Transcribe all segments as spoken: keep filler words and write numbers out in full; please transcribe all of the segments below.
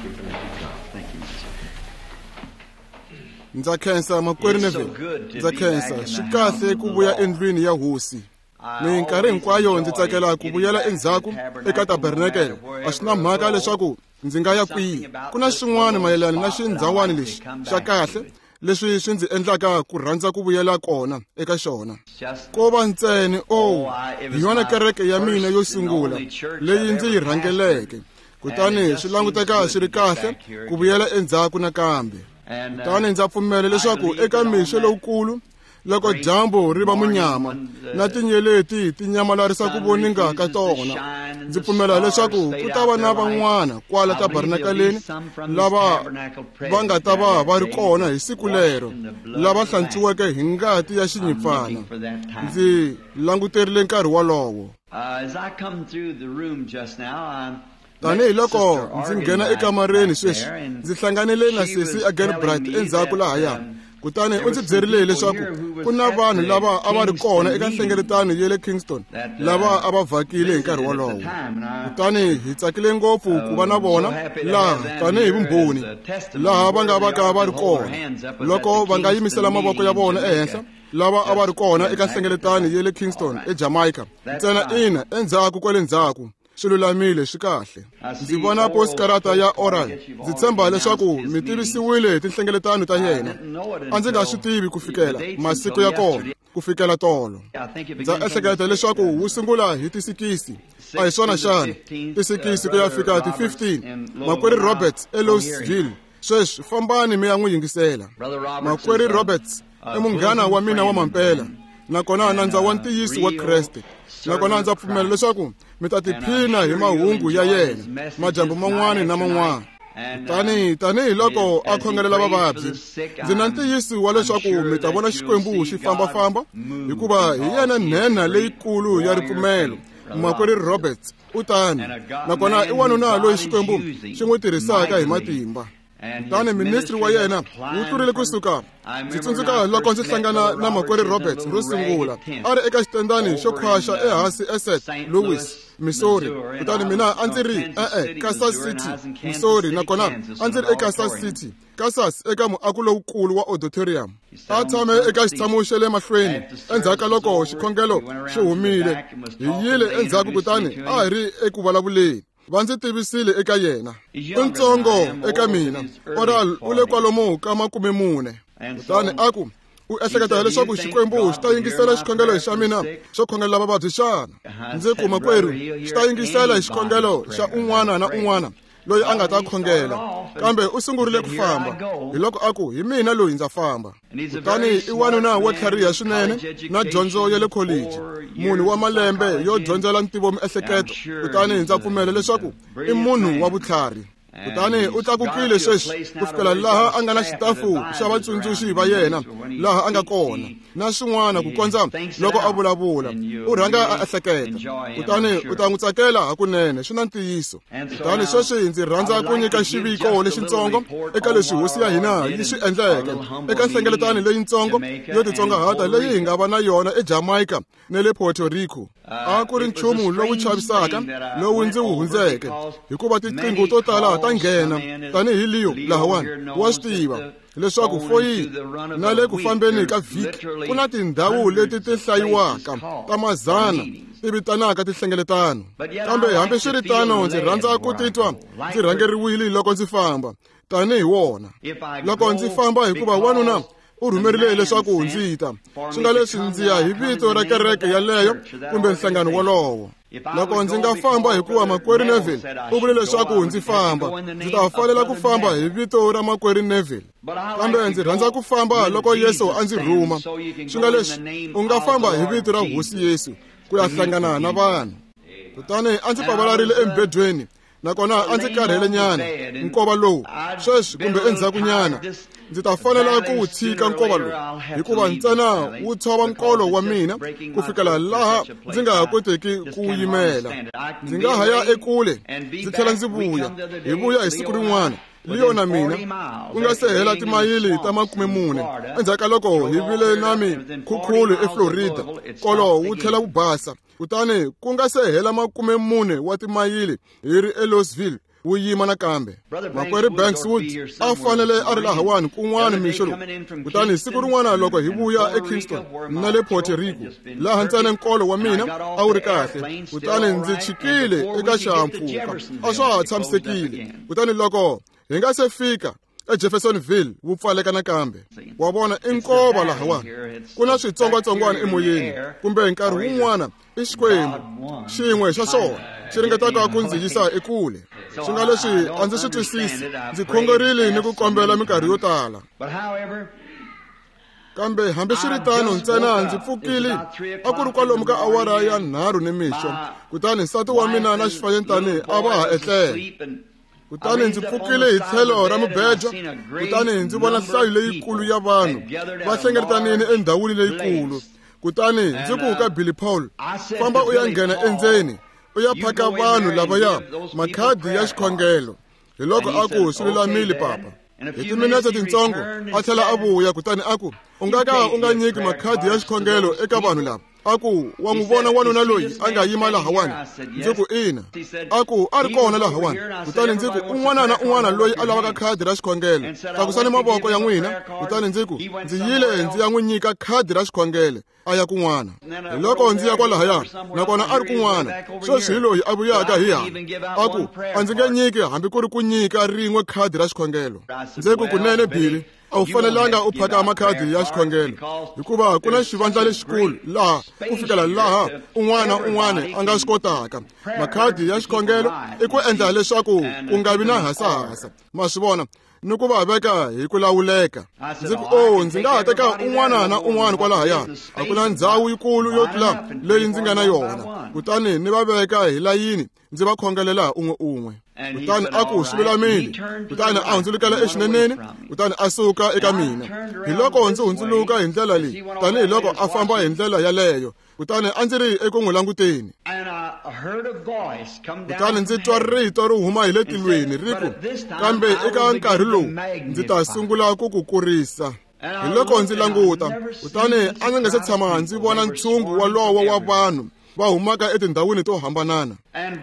Thank you. Ndza khensa makwerhu Neville. Ndza khensa swi kahle ku vuya endlwini ya hosi. Minkarhi hinkwayo ndzi tsakela ku vuyela endzhaku eka tabernakele. A swi na mhaka leswaku ndzi nga ya kwihi. Ku na xin'wana mayelana na xindhawani lexi xa kahle leswi swi ndzi endlaka ku rhandza ku vuyela kona eka xona. Ko va ntsena oh, hi yona kereke ya mina yo sungula leyi ndzi yi rhangeleke. Kutani swi languteka swi ri kahle ku vuyela endzhaku nakambe. Kutani ndza pfumela leswaku eka mixo lowukulu loko dyambu ri va munyama na tinyeleti ti nyamalarisa ku voninga ka tona, ndzi pfumela leswaku ku ta va na van'wana kwala tabernakeleni lava va nga ta va va ri kona hi siku lero, lava hlantswiweke hi ngati ya xinyimpfana. Ndzi languterile nkarhi wolowo. Tanihi loko ndzi nghena ekamareni sweswi, ndzi hlanganile na sesi Agenbright endzhaku lahaya. Kutani u ndzi byerile leswaku ku na vanhu lava a va ri kona eka nhlengeletano ya le Kingston lava a va vhakile hi nkarhi wolowo. Kutani hi tsakile ngopfu ku va na vona laha tanihi vumbhoni laha va nga va ka va ri kona loko va nga yimisela mavoko ya vona ehenhla lava a va ri kona eka nhlengeletano ya le Kingston eJamaica. Ntsena ina endzhaku kwale ndzhaku. Swi lulamile swi kahle. Ndzi vona postkarata ya Oral. Ndzi tshemba leswaku mi tivisiwile hi tinhlengeletano ta yena. A ndzi nga swi tivi ku fikela masiku ya kona, ku fikela tolo. Ndza ehleketa leswaku wu sungula hi tisikisi. A hi swona xana? Tisikisi ku ya fika ti fifteen. Makwerhu Roberts eLouisville. Sweswi fambani mi ya n'wi yingisela. Makwerhu Roberts i munghana wa mina wa mampela. Nakona nandza wa ntiyiso wa Kreste. Nakona ndza pfumela leswaku mi ta tiphina hi mahungu ya yena madyambu man'wana na man'wana. Tani tanihi loko a khongelela vavabyi, ndzi na ntiyiso wa leswaku mi ta vona Xikwembu xi fambafamba, hikuva hi yena nhenha leyikulu ya ripfumelo. Makwerhu Roberts u tani, nakona i wanuna loyi Xikwembu xi n'wi tirhisaka hi matimba. Kutani ministry wa yena wu tlurile kusuka. Ndzi tsundzuka loko ndzi hlangana na makwerhu Roberts ro sungula, a ri eka xitendani xo khwaxa ehansi eSaint Louis, Missouri. Kutani mina a ndzi ri e-e Kansas City, Missouri, nakona a ndzi ri eKansas City, Kansas, eka muako lowukulu wa auditorium. A tshame eka xitshamo xa le mahlweni endzhaku ka loko xikhongelo xi humile. Hi yile endzhaku kutani a hi ri eku vulavuleni. Va ndzi tivisile eka yena. U ntsongo eka mina. Oral u le kwalomu ka makume mune. Kutani a ku, u ehleketa leswaku Xikwembu xi ta yingisela xikhongelo xa mina xo khongelela vavabyi xana? Ndzi ku, makwerhu, xi ta yingisela xikhongelo xa un'wana na un'wana loyi a nga ta khongela. Kambe u sungurile ku famba. Hi loko a ku, hi mina loyi ndza famba. Kutani i wanuna wo tlhariha swinene na dyondzo ya le college, munhu wa malembe yo dyondzela ntivo miehleketo. Kutani ndza pfumela leswaku i munhu wa vutlhari. Kutani u tlakukile sweswi ku fikela laha a nga na xitafu xa vatsundzuxi va yena laha a nga kona na swin'wana ku kondza loko a vulavula u rhanga a ehleketa. Kutani u ta n'wi tsakela hakunene, swi na ntiyiso. Kutani sweswi ndzi rhandza ku nyika xiviko lexitsongo eka leswi hosi ya hina yi swi endleke eka nhlengeletano leyitsongo yo titsongahata leyi hi nga va na yona eJamaica na le Puerto Rico. A ku ri nchumu lowu chavisaka lowu ndzi wu hundzeke, hikuva tiqingho to tala ta nghena tanihi Leo lahawani wa swi tiva leswaku foyini na le ku fambeni ka vhiki ku na tindhawu leti ti hlayiwaka ta mazana ti vitanaka tinhlengeletano. Kambe hambiswiritano ndzi rhandza ku titwa ndzi rhangeriwile loko ndzi famba tanihi wona. Loko ndzi famba hikuva wanuna u rhumerile leswaku ndzi ta, swi nga leswi ndzi ya hi vito ra kereke yaleyo kumbe nhlangano wolowo. Loko ndzi nga famba hikuva makwerhu Neville u vule leswaku ndzi famba, ndzi ta fanela ku famba hi vito ra makwerhu Neville. Kambe ndzi rhandza ku famba loko Yesu a ndzi rhuma. Swi nga leswi u nga famba hi vito ra Hosi Yesu ku ya hlangana na vanhu. Kutani a ndzi pavalarile embedweni, nakona a ndzi karhele nyana nkova lowu sweswi kumbe endzhaku nyana ndzi ta fanela ku wu tshika nkova lowu, hikuva ntsena wu tshova nkolo wa mina ku fikela laha ndzi nga ha koteki ku wu yimela. Ndzi nga ha ya ekule ndzi tlhela ndzi vuya, hi vuya hi siku rin'wana. Leo na mina ku nga se hela timayili ta makume mune endzhaku ka loko hi vile na mikhukhulo eFlorida, nkolo wu tlhela wu basa. Kutani ku nga se hela makume mune wa timayili hi ri eLouisville, wu yima nakambe. Makwerhu Banks Wood a fanele a ri lahawani kun'wana mixo lowu. Kutani siku rin'wana loko hi vuya eKingston na le Puerto Rico, laha ntsena nkolo wa mina a wu ri kahle, kutani ndzi chikile eka xihahampfhuka, a swa ha tshamisekile. Kutani loko hi nga se fika eJeffersonville wu pfaleka nakambe. Wa vona i nkova lahawani, ku na switsongwatsongwana emoyeni, kumbe nkarhi wun'wana i Xikwembu xin'we xa swona xi ringetaka ku ndzi yisa ekule. Swi nga leswi a ndzi swi twisisi, ndzi khongerile ni ku kombela minkarhi yo tala. Kambe hambiswiritano ntsena ndzi pfukile a ku ri kwalomu ka awara ya nharhu nimixo, kutani nsati wa mina na xifanyetana a va ha etlela. Kutani ndzi pfukile hi tlhelo ra mubejo, kutani ndzi vona nhlayo leyikulu ya vanhu va hlengeletanile endhawini leyikulu. Kutani ndzi ku ka Billy Paul, famba u ya nghena endzeni u ya phaka vanhu lavaya makhadi ya xikhongelo. Hi loko a ku swi lulamile papa. Hi timinetse tintsongo a tlhela a vuya, kutani a ku u nga ka u nga nyiki makhadi ya xikhongelo eka vanhu lava. A ku wa n'wi vona wanuna loyi a nga yima lahawani? Ndzi ku ina. A ku a ri kona lahawani. Kutani ndzi ku un'wana na un'wana loyi a lavaka khadi ra xikhongelo, tlakusani mavoko ya n'wina. Kutani ndzi ku ndzi yile ndzi ya n'wi nyika khadi ra xikhongelo, a ya kun'wana. Hi loko ndzi ya kwalahaya, nakona a ri kun'wana. Sweswi hi loyi a vuyaka hi hala. A ku a ndzi nge nyiki hambi ku ri ku nyika rin'we khadi ra xikhongelo. Ndzi ku kunene Billy, a wu fanelanga u phaka makhadi ya xikhongelo, hikuva ku na xivandla lexikulu laha ku fikela laha un'wana na un'wana a nga swi kotaka. Makhadi ya xikhongelo i ku endla leswaku ku nga vi na hasahasa, ma swi vona, ni ku va veka hi ku lawuleka. Ndzi ku o ndzi nga ha teka un'wana na un'wana kwalahaya, a ku na ndhawu yikulu yo tlula leyi ndzi nga na yona. Kutani ni va veka hi layini, ndzi va khongelela un'we un'we. Kutani a ku swi lulamile. Kutani a hundzulukela exineneni, kutani a suka eka mina. Hi loko ndzi hundzuluka hi ndlela leyi, tanihiloko a famba hi ndlela yaleyo. Kutani a ndzi ri eku n'wi languteni. Kutani ndzi twa rito ri huma hi le tilweni ri ku, kambe eka nkarhi lowu ndzi ta sungula ku ku kurisa. Hi loko ndzi languta, kutani a ndzi nga se tshama ndzi vona ntshungu wolowo wa vanhu va humaka etindhawini to hambanana.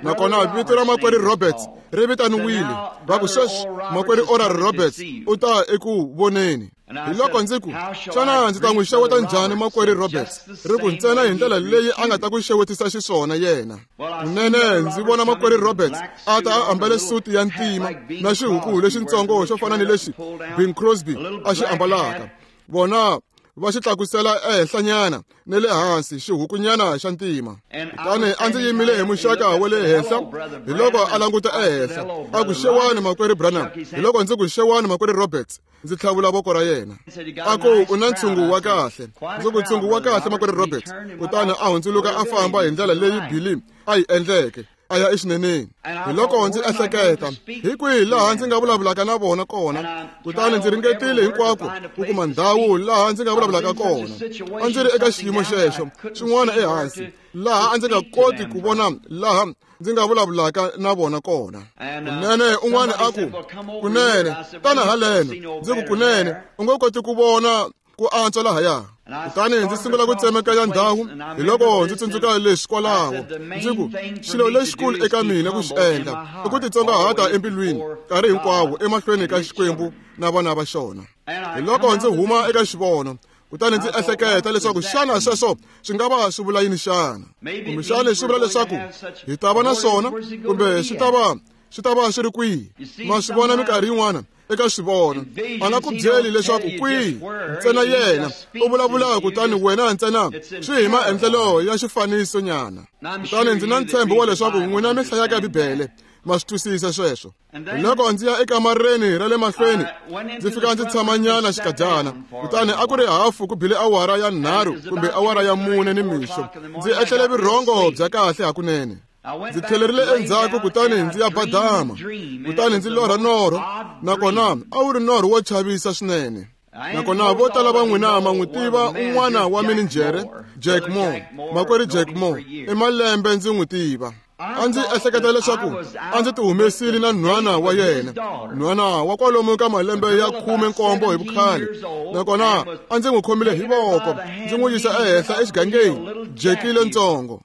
Nakona vito ra makwerhu Roberts ri vitaniwile, va ku sweswi makwerhu Oral Roberts u ta eku voneni. Hi loko ndzi ku, xana ndzi ta n'wi xeweta njhani makwerhu Roberts? Ri ku ntsena hi ndlela leyi a nga ta ku xewetisa xiswona yena. Kunene ndzi vona makwerhu Roberts a ta a ambale suti ya ntima na xihuku lexitsongo xo fana ni lexi Bing Crosby a xi ambalaka. Vona va xi tlakusela ehenhlanyana ni le hansi xihukunyana xa ntima. Kutani a ndzi yimile hi muxaka wa le henhla, hi loko a languta ehenhla a ku xewani makwerhu Branham. Hi loko ndzi ku xewani makwerhu Roberts, ndzi tlhavula voko ra yena. A ku u na ntshungu wa kahle. Ndzi ku ntshungu wa kahle makwerhu Roberts. Kutani a hundzuluka a famba hi ndlela leyi Billy a yi endleke, a ya exineneni. Hi loko ndzi ehleketa, hi kwihi laha ndzi nga vulavulaka na vona kona? Kutani ndzi ringetile hinkwako ku kuma ndhawu laha ndzi nga vulavulaka kona. A ndzi ri eka xiyimo xexo xin'wana ehansi, laha a ndzi nga koti ku vona laha ndzi nga vulavulaka na vona kona. Kunene un'wana a ku, kunene tana haleno. Ndzi ku kunene u nga koti ku vona ku antswa lahaya. Kutani ndzi sungula ku tsemekanya ndhawu, hi loko ndzi tsundzuka leswi kwalaho. Ndzi ku xilo lexikulu eka mina ku xi endla i ku titsongahata embilwini nkarhi hinkwawo emahlweni ka Xikwembu na vana va xona. Hi loko ndzi huma eka xivono, kutani ndzi ehleketa leswaku xana sweswo swi nga va swi vula yini xana? Kumbexana swi vula leswaku hi ta va na swona, kumbe swi ta va swi ta va swi ri kwihi? Ma swi vona minkarhi yin'wana eka xivono a nga ku byeli leswaku kwihi, ntsena yena u vulavula, kutani wena ntsena swi hi maendlelo ya xifaniso nyana. Kutani ndzi na ntshembo wa leswaku n'wina mi hlayaka Bibele ma swi twisisa sweswo. Hi loko ndzi ya ekamareni ra le mahlweni, ndzi fika ndzi tshamanyana xikadyana. Kutani a ku ri hafu ku bile awara ya nharhu kumbe awara ya mune nimixo. Ndzi etlele vurhongo bya kahle hakunene. Ndzi tlhelerile endzhaku, kutani ndzi ya badama. Kutani ndzi lorha norho, nakona a wu ri norho wo chavisa swinene. Nakona vo tala va n'wina ma n'wi tiva un'wana wa mininjhere, Jack Moore, makwerhu Jack Moore. I malembe ndzi n'wi tiva. A ndzi ehleketa leswaku a ndzi tihumesile na nhwana wa yena, nhwana wa kwalomu ka malembe ya khume nkombo hi vukhale. Nakona a ndzi n'wi khomile hi voko, ndzi n'wi yisa ehenhla exigangeni, Jackie lontsongo.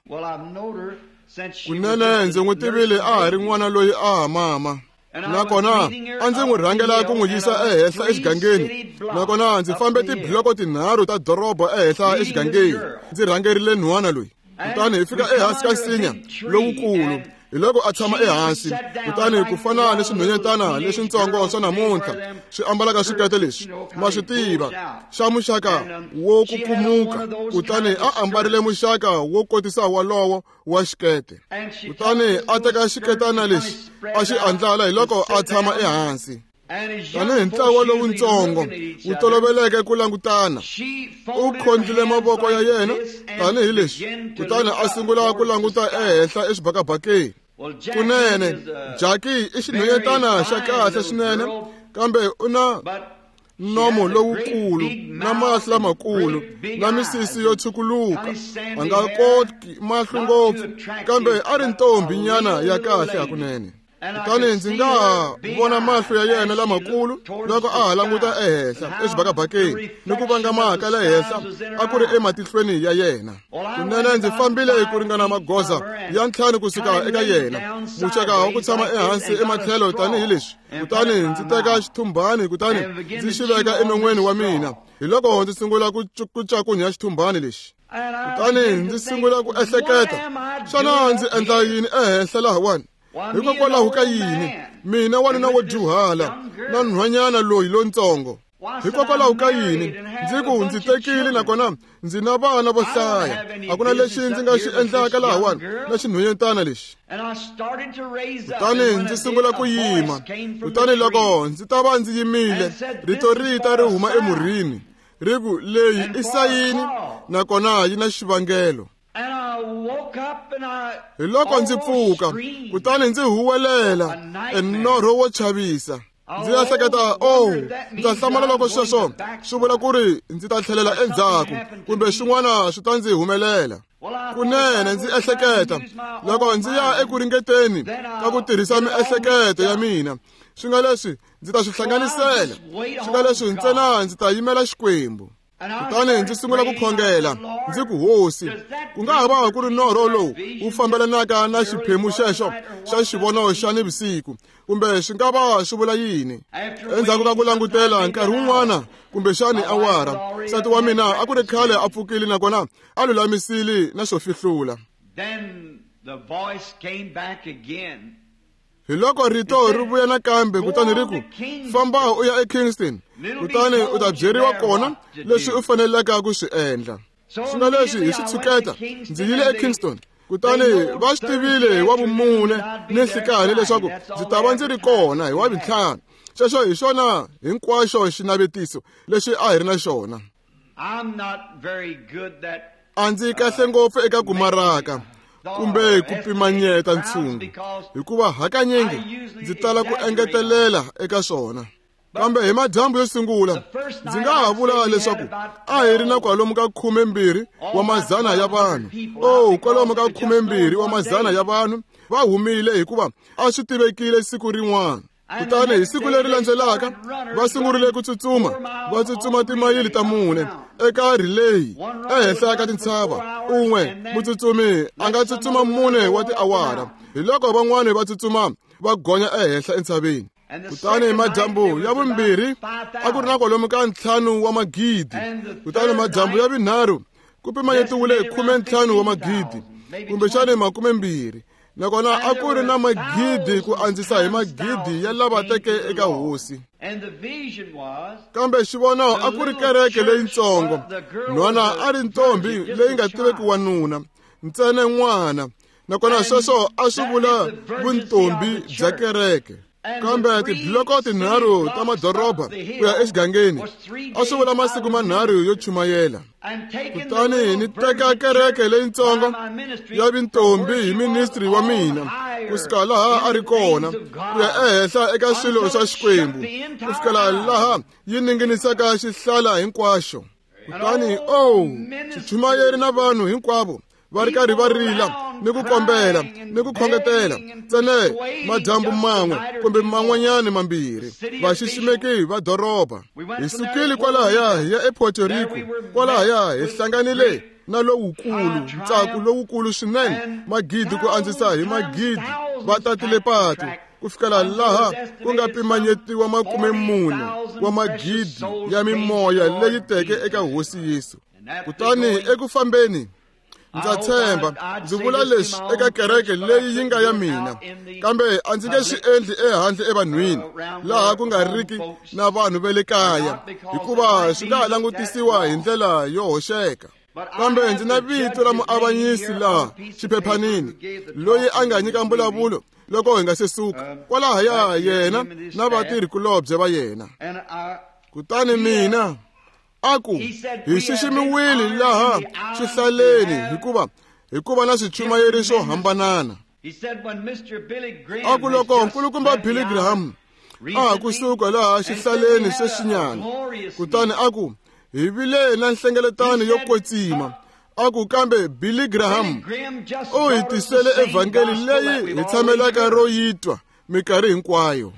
Kunene ndzi n'wi tivile a ha ri n'wana loyi a ha mama. Nakona a ndzi n'wi rhangela ku n'wi yisa ehenhla exigangeni. Nakona ndzi fambe tibloko tinharhu ta doroba ehenhla exigangeni, ndzi rhangerile nhwana loyi. Kutani hi fika ehansi ka nsinya lowukulu. Hi loko a tshama ehansi, kutani ku fana ni swinhwanyetana leswintsongo swa namuntlha swi ambalaka swikete leswi ma swi tiva xa muxaka wo kukumuka, kutani a ambarile muxaka wo kotisa walowo wa xikete. Kutani a teka xiketana lexi a xi andlala, hi loko a tshama ehansi. Tanihi ntlawa lowuntsongo wu toloveleke ku langutana, u khondlile mavoko ya yena tanihi leswi, kutani a sungula ku languta ehenhla exibakabakeni. Kunene Jackie i xinhwanyetana xa kahle swinene, kambe u na nomo lowukulu na mahlo lamakulu na misisi yo tshukuluka, a nga koti mahlo ngopfu, kambe a ri ntombi nyana ya kahle hakunene. Kutani ndzi nga ha vona mahlo ya yena lamakulu loko a ha languta ehenhla exibakabakeni ni ku vangama ka le henhla a ku ri ematihlweni ya yena. Kunene ndzi fambile ku ringana magoza ya ntlhanu kusuka eka yena, muxaka wa ku tshama ehansi ematlhelo tanihi leswi. Kutani ndzi teka xithumbani kutani ndzi xi veka enon'weni wa mina. Hi loko ndzi sungula ku cakunya xithumbani lexi. Kutani ndzi sungula ku ehleketa, xana ndzi endla yini ehenhla lahawani? Hikokwalaho ka yini mina wanuna wo dyuhala na nhwanyana loyi lontsongo? Hikokwalaho ka yini ndzi ku ndzi tekile nakona ndzi na vana vo hlaya? A ku na lexi ndzi nga xi endlaka lahawani na xinhwanyetana lexi. Kutani ndzi sungula ku yima. Kutani loko ndzi ta va ndzi yimile, rito ri ta ri huma emurhini ri ku, leyi i sayini nakona yi na xivangelo. Hi loko ndzi pfuka, kutani ndzi huwelela enorho wo chavisa. Ndzi ehleketa, oh, ndza hlamala loko sweswo swi vula ku ri ndzi ta tlhelela endzhaku kumbe swin'wana swi ta ndzi humelela. Kunene ndzi ehleketa, loko ndzi ya eku ringeteni ka ku tirhisa miehleketo ya mina, swi nga leswi ndzi ta swi hlanganisela, swi nga leswi ntsena ndzi ta yimela Xikwembu. Kutani ndzi sungula ku khongela, ndzi ku, Hosi, ku nga ha va ku ri norho lowu wu fambelanaka na xiphemu xexo xa xivono xa nivusiku, kumbe swi nga va swi vula yini? Endzhaku ka ku langutela nkarhi wun'wana kumbexani awara, nsati wa mina a ku ri khale a pfukile nakona a lulamisile na swo fihlula. Hi loko rito ri vuya nakambe, kutani ri ku, famba u ya eKingston, kutani u ta byeriwa kona leswi u faneleke ku swi endla. Swi nga leswi hi swi tshuketa, ndzi yile eKingston, kutani va swi tivile hi wa vumune ni nhlikani leswaku ndzi ta va ndzi ri kona hi wa vuntlhanu. Xexo hi xona hinkwaxo xinavetiso lexi a hi ri na xona. A ndzi kahle ngopfu eka ku maraka kumbe ku pimanyeta ntshungu, hikuva hakanyingi ndzi tala ku engetelela eka swona. Kambe hi madyambu yo sungula, ndzi nga ha vula leswaku a hi ri na kwalomu ka khumembirhi wa mazana ya vanhu. Oh, kwalomu ka khumembirhi wa mazana ya vanhu va humile, hikuva a swi tivekile siku rin'wana. Kutani hi siku leri landzelaka va sungurile ku tsutsuma, va tsutsuma timayili ta mune eka relay ehenhla ka tintshava. Un'we mutsutsumi a nga tsutsuma mune wa tiawara, hi loko van'wani va tsutsuma va gonya ehenhla entshaveni. Kutani madyambu ya vumbirhi a ku ri na kwalomu ka ntlhanu wa magidi. Kutani madyambu ya vunharhu ku pimanyetiwile khume ntlhanu wa magidi, kumbexani makumembirhi. Nakona a ku ri na magidi ku andzisa hi magidi ya lava teke eka Hosi. Kambe xivono a ku ri kereke leyintsongo. Nhwana a ri ntombi leyi nga tiveki wanuna, ntsena n'wana. Nakona sweswo a swi vula vuntombi bya kereke. Kambe tibloko tinharhu ta madoroba ku ya exigangeni a swi vula masiku manharhu yo chumayela. Kutani ni teka kereke leyintsongo ya vintombi hi ministri wa mina kusuka laha a ri kona ku ya ehenhla eka swilo swa Xikwembu, ku fikela laha yi ninginisaka xihlala hinkwaxo. Kutani oh, xichumayeri na vanhu hinkwavo va ri karhi va rila ni ku kombela ni ku khongetela ntsena madyambu man'we kumbe man'wanyana mambirhi, vaxiximeki va doroba. Hi sukile kwalahaya hi ya ePuerto Rico, kwalahaya hi hlanganile na lowukulu ntsako lowukulu swinene, magidi ku andzisa hi magidi va tatile patu. ku fikela laha ku nga pimanyetiwa makume mune wa magidi ya mimoya leyi teke eka Hosi Yesu. Kutani eku fambeni ndza tshemba ndzi vula leswi eka kereke leyi yi nga ya mina, kambe a ndzi nge swi endli ehandle evanhwini laha ku nga riki na vanhu va le kaya, hikuva swi nga ha langutisiwa hi ndlela yo hoxeka. Kambe ndzi na vito ra muavanyisi laha xiphephanini loyi a nga nyika mbulavulo loko hi nga se suka kwalahaya, yena na vatirhikulobye va yena. Kutani mina a ku hi xiximiwile laha xihlaleni hikuva hikuva na swichumayeri swo hambanana. A ku loko nkulukumba Billy Graham a ha kusuka laha xihlaleni sweswinyana, kutani a ku hi vile na nhlengeletano yo kwetsima. A ku kambe Billy Graham u hi tisele evhangeli leyi hi tshamelaka ro yi twa minkarhi hinkwayo.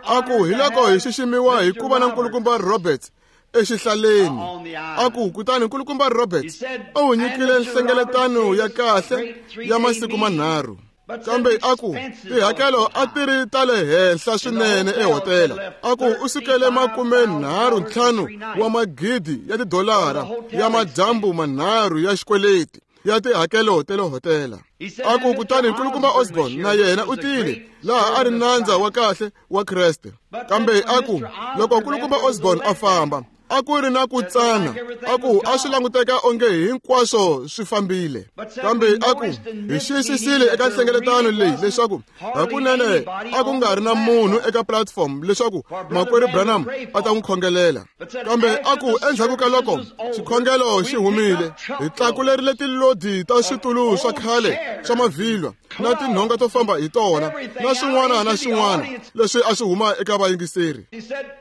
A ku hi loko hi xiximiwa hi ku va na nkulukumba Roberts exihlaleni. A ku kutani nkulukumba Roberts u nyikile nhlengeletano ya kahle ya masiku manharhu. Kambe a ku tihakelo a ti ri ta le henhla swinene ehotela. A ku u sukele makume nharhu ntlhanu wa magidi ya tidolara ya madyambu manharhu ya xikweleti ya tihakelo ta le hotela. A ku kutani nkulukumba Osborne na yena u tile laha a ri nandza wa kahle wa Kreste. Kambe a ku loko nkulukumba Osborne a famba, a ku ri na ku tsana. A ku a swi languteka onge hinkwaswo swi fambile. Kambe a ku hi xiyisisile eka nhlengeletano leyi leswaku hakunene a ku nga ri na munhu eka platform leswaku makwerhu Branham a ta n'wi khongelela. Kambe a ku endzhaku ka loko xikhongelo xi humile, hi tlakulerile tilodi ta switulu swa khale swa mavhilwa na tinhonga to famba hi tona na swin'wana na swin'wana leswi a swi huma eka vayingiseri.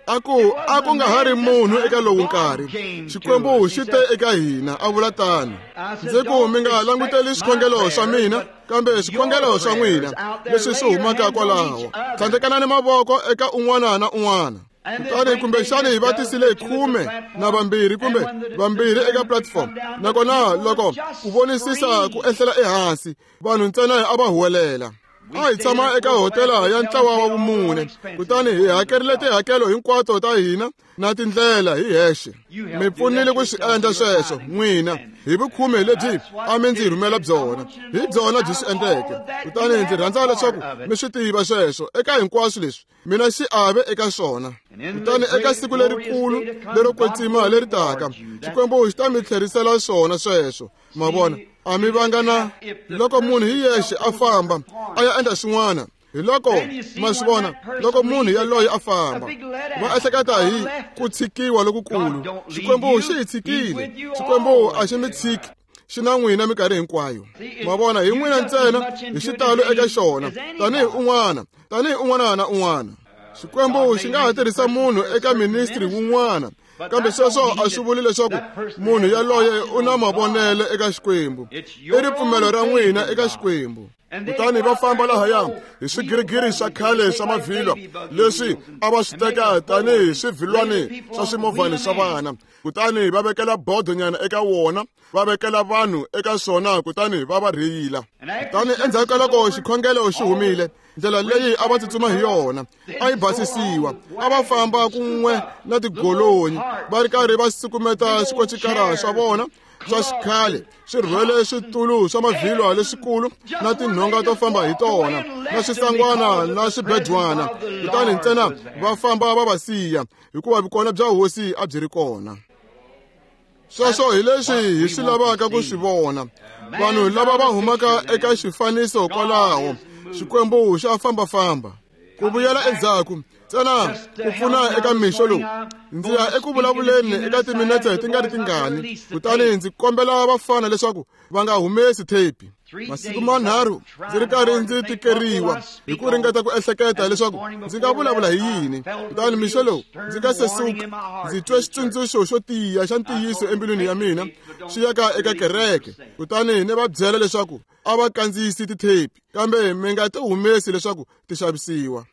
A ku a ku nga ha ri munhu eka lowu nkarhi, Xikwembu xi te eka hina, a vula tano. Ndzi ku mi nga languteli swikhongelo swa mina, kambe swikhongelo swa n'wina leswi swi humaka kwalaho. Tlhandlekanani mavoko eka un'wana na un'wana. Kutani kumbexani hi va tisile khume na vambirhi kumbe vambirhi eka platform, nakona loko ku vonisisa ku ehlela ehansi, vanhu ntsena a va huwelela. A hi tshama eka hotela ya ntlawa wa vumune, kutani hi hakerile tihakelo hinkwato ta hina na tindlela hi hexe. Mi pfunile ku swi endla sweswo n'wina hi vukhume lebyi a mi ndzi rhumela byona, hi byona byi swi endleke. Kutani ndzi rhandza leswaku mi swi tiva sweswo eka hinkwaswo leswi mina xiave eka swona. Kutani eka siku lerikulu lero kwetsima leri taka, Xikwembu xi ta mi tlherisela swona sweswo. Ma vona, a mi vanga na loko munhu hi yexe a famba a ya endla swin'wana. Hi loko ma swi vona, loko munhu yaloye a famba, va ehleketa hi ku tshikiwa lokukulu. Xikwembu xi hi tshikile. Xikwembu a xi mi tshiki, xi na n'wina minkarhi hinkwayo. Ma vona, hi n'wina ntsena hi xitalo eka xona, tanihi un'wana, tanihi un'wana na un'wana. Xikwembu xi nga ha tirhisa munhu eka ministry wun'wana, kambe sweswo a swi vuli leswaku munhu yaloye u na mavonelo eka Xikwembu. I ripfumelo ra n'wina eka Xikwembu. Kutani va famba lahaya hi swigirigiri swa khale swa mavhilwa leswi a va swi teka tanihi swivhilwani swa swimovhani swa vana, kutani va vekela bodonyana eka wona, va vekela vanhu eka swona, kutani va va rheyila. Kutani endzhaku ka loko xikhongelo xi humile, ndlela leyi a va tsutsuma hi yona a yi basisiwa. A va famba kun'we na tigolonyi va ri karhi va sukumeta swikocikara swa vona swa xikhale swi rhwele switulu swa mavhilwa leswikulu na tinhonga to famba hi tona na swisangwana na swibedwana. Kutani ntsena va famba va va siya, hikuva vukona bya Hosi a byi ri kona. Sweswo hi leswi hi swi lavaka ku swi vona. Vanhu lava va humaka eka xifaniso kwalaho, Xikwembu xa fambafamba. Ku vuyela endzhaku ntsena ku pfuna eka mixo lowu, ndzi ya eku vulavuleni eka timinetse ti nga ri tingani, kutani ndzi kombela vafana leswaku va nga humesi thepi. Masiku manharhu ndzi ri karhi ndzi tikeriwa hi ku ringeta ku ehleketa leswaku ndzi nga vulavula hi yini. Kutani mixo lowu ndzi nga se suka, ndzi twe xitsundzuxo xo tiya xa ntiyiso embilwini ya mina xi yaka eka kereke. Kutani ni va byela leswaku a va kandziyisi tithepi, kambe mi nga ti humesi leswaku ti xavisiwa.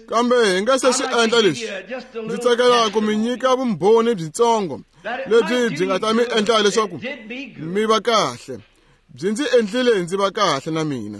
Kambe hi nga se swi endla leswi, ndzi tsakela ku mi nyika vumbhoni byitsongo lebyi byi nga ta mi endla leswaku mi va kahle. Byi ndzi endlile ndzi va kahle na mina.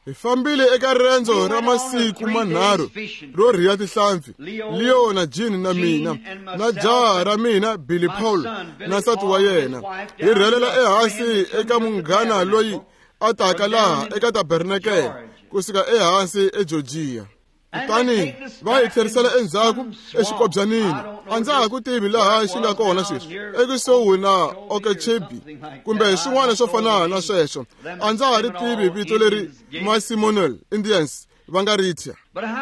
Hi fambile eka riendzo ra masiku manharhu ro rhiya tihlampfi, Leo na Jean na mina na jaha ra mina Billy Paul na nsati wa yena. Hi rhelela ehansi eka munghana loyi a taka laha eka tabernakele kusuka ehansi eGeorgia. Kutani va hi tlherisela endzhaku exikobyanini. A ndza ha ku tivi laha xi nga kona sweswi, ekusuhi na Okeechobee kumbe swin'wana swo fana na sweswo. A ndza ha ri tivi vito leri ma-Seminole Indians va nga ri thya.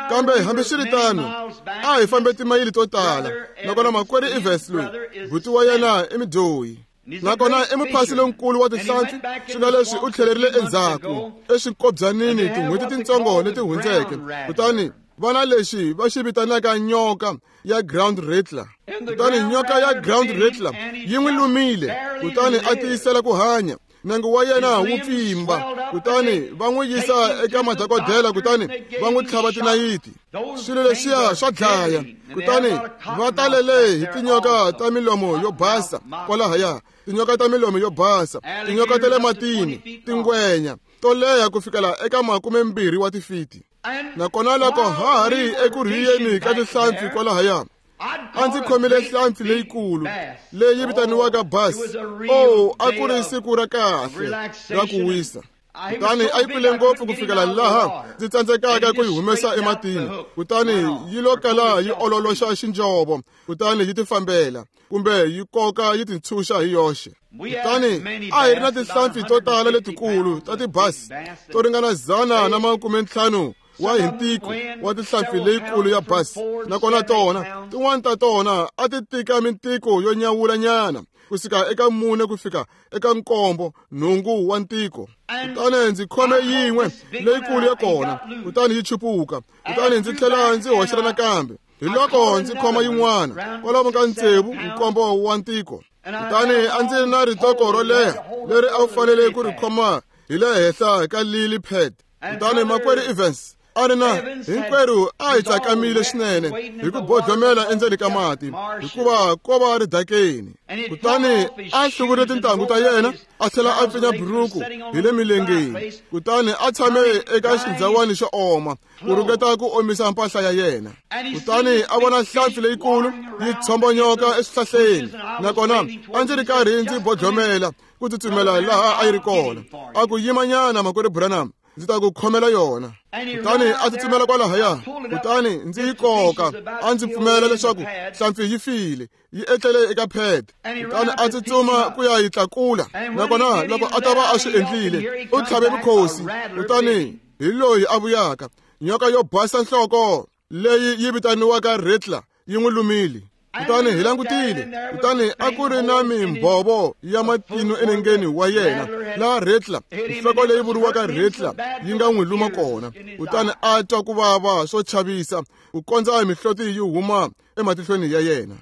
Kambe hambiswiritano, a hi fambe timayili to tala. Nakona makwerhu Evans loyi, buti wa yena i mudyohi, nakona i muphasi lonkulu wa tihlampfi. Swi nga leswi u tlhelerile endzhaku exikobyanini tin'hweti tintsongo leti hundzeke. Kutani va na lexi va xi vitanaka nyoka ya ground rattler. Kutani nyoka ya ground rattler yi n'wi lumile, kutani a tiyisela ku hanya. Nenge wa yena wu pfimba, kutani va n'wi yisa eka madokodela, kutani va n'wi tlhava tinayiti. Swilo leswiya swa dlaya. Kutani va talele hi tinyoka ta milomo yo basa kwalahaya, tinyoka ta milomo yo basa, tinyoka ta le matini, tingwenya to leha ku fikela eka makumembirhi wa tifiti. Nakona loko ha ha ri eku rhiyeni ka tihlampfi kwalahaya, a ndzi khomile hlampfi leyikulu leyi vitaniwaka bass. Oh, a ku ri siku ra kahle ra ku wisa. Kutani a yi kule ngopfu ku fikela laha ndzi tsandzekaka ku yi humesa ematini. Kutani yi lo kala yi ololoxa xinjovo, kutani yi tifambela kumbe yi koka yi tintshunxa hi yoxe. Kutani a hi ri na tihlampfi to tala letikulu ta tibass to ringana dzana na makumentlhanu wa hi ntiko wa tihlampfi leyikulu ya bass. Nakona tona tin'wana ta tona a ti tika mintiko yo nyawulanyana kusuka eka mune ku fika eka nkombo nhungu wa ntiko. Kutani ndzi khome yin'we leyikulu ya kona, kutani yi chupuka. Kutani ndzi tlhela ndzi hoxela nakambe. Hi loko ndzi khoma yin'wana kwalomu ka tsevu nkombo wa ntiko. Kutani a ndzi ri na ritoko ro leha leri a wu fanele ku ri khoma hi le henhla ka lily pad. Kutani makwerhu Evans a ri na hinkwerhu a hi tsakamile swinene hi ku bodlomela endzeni ka mati, hikuva ko va ridakeni. Kutani a hluvurile tintangu ta yena, a tlhela a pfinya buruku hi le milengeni. Kutani a tshame eka xindzawani xo oma ku ringeta ku omisa mpahla ya yena. Kutani a vona hlampfi leyikulu yi tshombonyoka eswihlahleni. Nakona a ndzi ri karhi ndzi bodlomela ku tsutsumela laha a yi ri kona. A ku yimanyana makwerhu Branham, ndzi ta ku khomela yona. Kutani a tsutsumela kwalahaya, kutani ndzi yi koka. A ndzi pfumela leswaku hlampfi yi file, yi etlele eka pad. Kutani a tsutsuma ku ya yi tlakula. Nakona loko a ta va a swi endlile, u tlhave mukhosi. Kutani hi loyi a vuyaka, nyoka yo basa nhloko leyi yi vitaniwaka rattler yi n'wi lumile. Kutani hi langutile, kutani a ku ri na mimbhovo ya matino enengeni wa yena laha rattler, nhloko leyi vuriwaka rattler, yi nga n'wi luma kona. Kutani a twa ku vava swo chavisa ku kondza mihloti yi huma ematihlweni ya yena.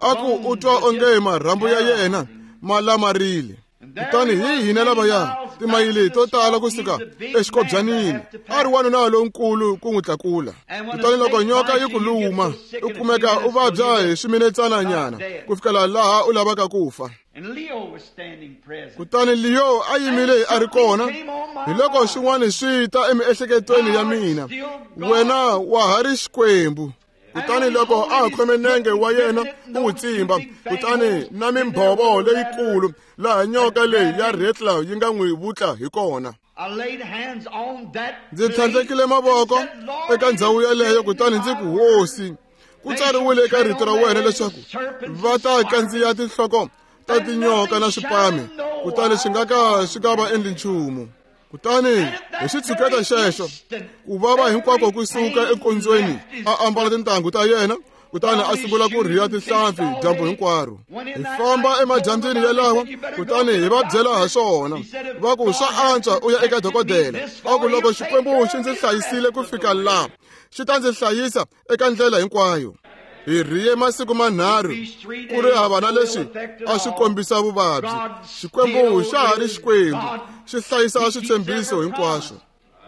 A ku u twa onge marhambu ya yena ma lamarile. Kutani hi hina lavaya timayili to tala kusuka exikobyanini, a ri wanuna lonkulu ku n'wi tlakula. Kutani loko nyoka yi ku luma, u kumeka u vabya hi swiminetsananyana ku fikela laha u lavaka ku fa. Kutani Leo a yimile a ri kona. Hi loko swin'wana swi ta emiehleketweni ya mina, wena wa ha ri Xikwembu. Kutani loko a khome nenge wa yena ku wu tsimba, kutani na mimbhovo leyikulu laha nyoka leyi ya rattler yi nga n'wi vutla hi kona. Ndzi tlhandlekile mavoko eka ndhawu yeleyo, kutani ndzi ku, Hosi, ku tsariwile eka rito ra wena leswaku va ta kandziya tinhloko ta tinyoka na swipame, kutani swi nga ka swi nga va endli nchumu. Kutani hi xitshuketa xexo, ku vava hinkwako ku suka ekondzweni, a ambala tintangu ta yena, kutani a sungula ku rhiya tihlampfi dyambu hinkwaro. Hi famba emadyambyini yalawa, kutani hi va byela ha swona. Va ku swa antswa u ya eka dokodela. A ku loko Xikwembu xi ndzi hlayisile ku fika laha, xi ta ndzi hlayisa eka ndlela hinkwayo. Hi rhiye masiku manharhu ku ri hava na leswi a swi kombisa vuvabyi. Xikwembu xa ha ri Xikwembu, xi hlayisa switshembiso hinkwaswo.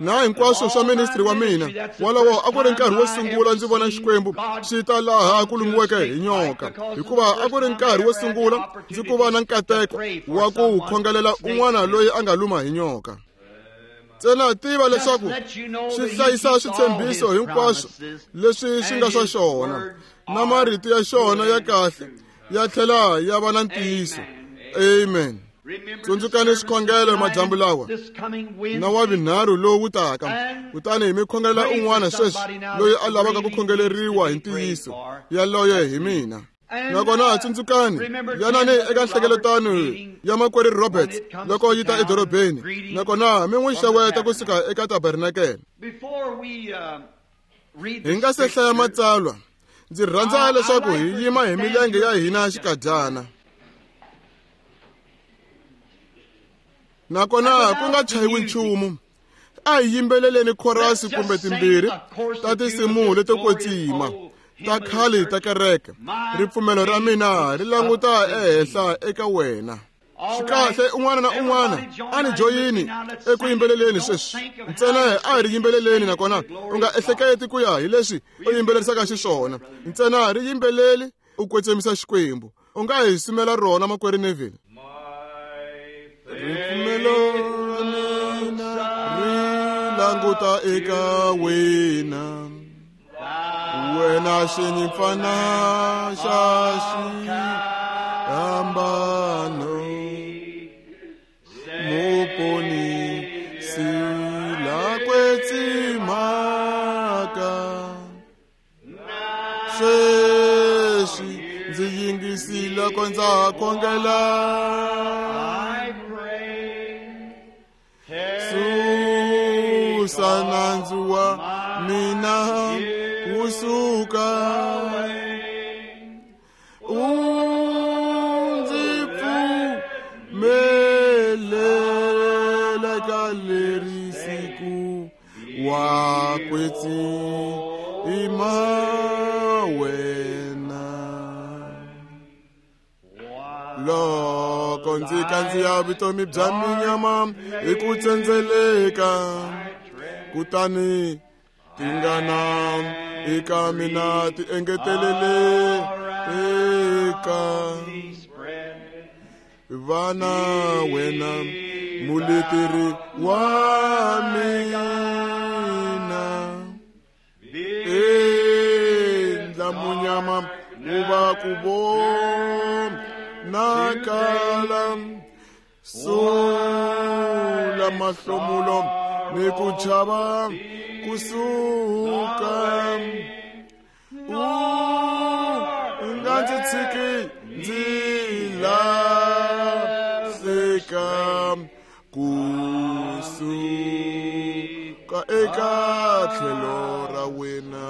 Na hinkwaswo swa ministry wa mina wolowo a ku ri nkarhi wo sungula ndzi vona Xikwembu xi ta laha ku lumiweke hi nyoka, hikuva a ku ri nkarhi wo sungula ndzi ku va na nkateko wa ku khongelela un'wana loyi a nga luma hi nyoka. Ntsena tiva leswaku xi hlayisa switshembiso hinkwaswo leswi swi nga swa xona, na marito ya xona ya kahle ya tlhela ya va na ntiyiso. Amen. Tsundzukani swikhongelo madyambu lawa na wa vunharhu lowu taka, kutani hi mi khongelela un'wana sweswi loyi a lavaka ku khongeleriwa hi ntiyiso yaloye hi mina. Nakona tsundzukani yanani eka nhlengeletano ya makwerhu Roberts loko yi ta edorobeni, nakona mi n'wi xeweta kusuka eka tabernakele. Hi nga se hlaya matsalwa, ndzi rhandza leswaku hi yima hi milenge ya hina xikadyana. Nakona ku nga chayiwi nchumu, a hi yimbeleleni khorasi kumbe timbirhi ta tinsimu leto kwetsima ta khale ta kereke. Ripfumelo ra mina ri languta ehenhla eka wena. Swi kahle, un'wana na un'wana a ni joyini eku yimbeleleni sweswi. Ntsena a hi ri yimbeleleni, nakona u nga ehleketi ku ya hi leswi u yimbelerisaka xiswona. Ntsena ri yimbeleli u kwetsemisa Xikwembu. U nga hi sumela rona makwerhu Neville. Ripfumelo ra mina ri languta eka wena, wena xinyimpfana xa xihambano, muponisi la kwetsimaka. Sweswi ndzi yingisile loko ndza khongela, susa nandzu wa mina wu suka, u ndzi pfumelela ka leri siku wa kwetsima wena. Loko ndzi kandziya vutomi bya minyama hi ku tsendzeleka, kutani tingana eka mina ti engetelele eka vana wena muleteri wa mina. Endla munyama wu va ku vonakala, sula mahlomulo ni ku chava kusuka. U nga ndzi tshiki ndzi lahleka kusuka eka tlhelo ra wena.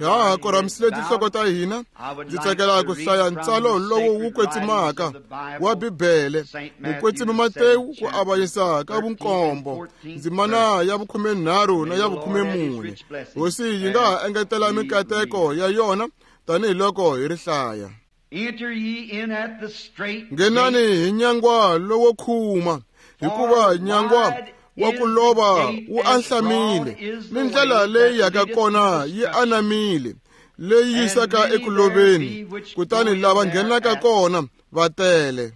Ha ha korhamisile tinhloko ta hina, ndzi tsakela ku hlaya ntsalo lowu wu kwetsimaka wa Bibele, mukwetsimi Matewu ku avanyisa ka vunkombo, ndzimana ya vukhumenharhu na ya vukhumemune. Hosi yi nga ha engetela mikateko ya yona tanihiloko hi ri hlaya. Nghenani hi nyangwa lowo khuma, hikuva nyangwa wa ku lova wu ahlamile, ni ndlela leyi yaka kona yi anamile, leyi yisaka eku loveni, kutani lava nghenaka kona va tele.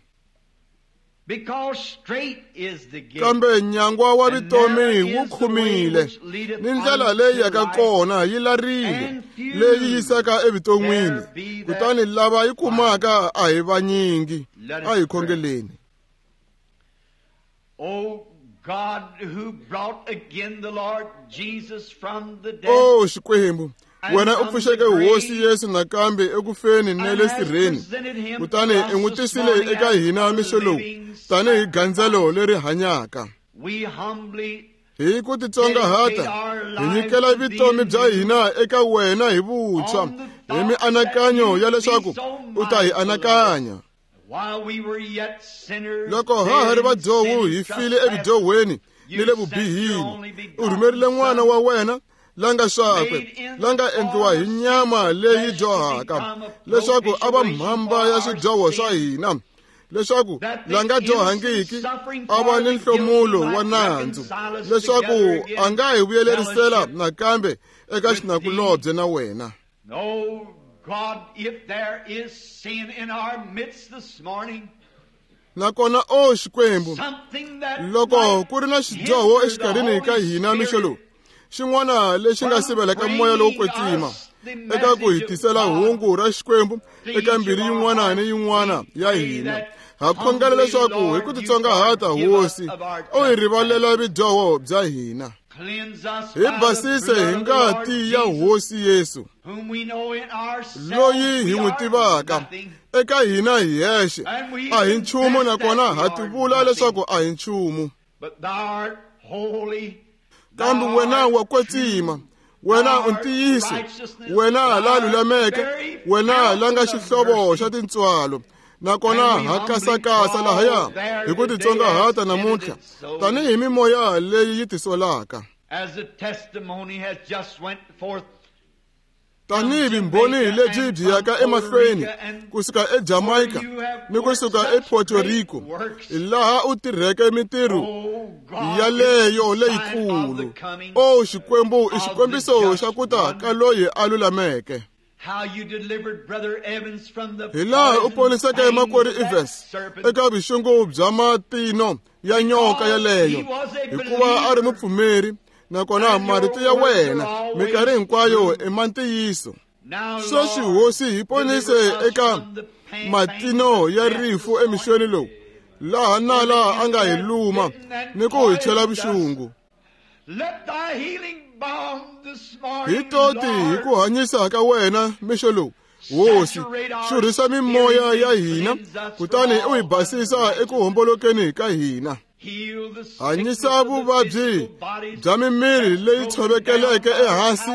Kambe nyangwa wa vutomi wu khumile, ni ndlela leyi yaka kona yi larile, leyi yisaka evuton'wini, kutani lava yi kumaka a hi vanyingi. A hi khongeleni. O Xikwembu, wena u pfuxeke Hosi Yesu nakambe ekufeni na le sirheni, kutani i n'wi tisile eka hina mixo lowu tanihi gandzelo leri hanyaka. Hi ku titsongahata hi nyikela vutomi bya hina eka wena hi vuntshwa, hi mianakanyo ya leswaku u ta hi anakanya. Loko ha ha ri vadyohi hi file evudyohweni ni le vubihini, u rhumerile n'wana wa wena la nga swakwe, la nga endliwa hi nyama leyi dyohaka, leswaku a va mhamba ya swidyoho swa hina, leswaku la nga dyohangiki a va ni nhlomulo wa nandzu, leswaku a nga hi vuyelerisela nakambe eka xinakulobye na wena. God, if there is sin in our midst this morning, Nakona o Xikwembu, loko ku ri na xidyoho exikarhini ka hina mixo lowu, xin'wana lexi nga sivelaka moya lowo kwetsima eka ku hi tisela hungu ra Xikwembu eka mbilu yin'wana ni yin'wana ya hina, ha khongela leswaku hi ku titsongahata Hosi u hi rivalela vidyoho bya hina. Hi basise hi ngati ya Hosi Yesu, loyi hi n'wi tivaka. Eka hina hi hexe a hi nchumu, nakona ha tivula leswaku a hi nchumu. Kambe wena wa kwetsima, wena u ntiyiso, wena la lulameke, wena la nga xihlovo xa tintswalo. Nakona ha kasakasa lahaya hi ku titsongahata namuntlha tanihi mimoya leyi yi tisolaka, tanihi vumbhoni lebyi byi yaka emahlweni kusuka eJamaica ni kusuka ePuerto Rico, laha u tirheke mintirho yaleyo leyikulu. O Xikwembu, i xikombiso xa ku ta ka loyi a lulameke. Hi laha u poniseke makwerhu Evans eka vuxungu bya matino ya nyoka yaleyo, hikuva a ri mupfumeri, nakona marito ya wena minkarhi hinkwayo i ma ntiyiso. Sweswi Hosi, hi ponise eka matino ya rifu emixweni lowu, laha nala a nga hi luma ni ku hi chela vuxungu. Hi toti hi ku hanyisa ka wena mixo lowu, Hosi, xurhisa mimoya ya hina, kutani u hi basisa eku hombolokeni ka hina. Hanyisa vuvabyi bya mimiri leyi tshovekeleke ehansi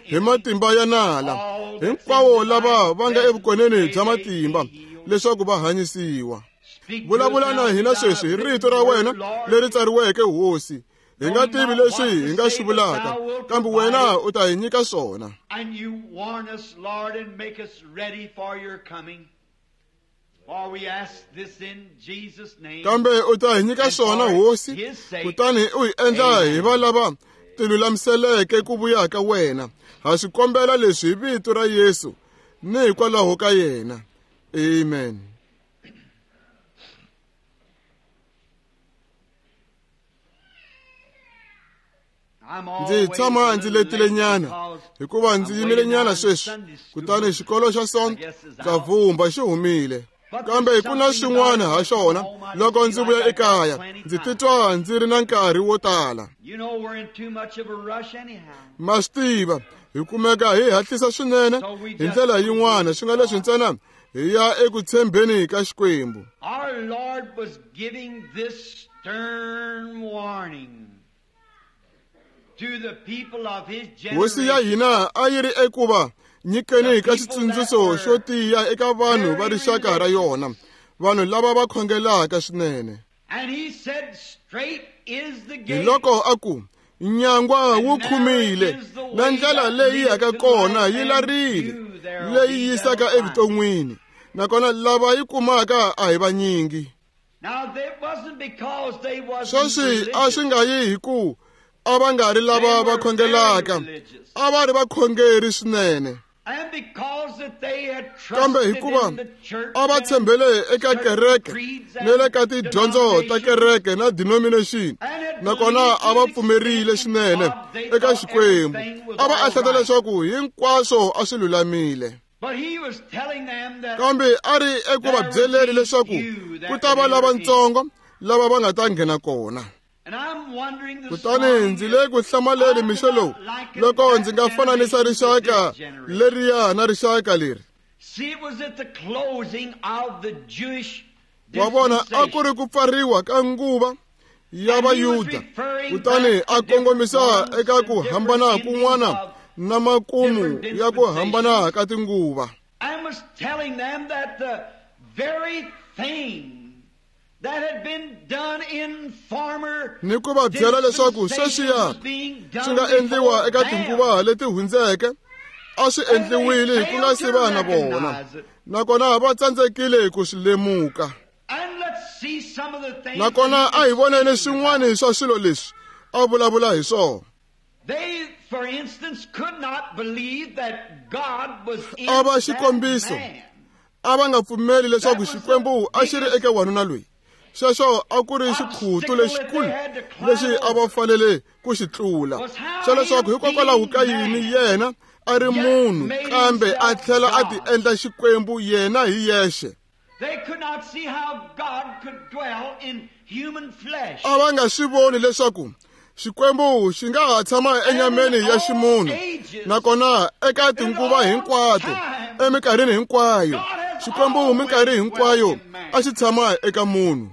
hi matimba ya nala, hinkwawo lava va nga evukoneni bya matimba, leswaku va hanyisiwa. Vulavula na hina sweswi hi rito ra wena leri tsariweke, Hosi. Hi nga tivi leswi hi nga swi vulaka, kambe wena u ta hi nyika swona. Kambe u ta hi nyika swona, Hosi, kutani u hi endla hi va lava tilulamiseleke ku vuya ka wena. Ha swi kombela leswi hi vito ra Yesu ni hikwalaho ka yena. Amen. Ndzi tshama ndzi letile nyana hikuva ndzi yimile nyana sweswi, kutani xikolo xa Sonto xa vumba xi humile. Kambe ku na swin'wana ha xona loko ndzi vuya ekaya, ndzi titwa ndzi ri na nkarhi wo tala. Ma swi tiva, hi kumeka hi hatlisa swinene hi ndlela yin'wana, swi nga leswi ntsena hi ya eku tshembeni ka Xikwembu. Hosi ya hina a yi ri ekuva nyikeni ka xitsundzuxo xo tiya eka vanhu va rixaka ra yona, vanhu lava va khongelaka swinene. Hi loko a ku, nyangwa wu khumile, na ndlela leyi yaka kona yi larile, leyi yisaka evuton'wini, nakona lava yi kumaka a hi vanyingi. Sweswi a swi nga yi hi ku a va nga ri lava va khongelaka, a va ri vakhongeri swinene. Kambe hikuva a va tshembele eka kereke ni le ka tidyondzo ta kereke na denomination, nakona a va pfumerile swinene eka Xikwembu, a va ehleketa leswaku hinkwaswo a swi lulamile. Kambe a ri eku va byeleni leswaku ku ta va lavatsongo lava va nga ta nghena kona. Kutani ndzi le ku hlamaleni mixo lowu loko ndzi nga fananisa rixaka leriya na rixaka leri. Wa vona, a ku ri ku pfariwa ka nguva ya Vayuda, kutani a kongomisa eka ku hambana kun'wana na makumu ya ku hambana ka tinguva. Ni ku va byela leswaku sweswiya swi nga endliwa eka tinguva leti hundzeke a swi endliwile ku nga si va na vona, nakona va tsandzekile ku swi lemuka. Nakona a hi voneni swin'wana swa swilo leswi a vulavula hi swona. A va xikombiso, a va nga pfumeli leswaku Xikwembu a xi ri eka wanuna loyi. Xexo a ku ri xikhutu lexikulu lexi a va fanele ku xi tlula, xa leswaku hikokwalaho ka yini yena a ri munhu kambe a tlhela a ti endla Xikwembu yena hi yexe. A va nga swi voni leswaku Xikwembu xi nga ha tshama enyameni ya ximunhu, nakona eka tinguva hinkwato, eminkarhini hinkwayo, Xikwembu minkarhi hinkwayo a xi tshama eka munhu.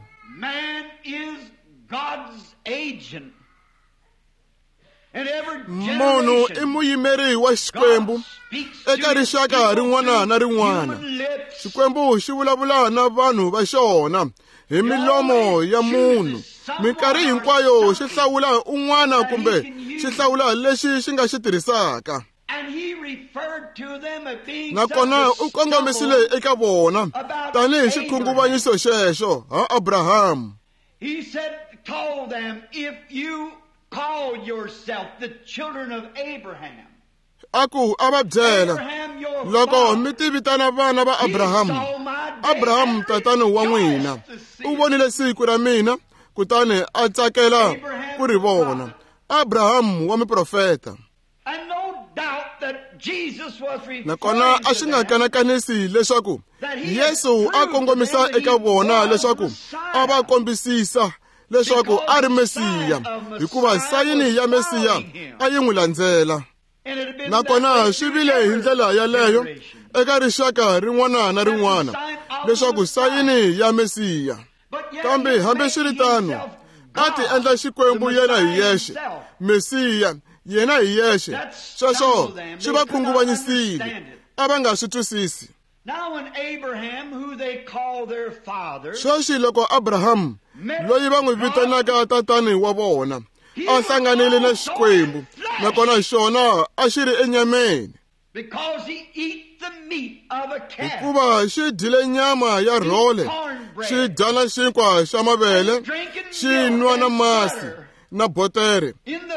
Munhu i muyimeri wa Xikwembu eka rixaka rin'wana na rin'wana. Xikwembu xi vulavula na vanhu va xona hi milomo ya munhu. Minkarhi hinkwayo xi hlawula un'wana kumbe xi hlawula lexi xi nga xi tirhisaka. Nakona u kongomisile eka vona tanihi xikhunguvanyiso xexo ha Abrahamu. A ku a va byela, loko mi ti vitana vana va Abrahamu, Abrahamu tatana wa n'wina u vonile siku ra mina kutani a tsakela ku ri vona. Abrahamu wa muprofeta. Nakona a swi nga kanakanisi leswaku Yesu a kongomisa eka vona leswaku a va kombisisa leswaku a ri Mesiya, hikuva sayini ya Mesiya a yi n'wi landzela. Nakona swi vile hi ndlela yaleyo eka rixaka rin'wana na rin'wana leswaku sayini ya Mesiya. Kambe hambiswiritano a ti endla Xikwembu yena hi yexe, Mesiya yena hi yexe. Sweswo swi va khunguvanyisile, a va nga swi twisisi. Sweswi loko Abrahamu loyi va n'wi vitanaka tatani wa vona a hlanganile na Xikwembu, nakona xona a xi ri enyameni, hikuva xi dyile nyama ya rhole, xi dya na xinkwa xa mavele, xi nwa na masi na botere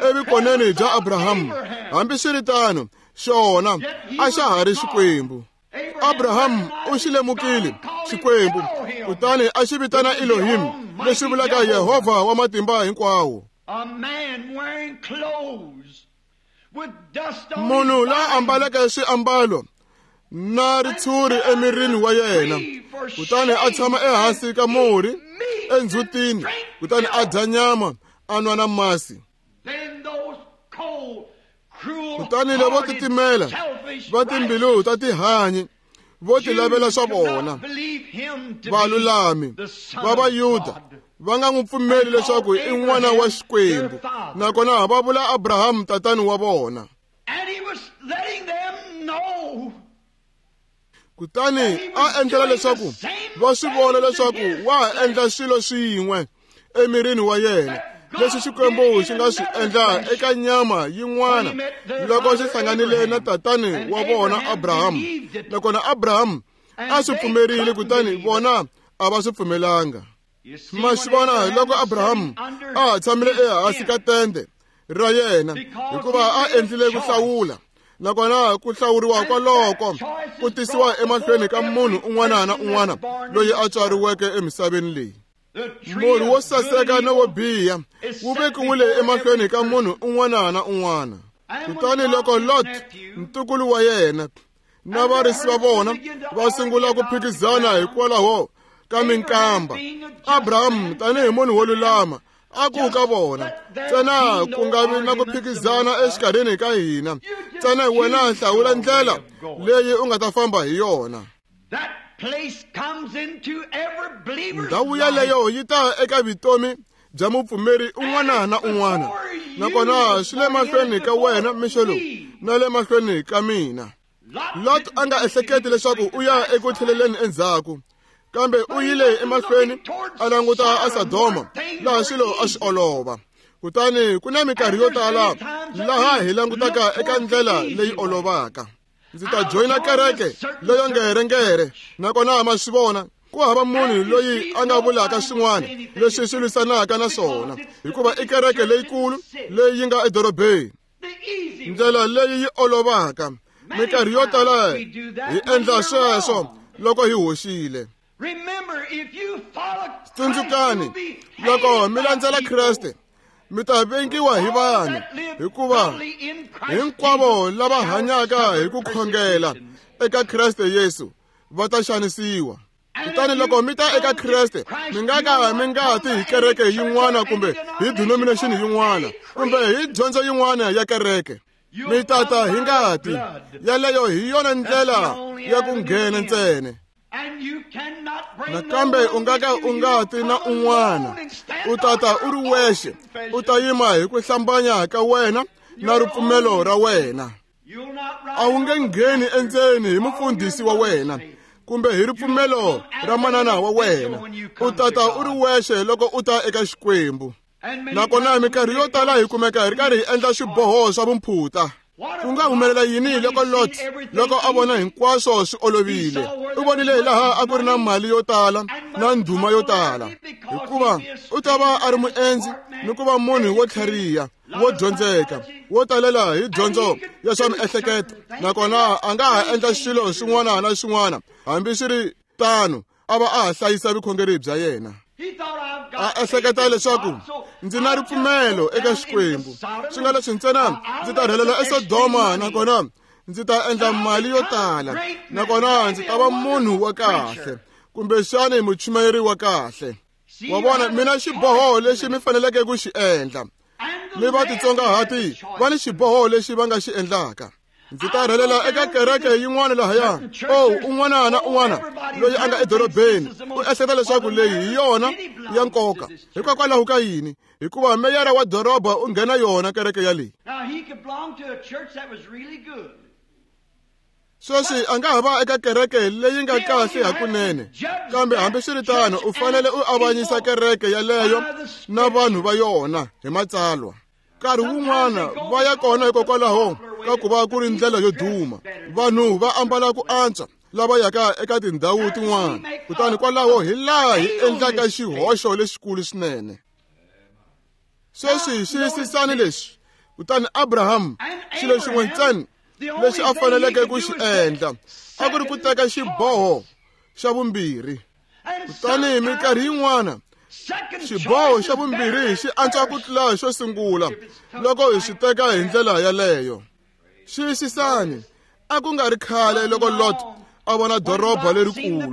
evukoneni bya Abrahamu. Hambiswiritano xona a xa ha ri Xikwembu. Abrahamu u xi lemukile Xikwembu kutani a xi vitana Elohim, leswi vulaka Yehovha wa matimba hinkwawo. Munhu la ambaleke swiambalo na ritshuri emirini wa yena, kutani a tshama ehansi ka murhi endzhutini, kutani a dya nyama a nwa na masi. Kutani lavo titimela va timbilu ta tihanyi vo ti lavela swa vona, valulami va Vayuda va nga n'wi pfumeli leswaku i n'wana wa Xikwembu, nakona va vula Abrahamu tatani wa vona. Kutani a endlela leswaku va swi vona leswaku wa ha endla swilo swin'we emirini wa yena leswi Xikwembu xi nga swi endla eka nyama yin'wana loko xi hlanganile na tatani wa vona Abrahamu. Nakona Abrahamu a swi pfumerile, kutani vona a va swi pfumelanga. Ma swi vona loko Abrahamu a ha tshamile ehansi ka tende ra yena, hikuva a endlile ku hlawula, nakona ku hlawuriwa kwaloko ku tisiwa emahlweni ka munhu un'wana na un'wana loyi a tswariweke emisaveni leyi. Murhi wo saseka na wo biha wu vekiwile emahlweni ka munhu un'wana na un'wana. Kutani loko Lot ntukulu wa yena na varisi va vona va sungula ku phikizana hikwalaho ka minkamba, Abrahamu tanihi munhu wo lulama a ku ka vona, ntsena ku nga vi na ku phikizana exikarhini ka hina, ntsena wena hlawula ndlela leyi u nga ta famba hi yona. Ndhawu yaleyo yi ta eka vutomi bya mupfumeri un'wana na un'wana, nakona swi le mahlweni ka wena mixo lowu na le mahlweni ka mina. Lot a nga ehleketi leswaku u ya eku tlheleleni endzhaku, kambe u yile emahlweni a languta a Sodoma laha swilo a swi olova. Kutani ku na minkarhi yo tala laha hi langutaka eka ndlela leyi olovaka. Ndzi ta joyina kereke leyo ngerengere, nakona ma swi vona ku hava munhu loyi a nga vulaka swin'wana leswi swi lwisanaka na swona, hikuva i kereke leyikulu leyi yi nga edorobeni. Ndlela leyi yi olovaka, minkarhi yo tala hi endla sweswo loko hi hoxile. Tsundzukani, loko mi landzela Kreste, mi ta vengiwa hi vanhu, hikuva hinkwavo lava hanyaka hi ku khongela eka Kreste Yesu va ta xanisiwa. Kutani loko mi ta eka Kreste, mi nga ka mi nga ti hi kereke yin'wana kumbe hi denomination yin'wana kumbe hi dyondzo yin'wana ya kereke. Mi tata hi ngati yaleyo, hi yona ndlela ya ku nghena ntsena. Nakambe u nga ka u nga ti na un'wana, u tata u ri wexe, u ta yima hi ku hlambanya ka wena na ripfumelo ra wena. A wu nge ngheni endzeni hi mufundhisi wa wena kumbe hi ripfumelo ra manana wa wena. U tata u ri wexe loko u ta eka Xikwembu. Nakona minkarhi yo tala hi kumeka hi ri karhi hi endla swiboho swa vumphuta. Ku nga humelela yini loko Lot loko a vona hinkwaswo swi olovile? U vonile hi laha a ku ri na mali yo tala na ndhuma yo tala, hikuva u ta va a ri muendzi ni ku va munhu wo tlhariha, wo dyondzeka, wo talela hi dyondzo ya swa miehleketo. Nakona a nga ha endla swilo swin'wana na swin'wana, hambi swi ri tano a va a ha hlayisa vukhongeri bya yena. A ehleketa leswaku ndzi na ripfumelo eka Xikwembu, swi nga leswi ntsena ndzi ta rhelela eSodoma, nakona ndzi ta endla mali yo tala, nakona ndzi ta va munhu wa kahle, kumbexani muchumayeri wa kahle. Wa vona, mina xiboho lexi mi faneleke ku xi endla, mi va titsongahati va ni xiboho lexi va nga xi endlaka. Ndzi ta rhelela eka kereke yin'wana lahaya. Oh, un'wana na un'wana loyi a nga edorobeni u ehleketa leswaku leyi hi yona ya nkoka. Hikokwalaho ka yini? Hikuva meyara wa doroba u nghena yona kereke yaleyi. Sweswi a nga ha va eka kereke leyi nga kahle hakunene, kambe hambiswiritano u fanele u avanyisa kereke yaleyo na vanhu va yona hi matsalwa. Nkarhi wun'wana va ya kona hikokwalaho ka ku va ku ri ndlela yo duma, vanhu va ambala ku antswa lava yaka eka tindhawu tin'wana, kutani kwalaho hi laha hi endlaka xihoxo lexikulu swinene. Sweswi xiyisisani lexi. Kutani Abraham, xilo xin'we ntsena lexi a faneleke ku xi endla a ku ri ku teka xiboho xa vumbirhi. Kutani minkarhi yin'wana xiboho xa vumbirhi xi antswa ku tlula xo sungula loko hi xi teka hi ndlela yaleyo. Xiyisisani, a ku nga ri khale loko Lot a vona doroba lerikulu,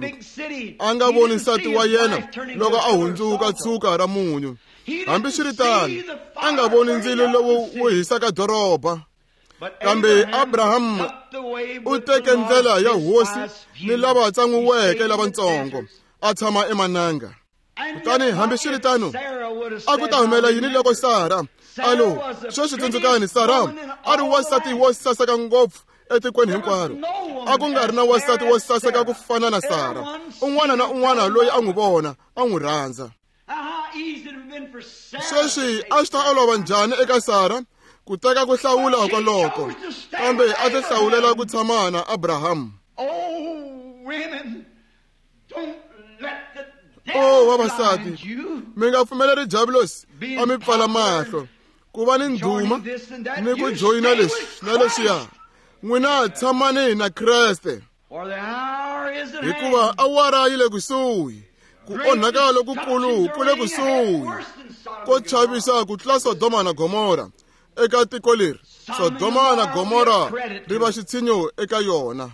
a nga voni nsati wa yena loko a hundzuka tshuka ra munyu. Hambiswiritano, a nga voni ndzilo lowu wu hisaka doroba. Kambe Abraham u teke ndlela ya hosi ni lava tsan'wiweke lavatsongo, a tshama emananga. Kutani hambiswiritano, a ku ta humela yini loko Sara alo sweswi tsundzukani, Sara a ri wansati wo saseka ngopfu etikweni hinkwaro. A ku nga ri na wansati wo saseka ku fana na Sara. Un'wana na un'wana loyi a n'wi vona a n'wi rhandza. Sweswi a swi ta olova njhani eka Sara ku teka ku hlawula kwaloko, kambe a ti hlawulela ku tshama na Abraham. Oh, vavasati, mi nga pfumeleri diabulosi a mi pfala mahlo ku va ni ndhuma ni ku joyina leswi na leswiya. N'wina tshamani na Kreste, hikuva awara yi le kusuhi, ku onhaka lokukulu ku le kusuhi, ko chavisa ku tlula Sodoma na Gomora. Eka tiko leri, Sodoma na Gomora ri va xitshinyo eka yona.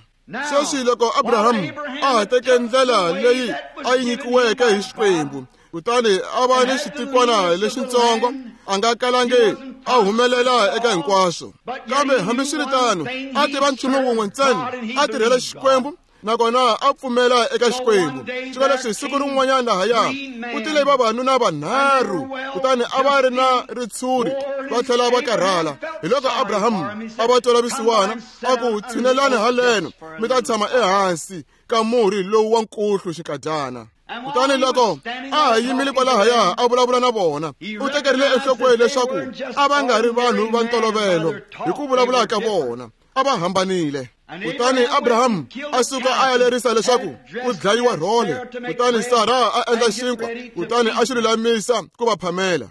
Sweswi loko Abraham a ha teke ndlela leyi a yi nyikiweke hi Xikwembu, kutani a va ni xitikwana lexitsongo, a nga kalangi a humelela eka hinkwaswo. Kambe hambiswiritano, a tiva nchumu wun'we ntsena, a tirhela Xikwembu, nakona a pfumela eka Xikwembu. Swi leswi siku rin'wanyana lahaya ku tile vavanuna vanharhu, kutani a va ri na ritshuri va tlhela va karhala. Hi loko Abraham a va twela vusiwana, a ku tshinelani haleno mi ta tshama ehansi ka murhi lowu wa nkuhlu xinkadyana. Kutani loko a ha yimile kwalahaya a vulavula na vona, u tekerile enhlokweni leswaku a va nga ri vanhu va ntolovelo hi ku vulavula ka vona, a va hambanile. Kutani Abraham a suka a ya lerisa leswaku ku dlayiwa rhole, kutani Sara a endla xinkwa, kutani a xi lulamisa ku va phamela.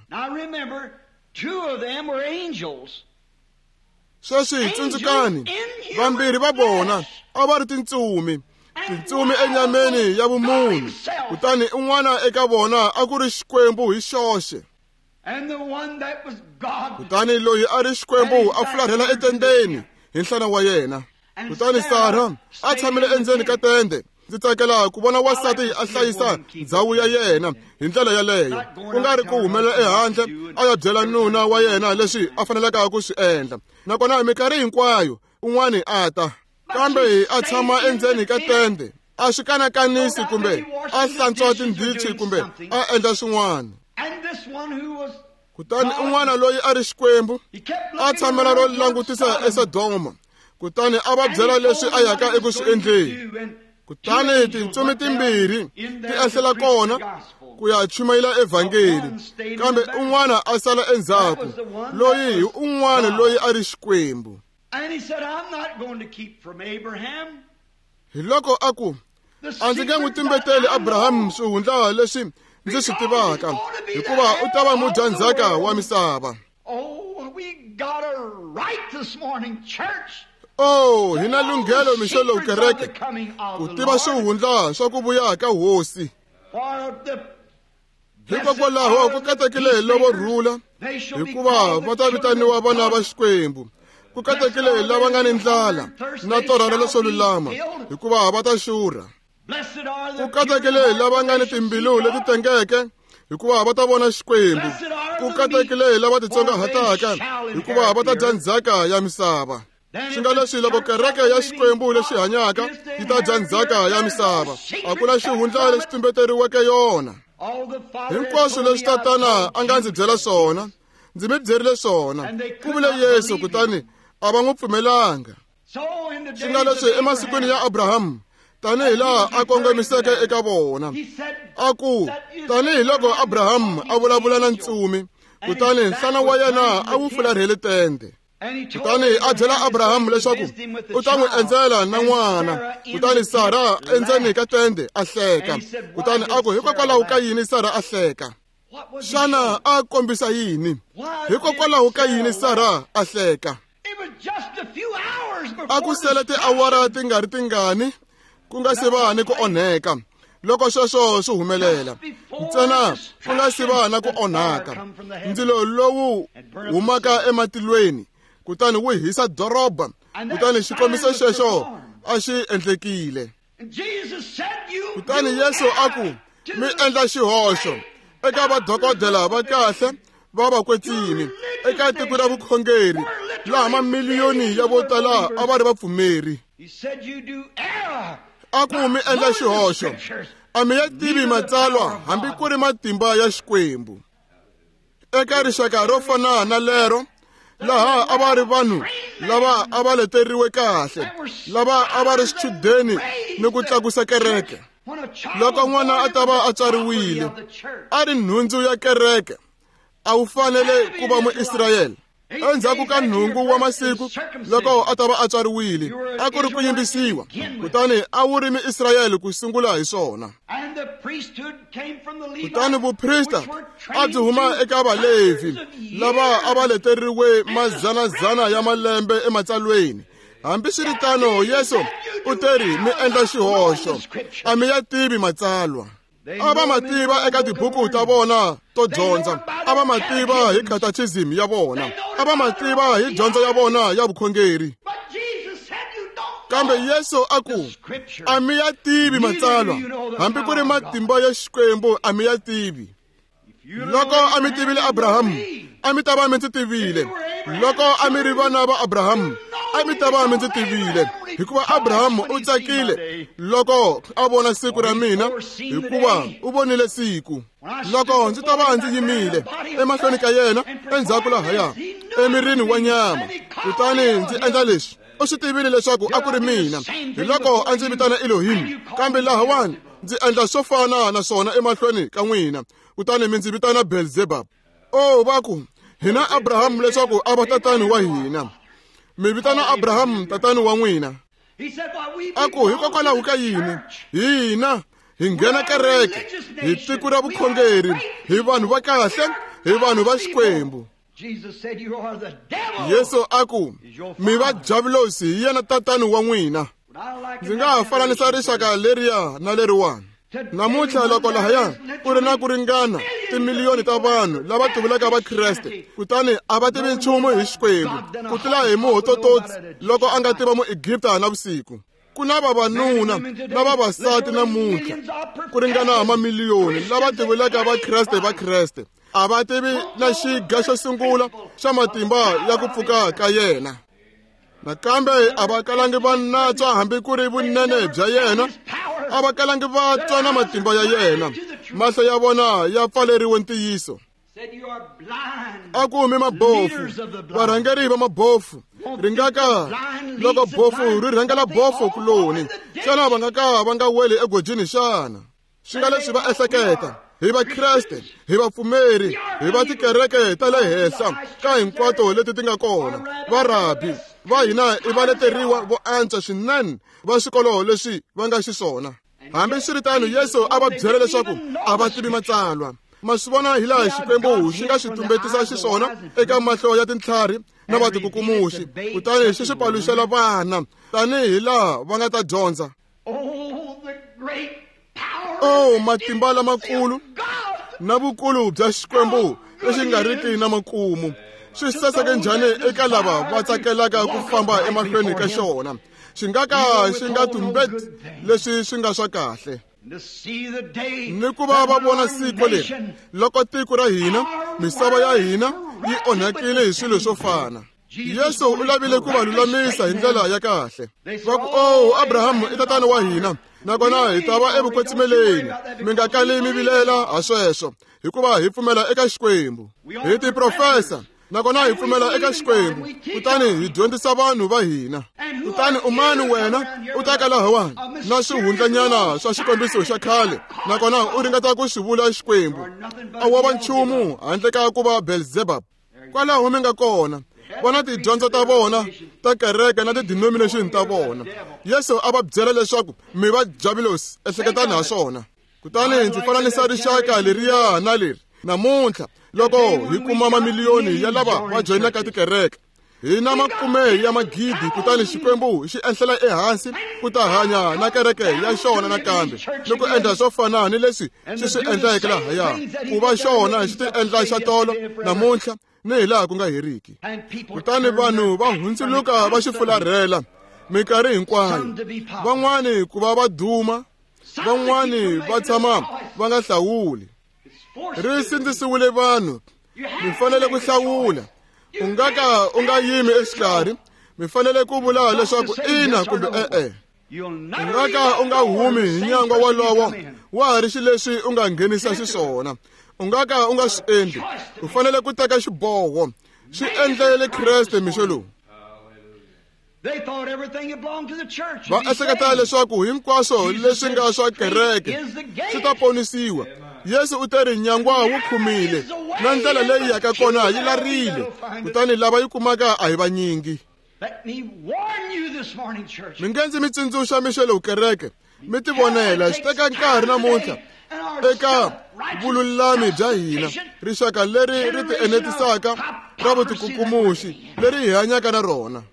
Sweswi tsundzukani, vambirhi va vona a va ri tintsumi, Tintsumi enyameni ya vumunhu. Kutani un'wana eka vona a ku ri Xikwembu hi xoxe. Kutani loyi a ri Xikwembu a fularhela etendeni hi nhlana wa yena. Kutani Sara a tshamile endzeni ka tende. Ndzi tsakela ku vona wansati a hlayisa ndzhawu ya yena hi ndlela yaleyo, ku nga ri ku humelela ehandle a ya byela nuna wa yena leswi a faneleke ku swi endla. Nakona minkarhi hinkwayo un'wani a ta, kambe a tshama endzeni ka tende, a swi kanakanisi kumbe a hlantswa tindhichi kumbe a endla swin'wana. Kutani un'wana loyi a ri Xikwembu a tshamela ro langutisa eSodoma, kutani a va byela leswi a yaka eku swi endleni. Kutani tintsumi timbirhi ti ehlela kona ku ya chumayela evhangeli, kambe un'wana a sala endzhaku, loyi hi un'wana loyi a ri Xikwembu. Hi loko a ku, a ndzi nge n'wi tumbeteli Abrahamu swihundla leswi ndzi swi tivaka, hikuva u ta va mudyandzhaka wa misava. Oh, hi na lunghelo mixo lowu kereke ku tiva swihundla swa ku vuya ka hosi. Hikokwalaho ku katekile lavo rhula, hikuva va ta vitaniwa vana va Xikwembu. Ku katekile lava nga ni ndlala na torha ra leswo lulama, hikuva va ta xurha. Ku katekile lava nga ni timbilu leti tengeke, hikuva va ta vona Xikwembu. Ku katekile lava titsongahataka, hikuva va ta dya ndzhaka ya misava. Swi nga leswi loko kereke ya Xikwembu lexi hanyaka yi ta dya ndzhaka ya misava, a ku na xihundla lexi tumbeteriweke yona. Hinkwaswo leswi Tatana a nga ndzi byela swona, ndzi mi byerile swona, ku vule Yesu, kutani a va n'wi pfumelanga. Swi nga leswi emasikwini ya Abrahamu, tanihi laha a kongomiseke eka vona, a ku tanihi loko Abrahamu a vulavula na ntsumi, kutani nhlana wa yena a wu fularhele tende. Kutani a byela Abrahamu leswaku u ta n'wi endzela na n'wana. Kutani Sara endzeni ka tende a hleka. Kutani a ku, hikokwalaho ka yini Sara a hleka? Xana a kombisa yini? Hikokwalaho ka yini Sara a hleka? A ku sele tiawara ti nga ri tingani ku nga se va ni ku onheka. Loko sweswo swi humelela, ntsena ku nga se va na ku onhaka, ndzilo lowu humaka ematilweni kutani wu hisa doroba. Kutani xikombiso xexo a xi endlekile. Kutani Yesu a ku, mi endla xihoxo eka vadokodela va kahle va vakwetsimi eka tiko ra vukhongeri laha mamiliyoni ya vo tala a va ri vapfumeri. A ku mi endla xihoxo, a mi ya tivi matsalwa hambi ku ri matimba ya Xikwembu. Eka rixaka ro fana na lero, laha a va ri vanhu lava a va leteriwe kahle, lava a va ri swichudeni ni ku tlakusa kereke. Loko n'wana a ta va a tswariwile, a ri nhundzu ya kereke, a wu fanele ku va Muisrayele. Endzhaku ka nhungu wa masiku loko a ta va a tswariwile, a ku ri ku yimbisiwa, kutani a wu ri Muisrayele ku sungula hi swona. Kutani vuprista a byi huma eka Valevhi lava a va leteriwe mazanazana ya malembe ematsalweni. Hambiswiritano, Yesu u teri, mi endla xihoxo, a mi ya tivi matsalwa. A va ma tiva eka tibuku ta vona to dyondza, a va ma tiva hi catechism ya vona, a va ma tiva hi dyondzo ya vona ya vukhongeri. Kambe Yesu a ku, a mi ya tivi matsalwa, hambi ku ri matimba ya Xikwembu a mi ya tivi. Loko a mi tivile Abrahamu, a mi ta va mi ndzi tivile. Loko a mi ri vana va Abrahamu, a mi ta va mi ndzi tivile, hikuva Abrahamu u tsakile loko a vona siku ra mina, hikuva u vonile siku. Loko ndzi ta va ndzi yimile emahlweni ka yena endzhaku lahaya emirini wa nyama, kutani ndzi endla leswi, u swi tivile leswaku a ku ri mina. Hi loko a ndzi vitana Elohim, kambe lahawani ndzi endla swo fana na swona emahlweni ka n'wina, kutani mi ndzi vitana Beelzebub. Oh, va ku, hina Abrahamu leswaku a va tatani wa hina. Mi vitana Abrahamu tatani wa n'wina. A ku, hikokwalaho ka yini hina hi nghena kereke, hi tiko ra vukhongeri, hi vanhu va kahle, hi vanhu va Xikwembu. Yesu a ku, mi va Diavulosi hi yena tatani wa n'wina. Ndzi nga ha fananisa rixaka leriya na leriwani. Namuntlha loko lahaya ku ri na ku ringana timiliyoni ta vanhu lava tivulaka Vakreste, kutani a va tivi nchumu hi Xikwembu ku tlula hi muhotototsi loko a nga tiva Muegipta na vusiku. Ku na vavanuna na vavasati namuntlha ku ringana mamiliyoni lava tivulaka Vakreste Vakreste, a va tivi na xiga xo sungula xa matimba ya ku pfuka ka yena. Nakambe a va kalangi va natswa hambi ku ri vunene bya yena, a va kalangi va twa na matimba ya yena. Mahlo ya vona ya pfaleriwe ntiyiso. A ku humi mabofu, varhangeri va mabofu, ringaka loko bofu ri rhangela bofu kuloni, xana va nga ka va nga weli egojini xana? Swi nga leswi va ehleketa hi Vakreste, hi vapfumeri, hi va tikereke ta le henhla ka hinkwato leti ti nga kona. Varabi va hina i va leteriwa vo antswa swinene va swikolo leswi va nga xiswona. Hambiswiritano, Yesu a va byela leswaku a va tivi matsalwa. Ma swi vona hi laha Xikwembu xi nga swi tumbetisa xiswona eka mahlo ya tintlhari na vatikukumuxi, kutani xi swi paluxela vana tanihi laha va nga ta dyondza. Oh, matimba lamakulu na vukulu bya Xikwembu lexi nga riki na makumu swi saseke njhani eka lava va tsakelaka ku famba emahlweni ka xona. Xi nga ka xi nga tumbeti leswi swi nga swa kahle. Ni ku va va vona siku leri loko tiko ra hina, misava ya hina yi onhakile hi swilo swo fana. Yesu u lavile ku va lulamisa hi ndlela ya kahle. Va ku, oh, Abrahamu i tatana wa hina, nakona hi ta va evukwetsimeleni. Mi nga kali mi vilela ha sweswo, hikuva hi pfumela eka Xikwembu. Hi tiprofesa, nakona hi pfumela eka Xikwembu, kutani hi dyondzisa vanhu va hina. Kutani umani wena u ta ka lahawani na swihundlanyana swa xikombiso xa khale, nakona u ringeta ku swi vula Xikwembu. A wo va nchumu handle ka ku va Beelzebub. Kwalaho mi nga kona, vona tidyondzo ta vona ta kereke na ti-denomination ta vona. Yesu a va byela leswaku mi va javulosi, ehleketani ha swona. Kutani ndzi fananisa rixaka leriya na leri namuntlha loko hi kuma mamiliyoni ya lava va joyinaka tikereke, hi na makume ya magidi, kutani Xikwembu xi enhlela ehansi ku ta hanya na kereke ya xona nakambe ni ku endla swo fana ni leswi xi swi endleke lahaya, ku va xona xi ti endla xa tolo namuntlha ni hi laha ku nga heriki. Kutani vanhu va hundzuluka va xi fularhela minkarhi hinkwayo, van'wani ku va va duma, van'wani va tshama va nga hlawuli. Ri sindzisiwile vanhu, mi fanele ku hlawula. U nga ka u nga yimi exikarhi, mi fanele ku vula leswaku ina kumbe e-e. U nga ka u nga humi hi nyangwa wolowo wa ha ri xileswi u nga nghenisa xiswona. U nga ka u nga swi endli, u fanele ku teka xiboho. Swi endlele Kreste mixo lowu. Va ehleketa leswaku hinkwaswo leswi nga swa kereke swi ta ponisiwa. Yesu u te ri nyangwa wu khumile na ndlela leyi yaka kona yi larile, kutani lava yi kumaka a hi vanyingi. Mi nge ndzi mi tsundzuxa mixo lowu kereke, mi tivonela. Swi teka nkarhi namuntlha eka vululami bya hina, rixaka leri ri ti enetisaka ra vutikukumuxi leri hi hanyaka na rona.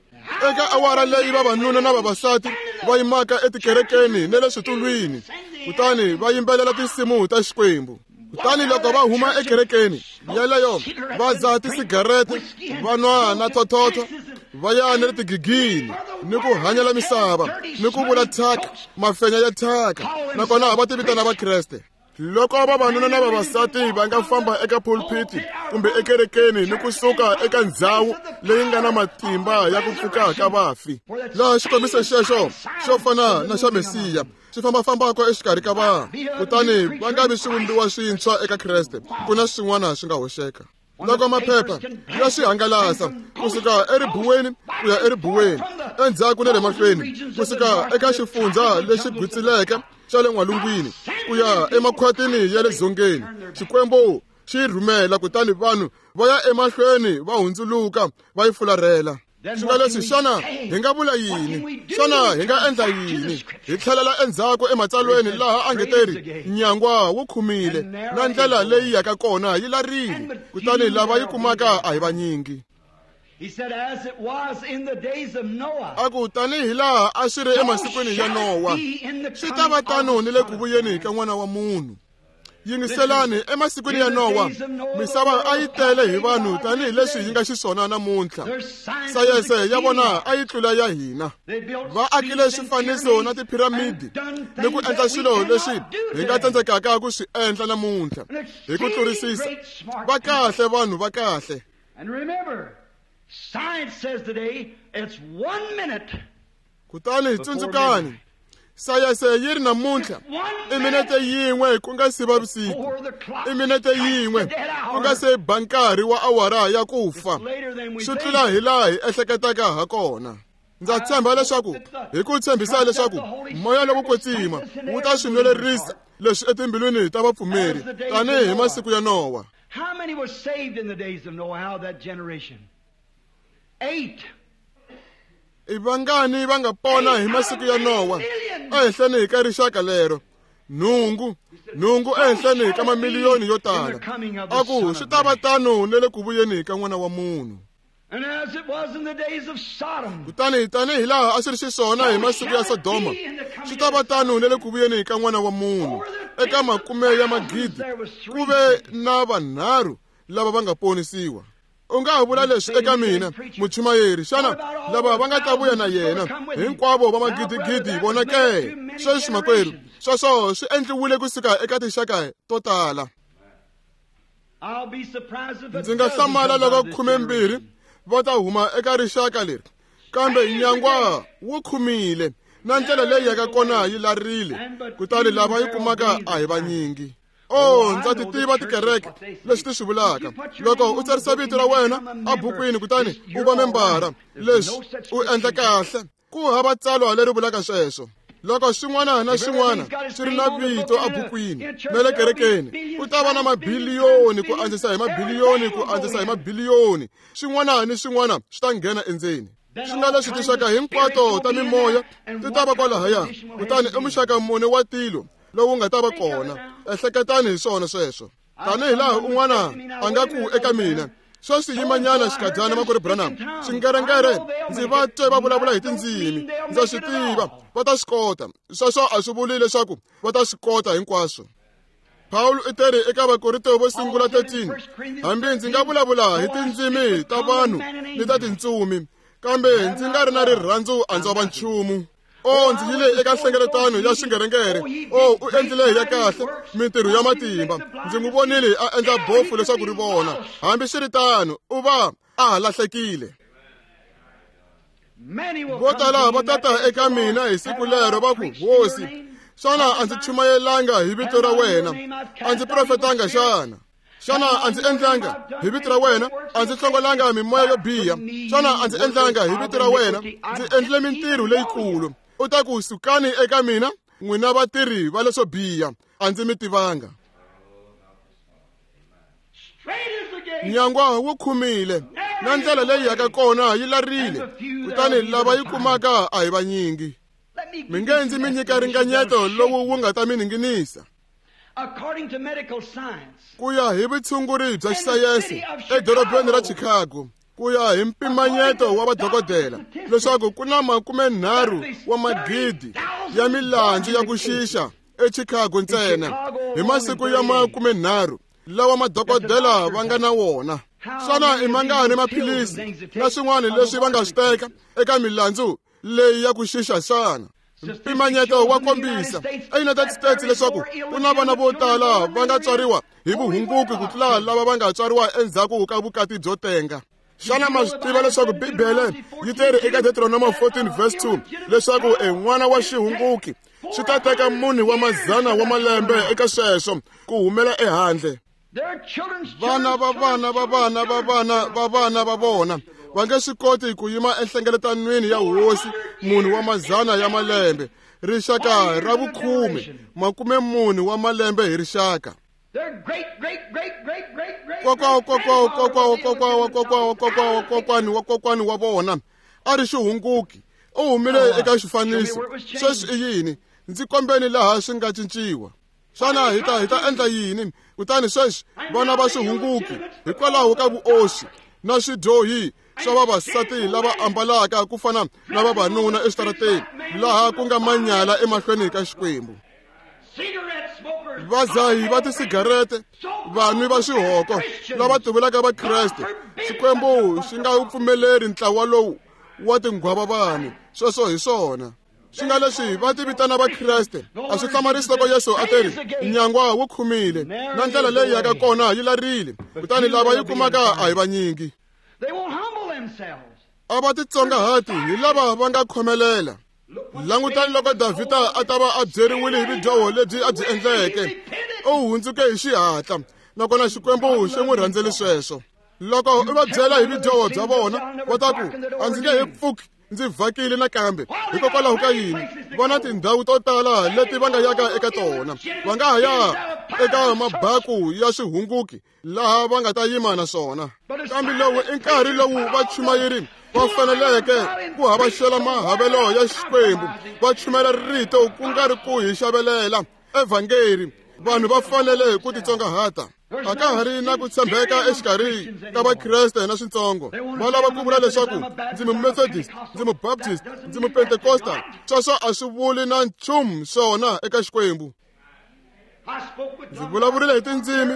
Eka awara leyi vavanuna na vavasati va yimaka etikerekeni na le switulwini, kutani va yimbelela tinsimu ta Xikwembu. Kutani loko va huma ekerekeni yeleyo va dzaha tisigarete, va nwa na thothotho, va ya na le tigigini ni ku hanyela misava ni ku vula thyaka, mafenya ya thyaka, nakona va ti vitana Vakreste. Loko vavanuna na vavasati va nga famba eka pulpiti kumbe ekerekeni ni kusuka eka ndzhawu leyi nga na matimba ya ku pfuka ka vafi, laha xikombiso xexo xo fana na xa Mesiya xi fambafambaka exikarhi ka vanhu, kutani va nga vi swivumbiwa swintshwa eka Kreste, ku na swin'wana swi nga hoxeka. Loko maphepha ya swi hangalasa kusuka eribuweni ku ya eribuweni, endzhaku na le mahlweni, kusuka eka xifundza lexi gwitsileke xa le n'walungwini ku ya emakhwatini ya le dzongeni, Xikwembu xi rhumela, kutani vanhu va ya emahlweni va hundzuluka va yi fularhela. Swi nga leswi, xana hi nga vula yini? Xana hi nga endla yini? Hi tlhelela endzhaku ematsalweni laha a nge teri nyangwa wu khumile na ndlela leyi yaka kona yi larile, kutani lava yi kumaka a hi vanyingi. A ku tanihi laha a swi ri emasikwini ya Nowa, swi ta va tano ni le ku vuyeni ka N'wana wa Munhu. Yingiselani, emasikwini ya Nowa, misava a yi tele hi vanhu tanihileswi yi nga xiswona namuntlha. Sayense ya vona a yi tlula ya hina. Va akile swifaniso na tiphiramidi ni ku endla swilo leswi hi nga tsandzekaka ku swi endla namuntlha hi ku tlurisisa. Va kahle vanhu va kahle. Kutani tsundzukani, sayense yi ri namuntlha i minete yin'we ku nga si va vusiku, i minete yin'we ku nga se ba nkarhi wa awara ya ku fa. Swi tlula hi laha hi ehleketaka ha kona. Ndza tshemba leswaku hi ku tshembisa leswaku moya lowo kwetsima wu ta swi nwelerisa leswi etimbilwini ta vapfumeri tanihi hi masiku ya Nowa. How many were saved in the days of Noah out of that generation? Eight. I vangani va nga pona hi masiku ya Nowa ehenhleni ka rixaka lero? Nhungu, nhungu ehenhleni ka mamiliyoni yo tala. A ku swi ta va tano ni le ku vuyeni ka N'wana wa Munhu. And as it was in the days of Sodom, Kutani tanihi laha a swi ri xiswona hi masiku ya Sodoma, swi ta va tano ni le ku vuyeni ka N'wana wa Munhu. Eka makume ya magidi ku ve na vanharhu lava va nga ponisiwa. U nga ha vula leswi eka mina, muchumayeri, xana lava va nga ta vuya na yena hinkwavo va magidigidi vona ke? Sweswi makwerhu, sweswo swi endliwile kusuka eka tinxaka to tala. Ndzi nga hlamala loko khumembirhi va ta huma eka rixaka leri, kambe nyangwa wu khumile na ndlela leyi yaka kona yi larile, kutani lava yi kumaka a hi vanyingi. Oh, ndza ti tiva tikereke leswi ti swi vulaka. Loko u tsarisa vito ra wena ebukwini kutani u va membara, leswi u endla kahle. Ku hava tsalwa leri vulaka sweswo. Loko xin'wana na xin'wana swi ri na vito ebukwini na le kerekeni, ku ta va na mabiliyoni ku andzisa hi mabiliyoni ku andzisa hi mabiliyoni. Xin'wana ni xin'wana swi ta nghena endzeni. Swi nga leswi tinxaka hinkwato ta mimoya ti ta va kwalahaya, kutani i muxaka mune wa tilo lowu nga ta va kona. Ehleketani hi swona sweswo. Tanihi laha un'wana a nga ku eka mina, sweswi yimanyana xikhadyana makwerhu Branham, swingerengere ndzi va twe va vulavula hi tindzimi, ndza swi tiva va ta swi kota. Sweswo a swi vuli leswaku va ta swi kota hinkwaswo. Pawulo u teri eka Vakorinto vo sungula thirteen, hambi ndzi nga vulavula hi tindzimi ta vanhu ni ta tintsumi, kambe ndzi nga ri na rirhandzu a ndzi va nchumu. Oh, ndzi yile eka nhlengeletano ya xingerengere. Oh, u endlile ya kahle mintirho ya matimba. Ndzi n'wi vonile a endla bofu leswaku ri vona. Hambi swi ri tano, u va a ha lahlekile. Vo tala va tata eka mina hi siku lero va ku, Hosi, xana a ndzi chumayelanga hi vito ra wena? A ndzi profetanga xana? Xana a ndzi endlanga hi vito ra wena? A ndzi hlongolanga mimoya yo biha? Xana a ndzi endlanga hi vito ra wena? Ndzi endlile mintirho leyikulu. U ta ku, sukani eka mina, n'wina vatirhi va leswo biha, a ndzi mi tivanga. Nyangwa wu khumile na ndlela leyi yaka kona yi larile, kutani lava yi kumaka a hi vanyingi. Mi nge ndzi mi nyika ringanyeto lowu wu nga ta mi ninginisa. Ku ya hi vutshunguri bya xisayense edorobeni ra Chicago, ku ya hi mpimanyeto wa vadokodela, leswaku ku na makumenharhu wa magidi ya milandzu ya ku xixa eChicago ntsena hi masiku ya makumenharhu lawa madokodela va nga na wona. Xana i mangani maphilisi na swin'wana leswi va nga swi teka eka milandzu leyi ya ku xixa xana? Mpimanyeto wa kombisa eUnited States leswaku ku na vana vo tala va nga tswariwa hi vuhunguki ku tlula lava va nga tswariwa endzhaku ka vukati byo tenga. Xana ma swi tiva leswaku Bibele yi teri eka Deuteronomy fourteen verse two leswaku e n'wana wa xihunguki swi ta teka munhu wa mazana wa malembe eka sweswo ku humela ehandle? Vana va vana va vana va vana va vana va vona va nge swi koti ku yima enhlengeletanweni ya hosi munhu wa mazana ya malembe. Rixaka ra vukhume, makume mune wa malembe hi rixaka. Kokwa kokwa kokwa kokwa kokwa kokwa kokwani wa kokwani wa vona a ri xihunguki, u humile eka xifaniso. Sweswi i yini? Ndzi kombeni laha swi nga cinciwa. Xana hi ta hi ta endla yini? Kutani sweswi vana va swihunguki hikwalaho ka vuoxi na swidyohi swa vavasati lava ambalaka ku fana na vavanuna eswitarateni laha ku nga manyala emahlweni ka Xikwembu. Vazahi va tisigarete, vanwi va xihoko lava tivulaka Vakreste, Xikwembu xi nga wu pfumeleri ntlawa lowu wa tinghwava vanhu. Sweswo hi swona swi nga leswi va ti vitana Vakreste. A swi hlamarisi loko Yesu a teri nyangwa wu khumile na ndlela leyi yaka kona yi larile, kutani lava yi kumaka a hi vanyingi. A va titsongahati hi lava va nga khomelela. Langutani loko Davhida a ta va a byeriwile hi vudyoho lebyi a byi endleke, u hundzuke hi xihatla, nakona Xikwembu xi n'wi rhandzele sweswo. Loko u va byela hi vudyoho bya vona, va ta ku a ndzi nge he pfuki ndzi vhakile nakambe. Hikokwalaho ka yini? Va na tindhawu to tala leti va nga yaka eka tona. Va nga ha ya eka mabaku ya swihunguki laha va nga ta yima na swona. Kambe lowu i nkarhi lowu vachumayeri va faneleke ku havaxela mahavelo ya Xikwembu, va chumela rito ku nga ri ku hi xavelela evhangeri. Vanhu va fanele ku titsongahata. A ka ha ri na ku tshembeka exikarhi ka Vakreste na switsongo. Va lava ku vula leswaku ndzi Mumethodist, ndzi Mubaptist, ndzi Mupentekosta. Sweswo a swi vuli na nchumu swona eka Xikwembu. Ndzi vulavurile hi tindzimi,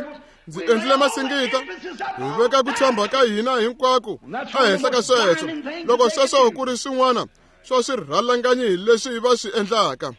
ndzi endlile masingita, hi veka ku tshemba ka hina hinkwako ehenhla ka sweswo. Loko sweswo ku ri swin'wana swa swirhalanganyi leswi va swi endlaka,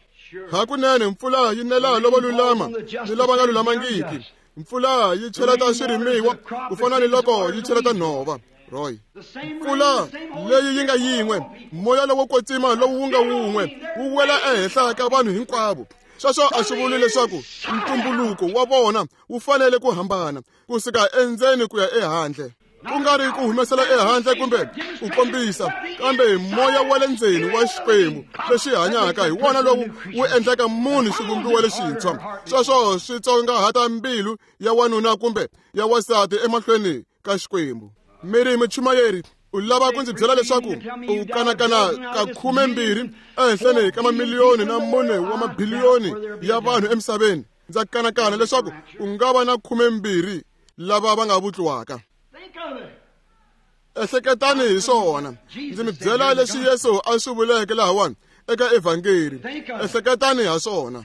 hakunene mpfula yi nela lavo lulama ni lava nga lulamangiki. Mpfula yi cheleta swirimiwa ku fana ni loko yi cheleta nhova. Roy, mpfula leyi yi nga yin'we, moya lowo kwetsima lowu wu nga wun'we wu wela ehenhla ka vanhu hinkwavo. Sweswo a swi vuli leswaku ntumbuluko wa vona wu fanele ku hambana kusuka endzeni ku ya ehandle, ku nga ri ku humesela ehandle kumbe ku kombisa, kambe moya wa le ndzeni wa Xikwembu lexi hanyaka hi wona lowu wu endlaka munhu xivumbiwa lexintshwa. Sweswo swi tsongahata mbilu ya wanuna kumbe ya wansati emahlweni ka Xikwembu. Miri muchumayeri, u lava ku ndzi byela leswaku u kanakana ka khumembirhi ehenhleni ka mamiliyoni na mune wa mabiliyoni ya vanhu emisaveni? Ndza kanakana leswaku u nga va na khumembirhi lava va nga vutliwaka. Ehleketani hi swona. Ndzi mi byela leswi Yesu a swi vuleke lahawani eka evhangeri. Ehleketani ha swona.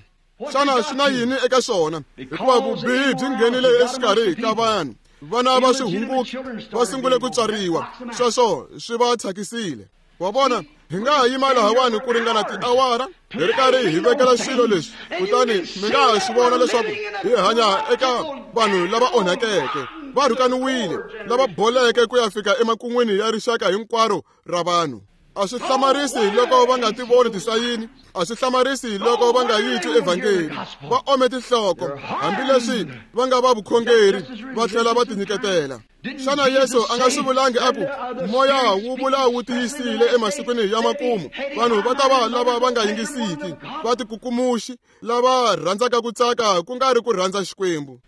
Xana swi na yini eka swona? Hikuva vubihi byi nghenile exikarhi ka vanhu. Vana va swihunguki va sungule ku tswariwa, sweswo swi va thyakisile. Wa vona, hi nga ha yima lahawani ku ringana tiawara hi ri karhi hi vekela swilo leswi, kutani mi nga ha swi vona leswaku hi hanya eka vanhu lava onhakeke, va rhukaniwile, lava boleke ku ya fika emakun'wini ya rixaka hinkwaro ra vanhu. A swi hlamarisi loko va nga ti voni tisayini, a swi hlamarisi loko va nga yi twi evhangeli. Va ome tinhloko, hambileswi va nga va vukhongeri, va tlhela va tinyiketela. Xana Yesu a nga swi vulangi a ku moya wu vula wu tiyisile emasikwini ya makumu vanhu va ta va lava va nga yingisiki, va tikukumuxi, lava rhandzaka ku tsaka ku nga ri ku rhandza Xikwembu,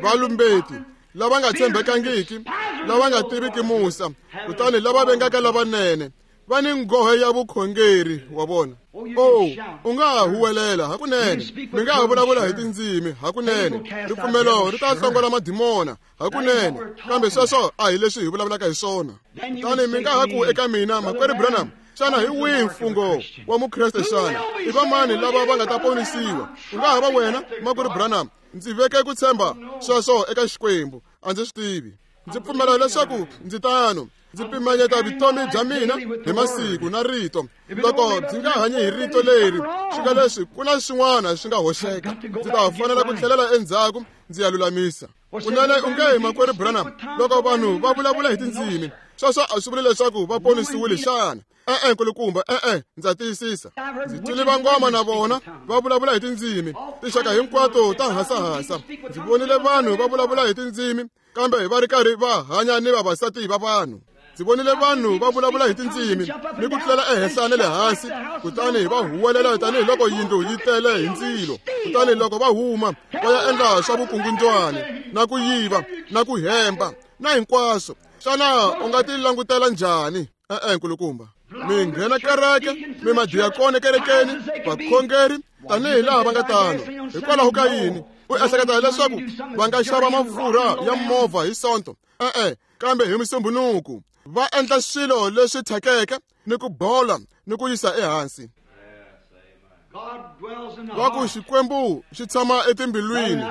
valumbeti, lava nga tshembekangiki, lava nga tiviki musa, kutani lava vengaka lavanene, va ni nghohe ya vukhongeri. Wa vona? Oh, u nga ha huwelela hakunene, mi nga ha vulavula hi tindzimi hakunene, ripfumelo ri ta hlongola madimona hakunene, kambe sweswo a hi leswi hi vulavulaka hi swona. Kutani mi nga ha ku eka mina, Makwerhu Branham, xana hi wihi mfungho wa Mukreste xana? I vamani lava va nga ta ponisiwa? U nga ha va wena, Makwerhu Branham, ndzi veke ku tshemba sweswo eka Xikwembu, a ndzi swi tivi. Ndzi pfumela leswaku ndzi tano. Ndzi pimanyeta vutomi bya mina hi masiku na rito. Loko byi nga hanyi hi rito leri, swi nga leswi ku na swin'wana swi nga hoxeka. Ndzi ta fanela ku tlhelela endzhaku ndzi ya lulamisa. Kunene u nge hi Makwerhu Branham, loko vanhu va vulavula hi tindzimi, sweswo a swi vuli leswaku va ponisiwile xana? E-e, nkulukumba, e-e, ndza tiyisisa. Ndzi twile vangoma na vona va vulavula hi tindzimi, tinxaka hinkwato ta hasahasa. Ndzi vonile vanhu va vulavula hi tindzimi, kambe va ri karhi va hanya ni vavasati va vanhu. Ndzi vonile vanhu va vulavula hi tindzimi ni ku tlela ehenhla na le hansi, kutani va huwelela tanihiloko yindlu yi tele hi ndzilo. Kutani loko va huma va ya endla swa vukungundzwani na ku yiva na ku hemba na hinkwaswo. Xana u nga ti langutela njhani? E-e, nkulukumba. Mi nghena kereke, mi madiyakoni kerekeni, vakhongeri tanihi laha va nga tano. Hikwalaho ka yini u ehleketa leswaku va nga xava mafurha ya movha hi Sonto? E-e, kambe hi Musumbunuku Va endla swilo leswi thyakeke ni ku bola ni ku yisa ehansi. Va ku Xikwembu xi tshama etimbilwini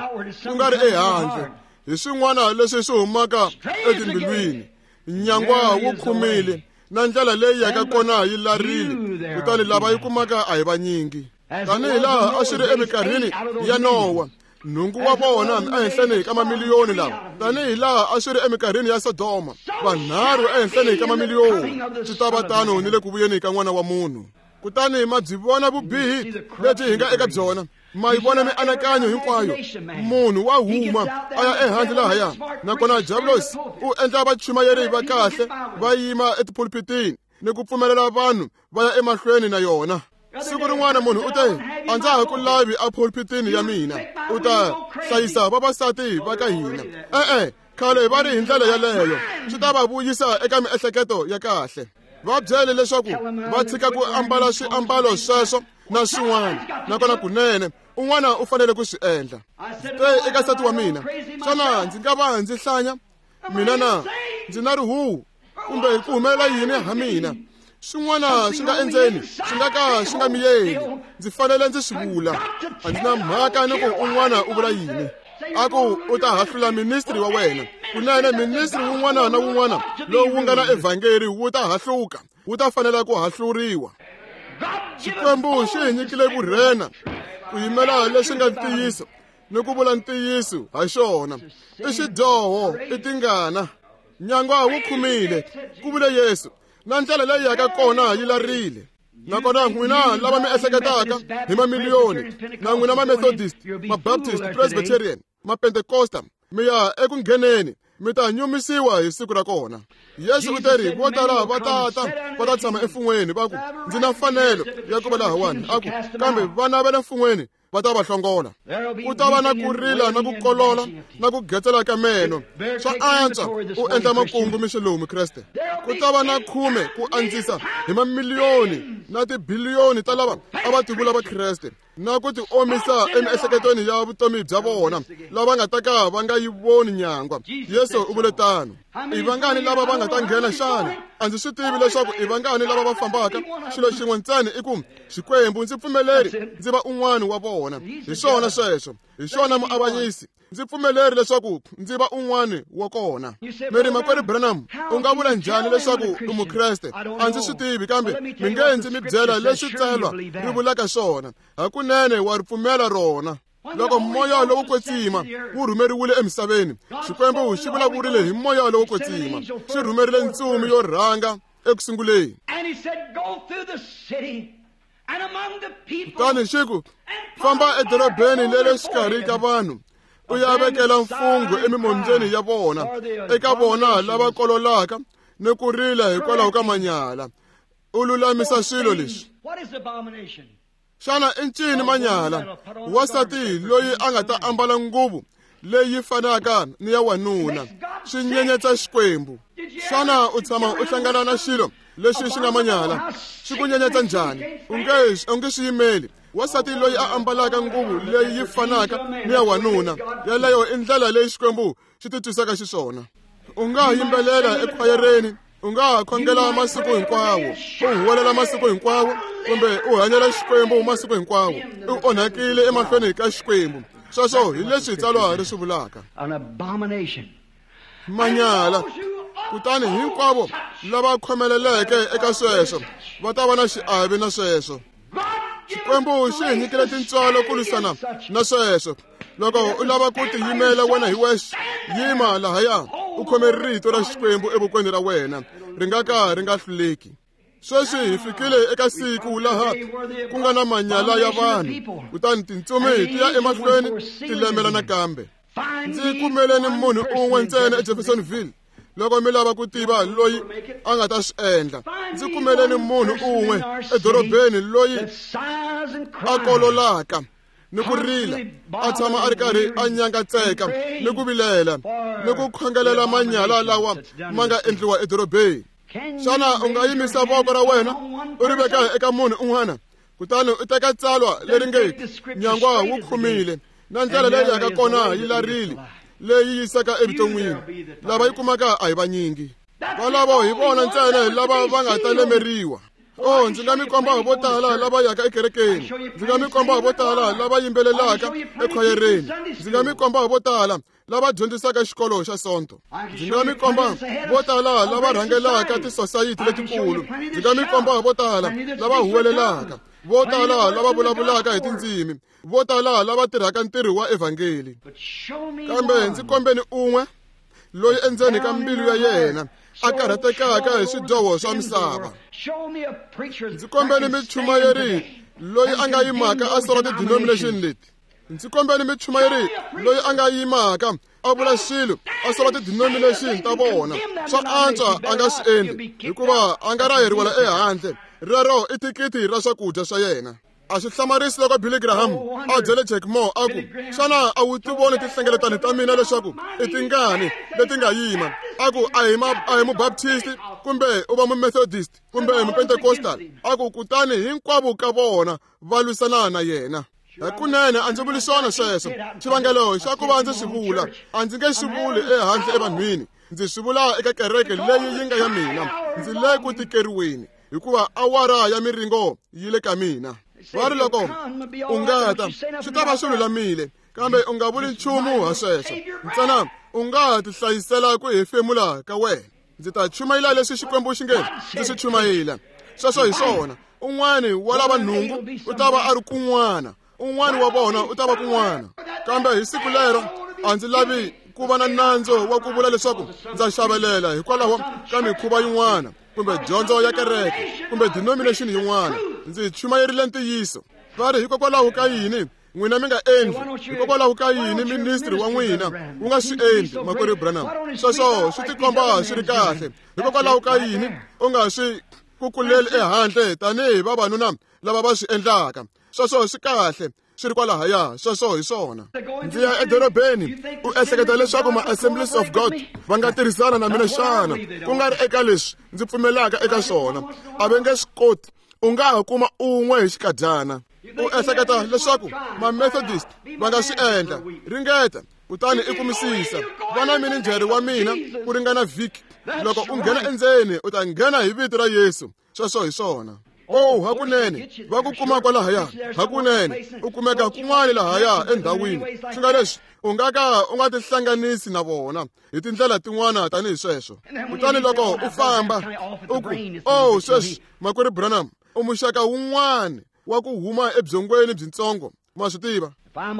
ku nga ri ehandle. Hi swin'wana leswi swi humaka etimbilwini. Nyangwa wu khumile na ndlela leyi yaka kona yi larile, kutani lava yi kumaka a hi vanyingi. Tanihi laha a swi ri eminkarhini ya Nowa, nhungu wa vona ehenhleni ka mamiliyoni lawa. Tanihi laha a swi ri eminkarhini ya Sodoma, vanharhu ehenhleni ka mamiliyoni. Swi ta va tano ni le ku vuyeni ka N'wana wa Munhu. Kutani ma byi vona vubihi lebyi hi nga eka byona, ma yi vona mianakanyo hinkwayo. Munhu wa huma a ya ehandle lahaya, nakona Diabolos u endla vachumayeri va kahle va yima etipulpitini ni ku pfumelela vanhu va ya emahlweni na yona. Siku rin'wana munhu u te, a ndza ha ku lavi epulpitini ya mina, u ta hlayisa vavasati va ka hina. E-e, khale va ri hi ndlela yaleyo, swi ta va vuyisa eka miehleketo ya kahle. Va byele leswaku va tshika ku ambala swiambalo sweswo na swin'wana, nakona kunene un'wana u fanele ku swi endla. Te eka nsati wa mina, xana ndzi nga va ndzi hlanya mina na ndzi na rihuhu kumbe ku humelela yini ha mina? Swin'wana swi nga endzeni swi nga ka swi nga miyeli, ndzi fanele ndzi swi vula. A ndzi na mhaka ni ku un'wana u vula yini. A ku u ta hahlula ministri wa wena. Kunene ministri wun'wana na wun'wana lowu wu nga na evhangeli wu ta hahluka, wu ta fanela ku hahluriwa. Xikwembu xi hi nyikile vurhena ku yimela leswi nga ntiyiso ni ku vula ntiyiso ha xona. I xidyoho, i tingana. Nyangwa wu khumile, ku vule Yesu, na ndlela leyi yaka kona yi larile. Nakona n'wina lava mi ehleketaka hi mamiliyoni, na n'wina ma-Methodist, ma-Baptist, Presbyterian, ma-Pentecosta, mi ya eku ngheneni, mi ta nyumisiwa hi siku ra kona. Yesu u teri vo tala va tata va ta tshama emfun'weni va ku, ndzi na mfanelo ya ku va lahawani. A ku, kambe vana va le mfun'weni va ta va hlongola. Ku ta va na ku rila na ku kolola na ku getsela ka meno. Swa antswa u endla makungu mixo lowu, Mukreste. Ku ta va na khume ku andzisa hi mamiliyoni na tibiliyoni ta lava a va tivula Vakreste na ku ti omisa emiehleketweni ya vutomi bya vona, lava nga ta ka va nga yi voni nyangwa. Yesu u vule tano. I vangani lava va nga ta nghena xana? A ndzi swi tivi leswaku i vangani lava va fambaka. Xilo xin'we ntsena i ku, Xikwembu ndzi pfumeleri ndzi va un'wana wa vona. Hi swona sweswo, hi swona muavanyisi. Ndzi pfumeleri leswaku ndzi va un'wana wa kona. Mi ri, makwerhu Branham, u nga vula njhani leswaku u Mukreste? A ndzi swi tivi, kambe mi nge ndzi mi byela leswi tsalwa ri vulaka swona. Hakunene wa ri pfumela rona. Loko moya lowo kwetsima wu rhumeriwile emisaveni, Xikwembu xi vulavurile hi moya lowo kwetsima. Xi rhumerile ntsumi yo rhanga eku sunguleni. Kutani xi ku, famba edorobeni leri xikarhi ka vanhu, u ya vekela mfungho emimondzweni ya vona, eka vona lava kololaka ni ku rila hikwalaho ka manyala. U lulamisa swilo leswi. Xana i ncini manyala? Wansati loyi a nga ta ambala nguvu leyi fanaka ni ya wanuna, swi nyenyetsa Xikwembu. Xana u tshama u hlangana na xilo lexi xi nga manyala? Xi ku nyenyetsa njhani? U nge u nge swi yimeli. Wansati loyi a ambalaka nguvu leyi yi fanaka ni ya wanuna, yaleyo i ndlela leyi Xikwembu xi titwisaka xiswona. U nga yimbelela ekhwayereni, u nga khongela masiku hinkwawo, u huwelela masiku hinkwawo, kumbe u hanyela Xikwembu masiku hinkwawo, u onhakile emahlweni ka Xikwembu. Sweswo hi leswi tsalwa ri swi vulaka. Manyala. Kutani hinkwavo lava khomeleleke eka sweswo va ta va na xiave na sweswo. Xikwembu xi hi nyikile tintswalo ku lwisana na sweswo. Loko u lava ku tiyimela wena hi wexe, yima lahaya u khome rito ra Xikwembu evokweni ra wena, ri nga ka ri nga hluleki. Sweswi hi fikile eka siku laha ku nga na manyala ya vanhu, kutani tintsumi ti ya emahlweni ti lemela nakambe. Ndzi kumeleni munhu un'we ntsena eJeffersonville. Loko mi lava ku tiva loyi a nga ta swi endla, ndzi kumeleni munhu un'we edorobeni loyi a kololaka ni ku rila, a tshama a ri karhi a nyangatseka ni ku vilela ni ku khongelela manyala lawa ma nga endliwa edorobeni. Xana u nga yimisa voko ra wena u ri veka eka munhu un'wana, kutani u teka tsalwa leri nge nyangwa wu khumile na ndlela leyi yaka kona yi larile, leyi yisaka evuton'wini, lava yi kumaka a hi vanyingi. Valavo hi vona ntsena lava va nga ta lemeriwa. Oh, ndzi nga mi komba vo tala lava yaka ekerekeni. Ndzi nga mi komba vo tala lava yimbelelaka ekhwayereni. Ndzi nga mi komba vo tala lava dyondzisaka xikolo xa Sonto. Ndzi nga mi komba vo tala lava rhangelaka tisosayiti letikulu. Ndzi nga mi komba vo tala lava huwelelaka, vo tala lava vulavulaka hi tindzimi, vo tala lava tirhaka ntirho wa evhangeli. Kambe ndzi kombeni un'we loyi endzeni ka mbilu ya yena a karhatekaka hi swidyoho swa misava. Ndzi kombeni michumayeri loyi a nga yimaka a sola ti-denomination leti. Ndzi kombeni michumayeri loyi a nga yimaka a vula swilo a sola ti-denomination ta vona. Swa antswa a nga swi endli hikuva a nga raheriwela ehandle. Rero i thikithi ra swakudya swa yena. A swi hlamarisi loko Billy Graham a byele Jack Moore a ku, xana a wu ti voni tinhlengeletano ta mina leswaku i tingani leti nga yima? A ku a hi a hi mubaptist kumbe u va mumethodist kumbe mupentecostal. A ku kutani hinkwavo ka vona va lwisana na yena. Hakunene a ndzi vuli swona sweswo. Xivangelo xa ku va ndzi swi vula, a ndzi nge swi vuli ehandle evanhwini. Ndzi swi vula eka kereke leyi yi nga ya mina. Ndzi le ku tikeriweni hikuva awara ya miringo yi le ka mina. Va ri loko u nga ta swi ta va swi lulamile, kambe u nga vuli nchumu ha sweswo. Ntsena u nga tihlayisela ku hefemula ka wena. Ndzi ta chumayela leswi Xikwembu xi nge ndzi swi chumayela. Sweswo hi swona. Un'wani wa lava nhungu u ta va a ri kun'wana, un'wani wa vona u ta va kun'wana. Kambe hi siku lero a ndzi lavi ku va na nandzo wa ku vula leswaku ndza xavelela hikwalaho ka mikhuva yin'wana kumbe dyondzo ya kereke kumbe denomination yin'wana. Ndzi chumayerile ntiyiso. Va ri hikokwalaho ka yini n'wina mi nga endli? Hikokwalaho ka yini ministry wa n'wina wu nga swi endli, makwerhu Branham? Sweswo swi tikomba swi ri kahle. Hikokwalaho ka yini u nga swi kukuleli ehandle tanihi vavanuna lava va swi endlaka? Sweswo swi kahle, swi ri kwalahaya. Sweswo hi swona. Ndzi ya edorobeni u ehleketa leswaku ma-Assemblies of God va nga tirhisana na mina xana? Ku nga ri eka leswi ndzi pfumelaka eka swona, a va nge swi koti. U nga ha kuma un'we hi xikadyana. U ehleketa leswaku ma-Methodist va nga swi endla? Ringeta kutani i kumisisa. Va na mininjhere wa mina ku ringana vhiki. Loko u nghena endzeni u ta nghena hi vito ra Yesu. Sweswo hi swona. Oh, hakunene va ku kuma kwalahaya. Hakunene u kumeka kun'wana lahaya endhawini. Swi nga leswi u nga ka u nga tihlanganisi na vona hi tindlela tin'wana tanihi sweswo. Kutani loko u famba u ku, oh, sweswi makwerhu Branham u muxaka wun'wana wa ku huma ebyongweni byintsongo. Ma swi tiva,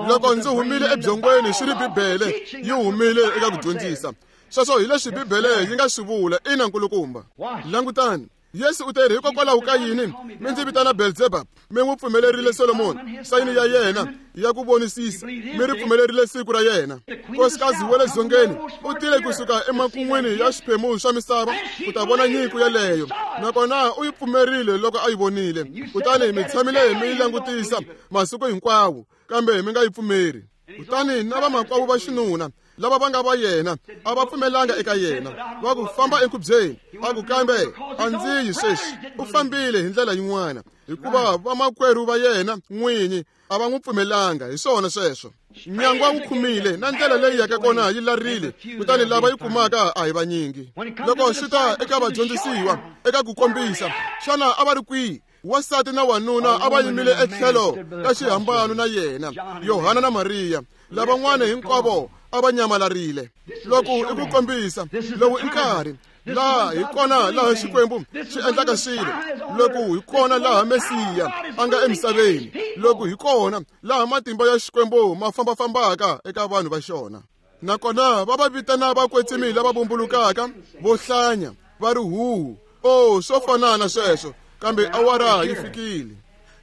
loko ndzi humile ebyongweni swi ri Bibele yi humile eka ku dyondzisa. Sweswo hi leswi Bibele yi nga swi vula. Ina nkulukumba. Langutani, Yesu u teri hikokwalaho ka yini mi ndzi vitana Belzebub? Mi n'wi pfumelerile Solomoni sayini ya yena ya ku vonisisa, mi ri pfumelerile siku ra yena. Nkosikazi wa le dzongeni u tile kusuka emakun'wini ya xiphemu xa misava ku ta vona nyiko yeleyo, nakona u yi pfumerile loko a yi vonile. Kutani mi tshamile mi yi langutisa masiku hinkwawo, kambe mi nga yi pfumeri. Kutani na vamakwavo va xinuna lava va nga va yena a va pfumelanga eka yena. Va ku famba enkhubyeni. A ku kambe a ndzi yi sweswi. U fambile hi ndlela yin'wana hikuva vamakwerhu va yena n'winyi a va n'wi pfumelanga. Hi swona sweswo. Nyangwa wu khumile na ndlela leyi yaka kona yi larile, kutani lava yi kumaka a hi vanyingi. Loko swi ta eka vadyondzisiwa eka ku kombisa, xana a va ri kwihi? Wansati na wanuna a va yimile etlhelo ka xihambano na yena, Yohana na Mariya. Lavan'wana hinkwavo a va nyamalarile. Loko i ku kombisa, lowu i nkarhi laha hi kona laha Xikwembu xi endlaka swilo. Loko hi kona laha Mesiya a nga emisaveni. Loko hi kona laha matimba ya Xikwembu ma fambafambaka eka vanhu va xona. Nakona va va vitana vakwetsimi lava vumbulukaka, vo hlanya, va ri huhu. Oh, swo fana na sweswo. Kambe awara yi fikile.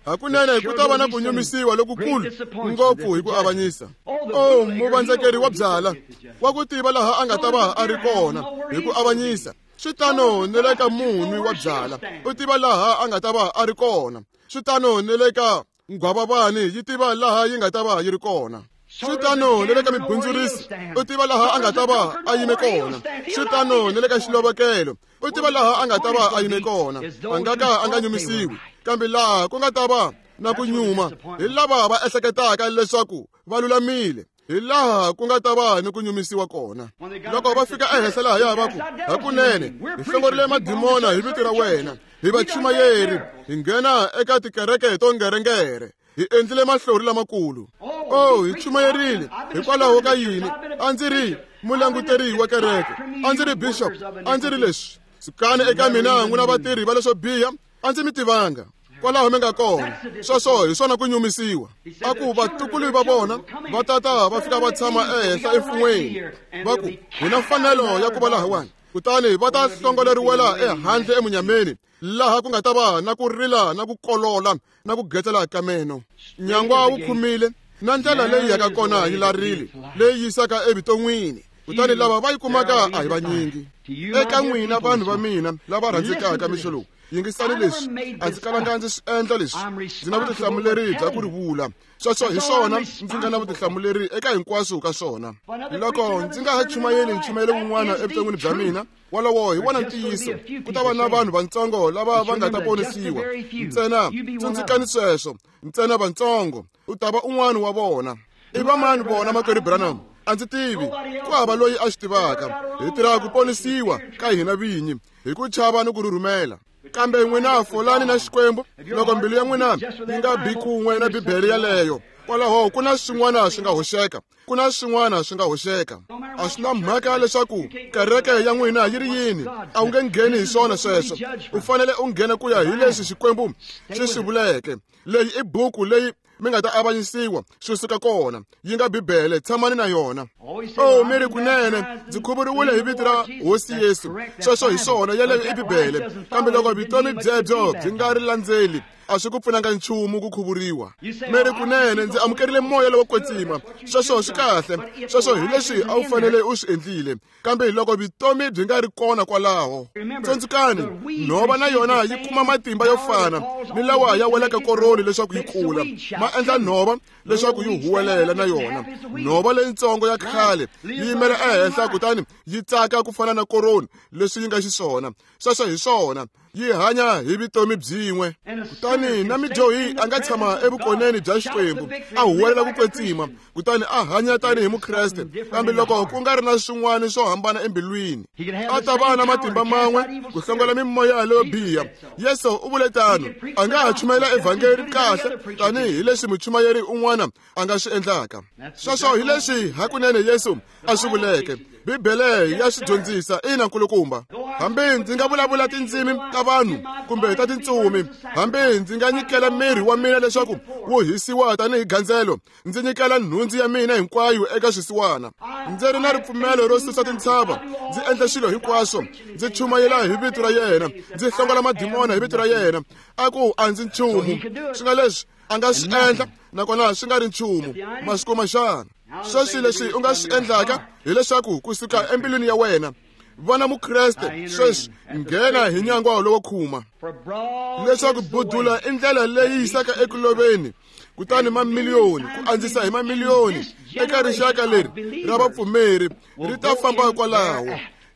Hakunene ku ta va na ku nyumisiwa lokukulu ngopfu hi ku avanyisa. Oh, muvandzekeri wa byala wa ku tiva laha a nga ta va a ri kona hi ku avanyisa. Swi tano ni le ka munwi wa byala, u tiva laha a nga ta va a ri kona. Swi tano ni le ka nghwavavani, yi tiva laha yi nga ta va yi ri kona. Swi tano ni le ka mibundzurisi, u tiva laha a nga ta va a yime kona. Swi tano ni le ka xilovekelo, u tiva laha a nga ta va a yime kona. A nga ka a nga nyumisiwi, kambe laha ku nga ta va na ku nyuma hi lava va ehleketaka leswaku va lulamile. Hi laha ku nga ta va ni ku nyumisiwa kona. Loko va fika ehenhla lahaya va ku, hakunene hi hlongorile madimona hi vito ra wena, hi vachumayeri, hi nghena eka tikereke to ngerengere, hi endlile mahlori lamakulu. Oh, hi chumayerile hikwalaho ka yini? A ndzi ri mulanguteri wa kereke, a ndzi ri bishop, a ndzi ri leswi. Sukani eka mina n'wina vatirhi va leswo biha, a ndzi mi tivanga. Kwalaho mi nga kona. Sweswo hi swona ku nyumisiwa. A ku vatukulu va vona va tata va fika va tshama ehenhla emfun'weni, va ku hi na mfanelo ya ku va lahawani, kutani va ta hlongoleriwela ehandle emunyameni, laha ku nga ta va na ku rila na ku kolola na ku getsela ka meno. Nyangwa wu khumile na ndlela leyi yaka kona yi larile, leyi yisaka evuton'wini, kutani lava va yi kumaka a hi vanyingi. Eka n'wina vanhu va mina lava rhandzekaka mixo lowu, yingisani leswi, a ndzi kalanga ndzi swi endla leswi. Ndzi na vutihlamuleri bya ku ri vula. Sweswo hi swona ndzi nga na vutihlamuleri eka hinkwaswo ka swona. Loko ndzi nga ha chumayeli nchumayelo wun'wana evuton'wini bya mina, wolowo hi wona ntiyiso. Ku ta va na vanhu vatsongo lava va nga ta ponisiwa. Ntsena tsundzukani sweswo, ntsena vatsongo, u ta va un'wana wa vona. I vamani vona, makwerhu Branham? A ndzi tivi, ku hava loyi a swi tivaka. Hi tirha ku ponisiwa ka hina vinyi hi ku chava ni ku rhurhumela. Kambe n'wina folani na Xikwembu loko mbilu ya n'wina yi nga bi kun'we na Bibele yaleyo. Kwalaho ku na swin'wana swi nga hoxeka, ku na swin'wana swi nga hoxeka. A swi na mhaka leswaku kereke ya n'wina yi ri yini, a wu nge ngheni hi swona sweswo. U fanele u nghena ku ya hi leswi Xikwembu xi swi vuleke. Leyi i buku leyi mi nga ta avanyisiwa swi suka kona, yi nga Bibele, tshamani na yona. Oh, mi ri kunene ndzi khuvuriwile hi vito ra Hosi Yesu. Sweswo hi swona, yeleyo i Bibele. Kambe loko vutomi byebyo byi nga ri landzeli, a swi ku pfunanga nchumu ku khuvuriwa. Mi ri kunene ndzi amukerile moya lowo kwetsima. Sweswo swi kahle, sweswo hi leswi a wu fanele u swi endlile. Kambe loko vutomi byi nga ri kona kwalaho, tsundzukani, nhova na yona yi kuma matimba yo fana ni lawa ya welaka koroni leswaku yi kula. Ma endla nhova leswaku yi huwelela na yona. Nhova leyitsongo ya khale yi yimela ehenhla kutani yi tsaka ku fana na koroni leswi yi nga xiswona. Sweswo hi swona, yi hanya hi vutomi byin'we. Kutani na midyohi a nga tshama evukoneni bya Xikwembu, a huwelela ku kwetsima, kutani a hanya tanihi Mukreste. Kambe loko ku nga ri na swin'wana swo hambana embilwini, a ta va na matimba man'we ku hlongola mimoya leyo biha. Yesu u vule tano, a nga ha chumayela evhangeli kahle tanihi leswi muchumayeri un'wana a nga swi endlaka. Sweswo hi leswi hakunene Yesu a swi vuleke. Bibele ya swi dyondzisa, ina nkulukumba. Hambi ndzi nga vulavula tindzimi ta vanhu kumbe ta tintsumi, hambi ndzi nga nyikela miri wa mina leswaku wu hisiwa tanihi gandzelo, ndzi nyikela nhundzu ya mina hinkwayo eka swisiwana, ndzi ri na ripfumelo ro susa tintshava, ndzi endla swilo hinkwaswo, ndzi chumayela hi vito ra yena, ndzi hlongola madimona hi vito ra yena, a ku a ndzi nchumu. Swi nga leswi a nga swi endla, nakona swi nga ri nchumu. Ma swi kuma xana? Sweswi leswi u nga swi endlaka hileswaku kusuka embilwini ya wena, vana Mukreste sweswi, nghena hi nyangwa lowo khuma, leswaku budula i ndlela leyi yisaka eku loveni, kutani mamiliyoni ku andzisa hi mamiliyoni eka rixaka leri ra vapfumeri ri ta famba kwalaho,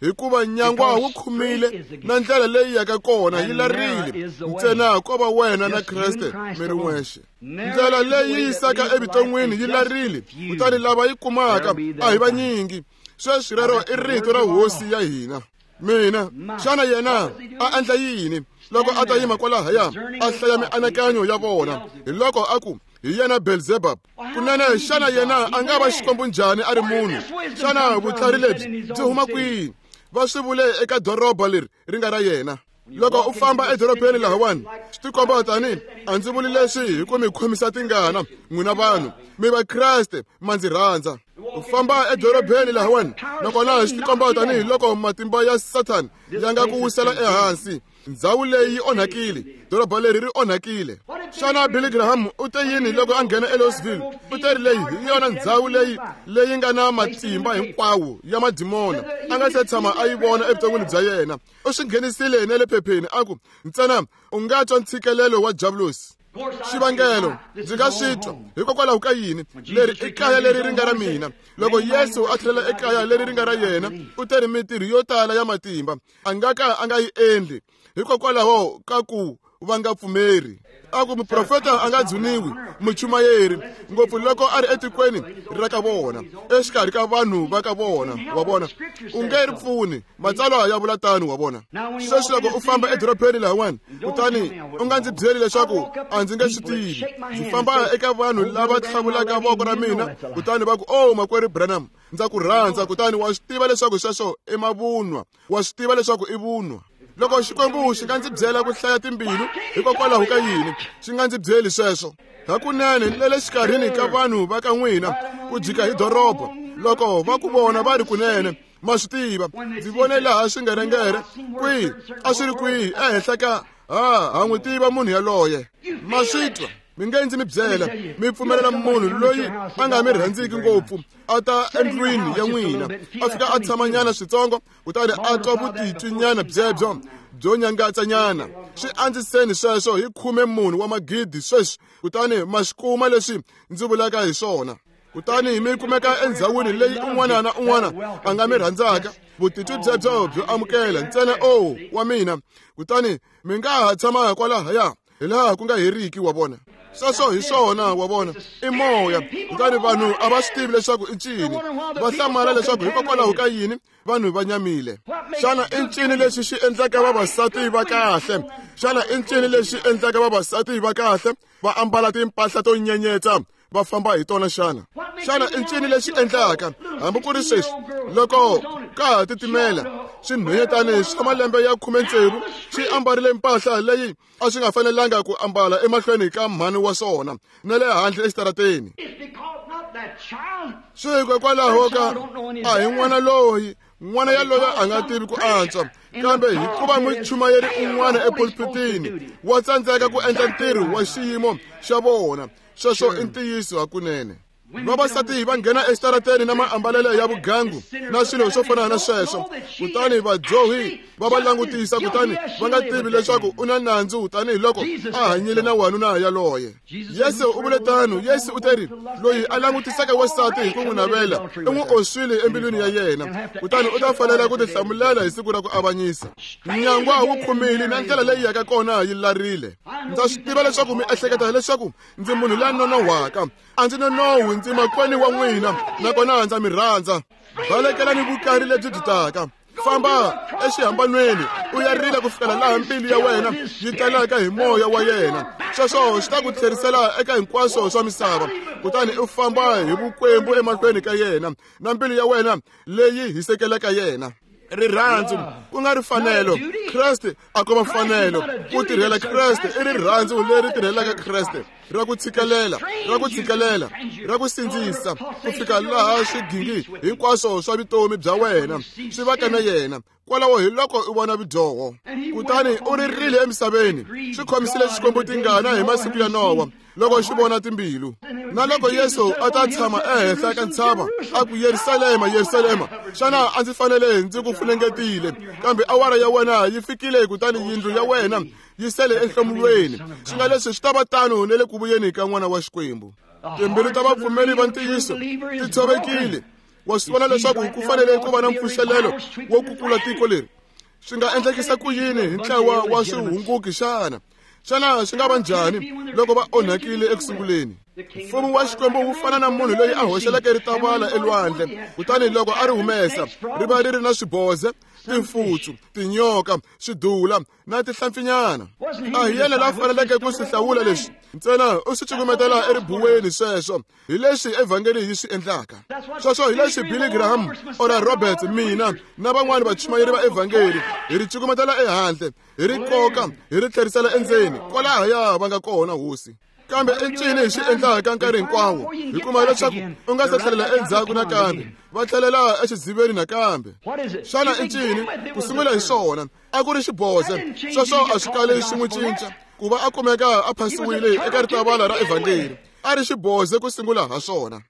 hikuva nyangwa wu khumile na ndlela leyi yaka kona yi larile. Ntsena ko va wena na Kreste mi ri n'wexe. Ndlela leyi yisaka evuton'wini yi larile, kutani lava yi kumaka a hi vanyingi. Sweswi rero i rito ra Hosi ya hina. Mina, xana yena a endla yini loko a ta yima kwalahaya a hlaya mianakanyo ya vona? Hi loko a ku hi yena Belzebub. Kunene xana yena a nga va Xikwembu njhani a ri munhu? Xana vutlhari lebyi byi huma kwihi? Va swi vule eka doroba leri ri nga ra yena. Loko u famba edorobeni lahawani, swi tikomba tani a ndzi vuli leswi hi ku mi khomisa tingana n'wina vanhu, mi Vakreste ma ndzi rhandza. U famba edorobeni lahawani, nakona swi tikomba tanihi loko matimba ya Sathana ya nga ku wisela ehansi. Ndhawu leyi yi onhakile, doroba leri ri onhakile. Xana Billy Graham u te yini loko a nghena eLouisville? U te ri leyi hi yona ndhawu leyi leyi nga na matimba hinkwawo ya madimona a nga se tshama a yi vona evuton'wini bya yena. U swi nghenisile na le phepheni a ku, ntsena u nga twa ntshikelelo wa Diablosi. Xivangelo ndzi nga swi twa hikokwalaho ka yini? Leri i kaya leri ri nga ra mina. Loko Yesu a tlhelela ekaya leri ri nga ra yena, u te ri mintirho yo tala ya matimba a nga ka a nga yi endli hikokwalaho ka ku va nga pfumeri. A ku muprofeta a nga dzuniwi, muchumayeri, ngopfu loko a ri etikweni ra ka vona, exikarhi ka vanhu va ka vona, wa vona. U nge ri pfuni, matsalwa ya vula tano, wa vona. Sweswi loko u famba edorobeni lahawani, kutani u nga ndzi byeli leswaku a ndzi nge swi tivi. Ndzi famba eka vanhu lava tlhavulaka voko ra mina, kutani va ku, "Oh, makwerhu Branham, ndza ku rhandza." Kutani wa swi tiva leswaku sweswo i mavunwa, wa swi tiva leswaku i vunwa. Loko Xikwembu xi nga ndzi byela ku hlaya timbilu, hikokwalaho ka yini xi nga ndzi byeli sweswo? Hakunene le le xikarhini ka vanhu va ka n'wina ku jika hi doroba, loko va ku vona va ri kunene, ma swi tiva, ndzi vone laha swingerengere kwihi, a swi ri kwihi ehenhla ka ha ha n'wi tiva munhu yaloye. Ma swi twa? Mi nge ndzi mi byela, mi pfumelela munhu loyi a nga mi rhandziki ngopfu a ta endlwini ya n'wina, a fika a tshamanyana switsongo, kutani a twa vutitwinyana byebyo byo nyangatsanyana. Swi andziseni sweswo hi khume munhu wa magidi sweswi, kutani ma swi kuma leswi ndzi vulaka hi swona. Kutani mi kumeka endzhawini leyi un'wana na un'wana a nga mi rhandzaka, vutitwi byebyo byo amukela ntsena o wa mina, kutani mi nga ha tshama kwalahaya hi laha ku nga heriki, wa vona. Sweswo hi swona, wa vona, i moya. Kutani vanhu a va swi tivi leswaku i ncini, va hlamala leswaku hikokwalaho ka yini vanhu va nyamile. Xana i ncini lexi xi endlaka vavasati va kahle? Xana i ncini lexi endlaka vavasati va kahle va ambala timpahla to nyenyetsa va famba hi tona xana? Xana i ncini lexi endlaka hambi ku ri sweswi loko ka ha titimela swinhwanyetani swa malembe ya khume tsevu swi ambarile mpahla leyi a swi nga fanelanga ku ambala emahlweni ka mhani wa swona na le handle exitarateni? Swi hikokwalaho ka a hi n'wana loyi, n'wana yaloye a nga tivi ku antswa, kambe hikuva muchumayeri un'wana epulpitini wa tsandzeka ku endla ntirho wa xiyimo xa vona. Sweswo i ntiyiso hakunene. Vavasati va nghena exitarateni na maambalelo ya vugangu na swilo swo fana na sweswo, kutani vadyohi va va langutisa, kutani va nga tivi leswaku u na nandzu tanihiloko a hanyile na wanuna yaloye. Yesu u vule tano. Yesu u teri, loyi a langutisaka wansati hi ku n'wi navela i n'wi oswile embilwini ya yena, kutani u ta fanela ku tihlamulela hi siku ra ku avanyisa. Nyangwa wu khumile na ndlela leyi yaka kona yi larile. Ndza swi tiva leswaku mi ehleketa leswaku ndzi munhu la nonohwaka. A ndzi nonohwi, ndzi makwenu wa n'wina, nakona ndza mi rhandza. Balekelani vukari lebyi byi taka. Famba exihambanweni u ya rila ku fikela laha mbilu ya wena yi talaka hi moya wa yena. Sweswo swi ta ku tlherisela eka hinkwaswo swa misava, kutani u famba hi vukwembu emahlweni ka yena na mbilu ya wena leyi hisekelaka yena. Rirhandzu ku nga ri fanelo, Kreste a ko va fanelo. Ku tirhela Kreste i rirhandzu leri tirhelaka Kreste, ra ku tshikelela, ra ku tshikelela, ra ku sindzisa ku fika laha swigingi hinkwaswo swa vutomi bya wena swi vaka na yena. Kwalaho hi loko u vona vudyoho, kutani u ririle emisaveni. Swi khomisile Xikwembu tingana hi masiku ya Nowa loko xi vona timbilu. Na loko Yesu a ta tshama ehenhla ka ntshava a ku, Yerusalema, Yerusalema, xana a ndzi fanele ndzi ku funengetile? Kambe awara ya wena yi fikile, kutani yindlu ya wena yi sele enhlomulweni. Swi nga leswi swi ta va tano na le ku vuyeni ka N'wana wa Xikwembu. Timbilu ta vapfumeri va ntiyiso ti tshovekile. Wa swi vona leswaku ku fanele ku va na mpfuxelelo wo kukula tiko leri. Swi nga endlekisa ku yini hi ntlawa wa swihunguki xana? Xana swi nga va njhani loko va onhakile ekusunguleni? Mfumo wa Xikwembu wu fana na munhu loyi a hoxeleke ritavala elwandle, kutani loko a ri humesa ri va ri ri na swiboze, timfutsu, tinyoka, swidula na tihlampfinyana. A hi yena la faneleke ku swi hlawula leswi, ntsena u swi cukumetela eribuweni. Sweswo hi leswi evhangeli yi swi endlaka. Sweswo hi leswi Billy Graham, Oral Roberts, mina na van'wani vachumayeri va evhangeli hi ri cukumetela ehandle, hi ri koka, hi ri tlherisela endzeni kwalahaya va nga kona, Hosi. Kambe i ncini hi swi endlaka nkarhi hinkwawo? Hi kuma leswaku u nga se tlhelela endzhaku nakambe, va tlhelela exidziveni nakambe. Xana i ncini ku sungula hi swona? A ku ri xiboze. Sweswo a swi kali swi n'wi cinca ku va a kumeka a phasiwile eka ritavala ra evhangeli. A ri xiboze ku sungula ha swona,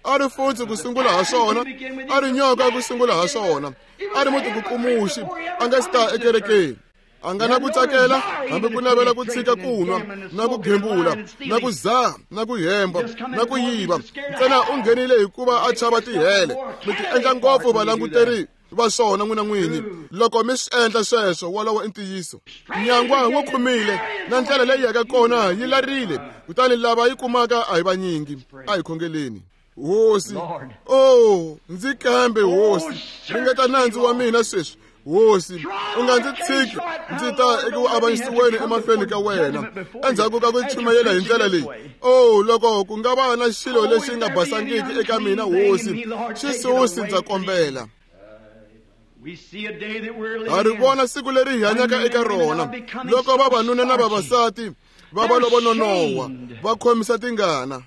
a ri futsi ku sungula ha swona, a ri nyoka ku sungula ha swona, a ri mutikukumuxi a nga si ta ekerekeni. A nga na ku tsakela hambi ku navela ku tshika ku nwa na ku gembula na ku zaha na ku hemba na ku yiva. Ntsena u nghenile hikuva a chava tihele. Mi ti endla ngopfu valanguteri va swona n'wina n'wini. Loko mi swi endla sweswo, wolowo i ntiyiso. Nyangwa wu khumile na ndlela leyi yaka kona yi larile, kutani lava yi kumaka a hi vanyingi. A hi khongeleni. Hosi, oh, ndzi kambe hosi, ringeta nandzu wa mina sweswi. Hosi, u nga ndzi tshiki ndzi ta eku avanyisiweni emahlweni ka wena endzhaku ka ku chumayela hi ndlela leyi. Oh, loko ku nga va na xilo lexi nga basangiki eka mina hosi, xi susi ndza kombela. Ha ri vona siku leri hi hanyaka eka rona, loko vavanuna na vavasati va va lavo nonoha va khomisa tingana.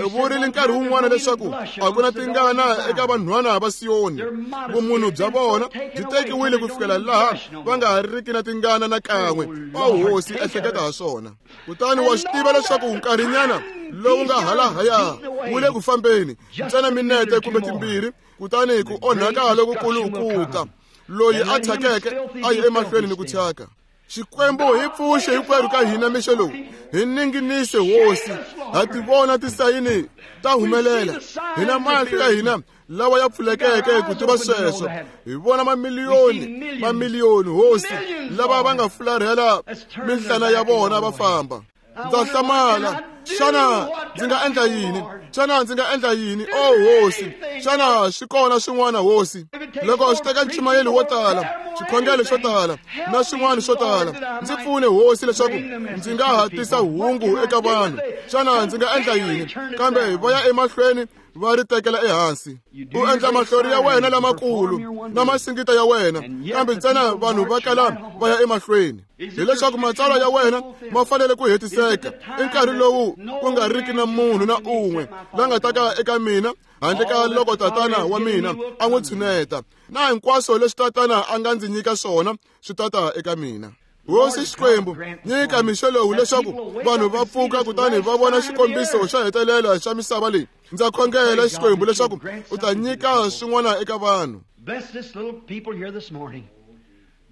U vurile nkarhi wun'wana leswaku a ku na tingana eka vanhwana va Siyoni. Vumunhu bya vona byi tekiwile ku fikela laha va nga ha riki na tingana na kan'we. O hosi, ehleketa ha swona. Kutani wa swi tiva leswaku nkarhinyana lowu nga halahaya wu le ku fambeni ntsena minete kumbe timbirhi, kutani ku onhaka lokukulu ku ta. Loyi a thyakeke a yi emahlweni ni ku thyaka. Xikwembu hi pfuxe hinkwerhu ka hina mixo lowu, hi ninginise hosi. Ha ti vona tisayini ta humelela, hi na mahlo ya hina lawa ya pfulekeke ku tiva sweswo. Hi vona mamiliyoni mamiliyoni hosi lava va nga fularhela minhlana ya vona va famba. Ndza hlamala, xana ndzi nga endla yini? Xana ndzi nga endla yini? Oh hosi, xana swi kona swin'wana hosi? Loko swi teka nchumayelo wo tala, xikhongelo xo tala na swin'wana swo tala, ndzi pfune hosi leswaku ndzi nga ha tisa hungu eka vanhu. Xana ndzi nga endla yini? Kambe va ya emahlweni va ri tekela ehansi. U endla mahlori ya wena lamakulu na masingita ya wena, kambe ntsena vanhu va kala va ya emahlweni. Hileswaku matsalwa ya wena ma fanele ku hetiseka i nkarhi lowu ku nga riki na munhu na un'we la nga ta ka eka mina handle ka loko tatana wa mina a n'wi tshuneta, na hinkwaswo leswi tatana a nga ndzi nyika swona swi tata eka mina. Hosi Xikwembu, nyika mixo lowu leswaku vanhu va pfuka kutani va vona xikombiso xa hetelela xa misava leyi. Ndza khongela Xikwembu leswaku u ta nyika swin'wana eka vanhu.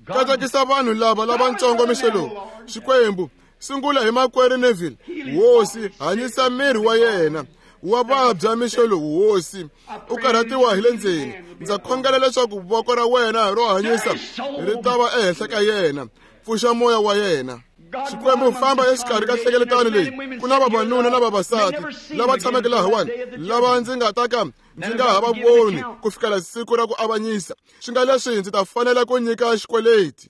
Katekisa vanhu lava lavatsongo mixo lowu. Xikwembu, sungula hi makwerhu Neville. Hosi, hanyisa miri wa yena. Wa vabya mixo lowu hosi, u karhatiwa hi le ndzeni. Ndza khongela leswaku voko ra wena ro hanyisa ri ta va ehenhla ka yena. Pfuxa moya wa yena. Xikwembu, famba exikarhi ka nhlengeletano leyi. Ku na vavanuna na vavasati lava tshameke lahawani, lava ndzi nga ta ka ndzi nga ha va voni ku fikela siku ra ku avanyisa. Swi nga leswi ndzi ta fanela ku nyika xikweleti,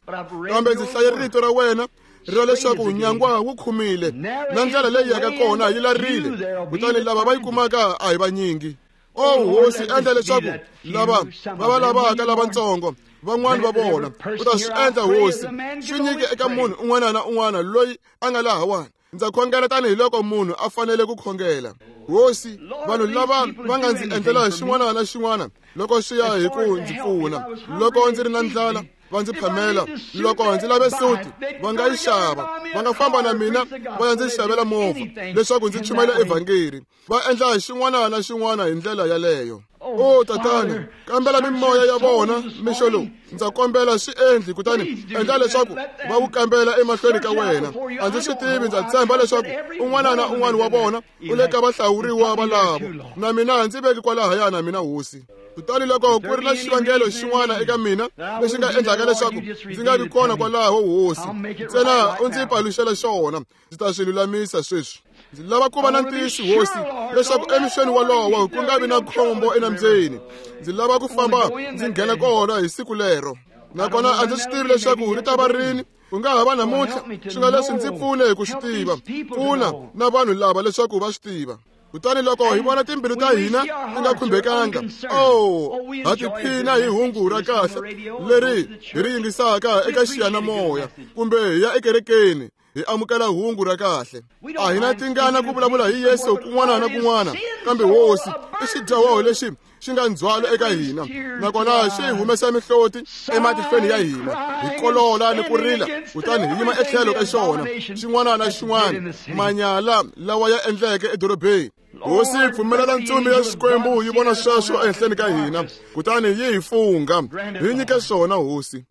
kambe ndzi hlaye rito ra wena ra leswaku nyangwa wu khumile na ndlela leyi yaka kona yi larile, kutani lava va yi kumaka a hi vanyingi. Oh hosi, endla leswaku lava va va lavaka lavatsongo van'wana va vona u ta swi endla hosi. Swi nyike eka munhu un'wana na un'wana loyi a nga lahawani. Ndza khongela tanihiloko munhu a fanele ku khongela. Hosi, vanhu lava va nga ndzi endlela xin'wana na xin'wana loko swi ya hi ku ndzi pfuna. Loko ndzi ri na ndlala va ndzi phamela, loko ndzi lave suti va nga yi xava, va nga famba na mina va ya ndzi xavela movha leswaku ndzi chumayela evhangeri. Va endla xin'wana na xin'wana hi ndlela yaleyo. O tatana, kambela mimoya ya vona mixo lowu. Ndza kombela swi endli, kutani endla leswaku va wu kambela emahlweni ka wena. A ndzi swi tivi, ndza tshemba leswaku un'wana na un'wana wa vona u le ka vahlawuriwa valavo. Na mina ndzi veki kwalahaya na mina hosi. Kutani loko ku ri na xivangelo xin'wana eka mina lexi nga endlaka leswaku ndzi nga vi kona kwalaho hosi, ntsena u ndzi paluxela xona, ndzi ta swi lulamisa sweswi. Ndzi lava ku va na ntiyiso hosi leswaku emixweni wolowo ku nga vi na khombo enambyeni. Ndzi lava ku famba ndzi nghena kona hi siku lero, nakona a ndzi swi tivi leswaku ri ta va rini. Ku nga ha va namuntlha, swi nga leswi ndzi pfune hi ku swi tiva. Pfuna na vanhu lava leswaku va swi tiva. Kutani loko hi vona timbilu ta hina ti nga khumbekanga, oh, ha tiphina hi hungu ra kahle leri hi ri yingisaka eka xiyanimoya kumbe hi ya ekerekeni hi amukela hungu ra kahle. A hi na tingana ku vulavula hi Yesu kun'wana na kun'wana, kambe hosi i xidyoho lexi xi nga ndzhwalo eka hina, nakona xi humesa mihloti ematihlweni ya hina. Hi kolola ni ku rila, kutani hi yima etlhelo ka xona xin'wana na xin'wana manyala lawa ya endleke edorobeni. Hosi, pfumelela ntsumi ya Xikwembu yi vona sweswo ehenhleni ka hina, kutani yi hi fungha. Hi nyike swona hosi.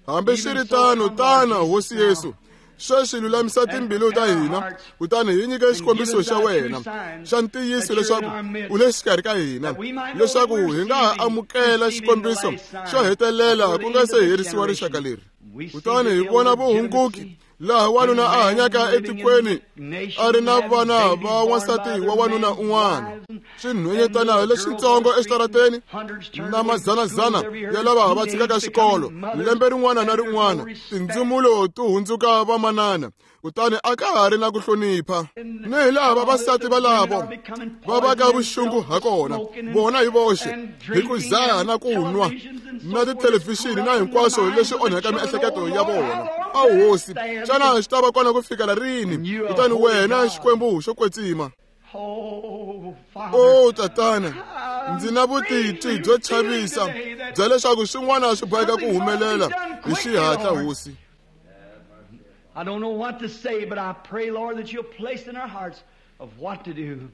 Hambi swi ri tano, tana hosi Yesu. Sweswi lulamisa timbilu ta hina, kutani hi nyike xikombiso xa wena xa ntiyiso leswaku u le xikarhi ka hina, leswaku hi nga ha amukela xikombiso xo hetelela ku nga se herisiwa rixaka leri. Kutani hi vona vuhunguki laha wanuna a hanyaka etikweni a ri na vana va wansati wa wanuna un'wana, swinhwenyetana leswitsongo exitarateni na mazanazana ya lava va tshikaka xikolo lembe rin'wana na rin'wana, tindzumulo ti hundzuka vamanana, kutani a ka ha ri na ku hlonipha. Ni hi laha vavasati valavo va vaka vuxungu ha kona, vona hi voxe, hi ku zaha na ku nwa na tithelevhixini na hinkwaswo leswi onhaka miehleketo ya vona. A hosi, xana xi ta va kona ku fikela rini? Kutani wena Xikwembu xo kwetsima, o tatana, ndzi na vutitwi byo chavisa bya leswaku swin'wana swi boheka ku humelela hi xihatla, hosi. I don't know what to say, but I pray, Lord, that you'll place in our hearts of what to do.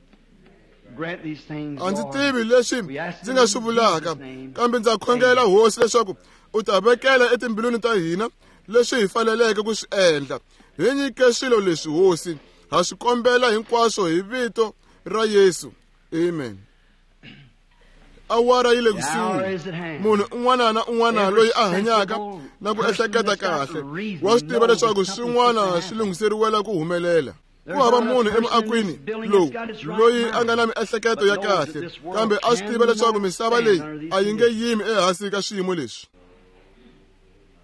Grant these things, A ndzi Lord. tivi leswi ndzi nga swi vulaka, kambe ndza khongela hosi leswaku u ta vekela etimbilwini ta hina leswi hi faneleke ku swi endla. Hi nyike swilo leswi, hosi, ha swi kombela hinkwaswo hi vito ra Yesu. Amen. Awara yi le kusuhi. Munhu un'wana na un'wana loyi a hanyaka na ku ehleketa kahle wa swi tiva leswaku swin'wana swi lunghiseriwela ku humelela. Ku hava munhu emuakwini lowu loyi a nga na miehleketo ya kahle, kambe a swi tiva leswaku misava leyi a yi nge yimi ehansi ka swiyimo leswi.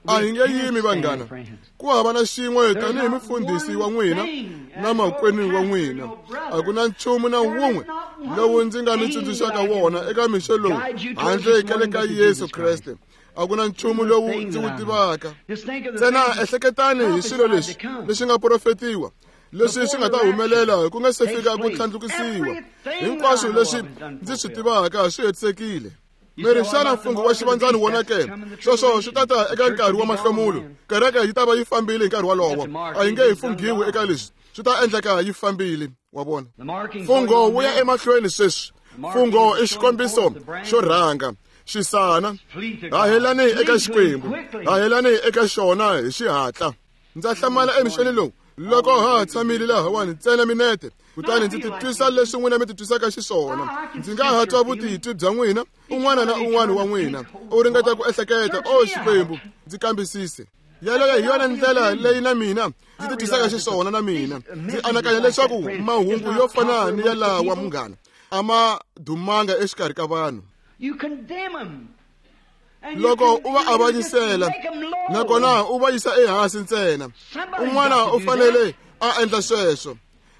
A hi nge yimi, vanghana. Ku hava na xin'we tanihi mufundhisi wa n'wina na makwenu wa n'wina. A ku na nchumu na wun'we lowu ndzi nga mi tsundzuxaka wona eka mixo lowu handle ka le ka Yesu Kreste. A ku na nchumu lowu ndzi wu tivaka. Ntsena ehleketani hi swilo leswi leswi nga profetiwa, leswi swi nga ta humelela ku nga se fika ku tlhandlukisiwa. Hinkwaswo leswi ndzi swi tivaka swi hetisekile. Mi ri xana mfungho wa xivandzani wona ke? Sweswo swi ta ta eka nkarhi wa mahlomulo. Kereke yi ta va yi fambile hi nkarhi wolowo. A yi nge hi funghiwi eka leswi. Swi ta endleka yi fambile, wa vona. Mfungho wu ya emahlweni sweswi. Mfungho i xikombiso xo rhanga, xisana. Hahelani eka Xikwembu, hahelani eka xona hi xihatla. Ndza hlamala emixeni lowu loko ha tshamile lahawani ntsena minete, kutani ndzi titwisa leswi n'wina mi titwisaka xiswona. Ndzi nga ha twa vutitwi bya n'wina, un'wana na un'wana wa n'wina u ringeta ku ehleketa, o Xikwembu, ndzi kambisise. Yaleyo hi yona ndlela leyi na mina ndzi titwisaka xiswona. Na mina ndzi anakanya leswaku mahungu yo fana ni ya lawa, munghana, a ma dumanga exikarhi ka vanhu. Loko u va avanyisela nakona u va yisa ehansi ntsena, un'wana u fanele a endla sweswo.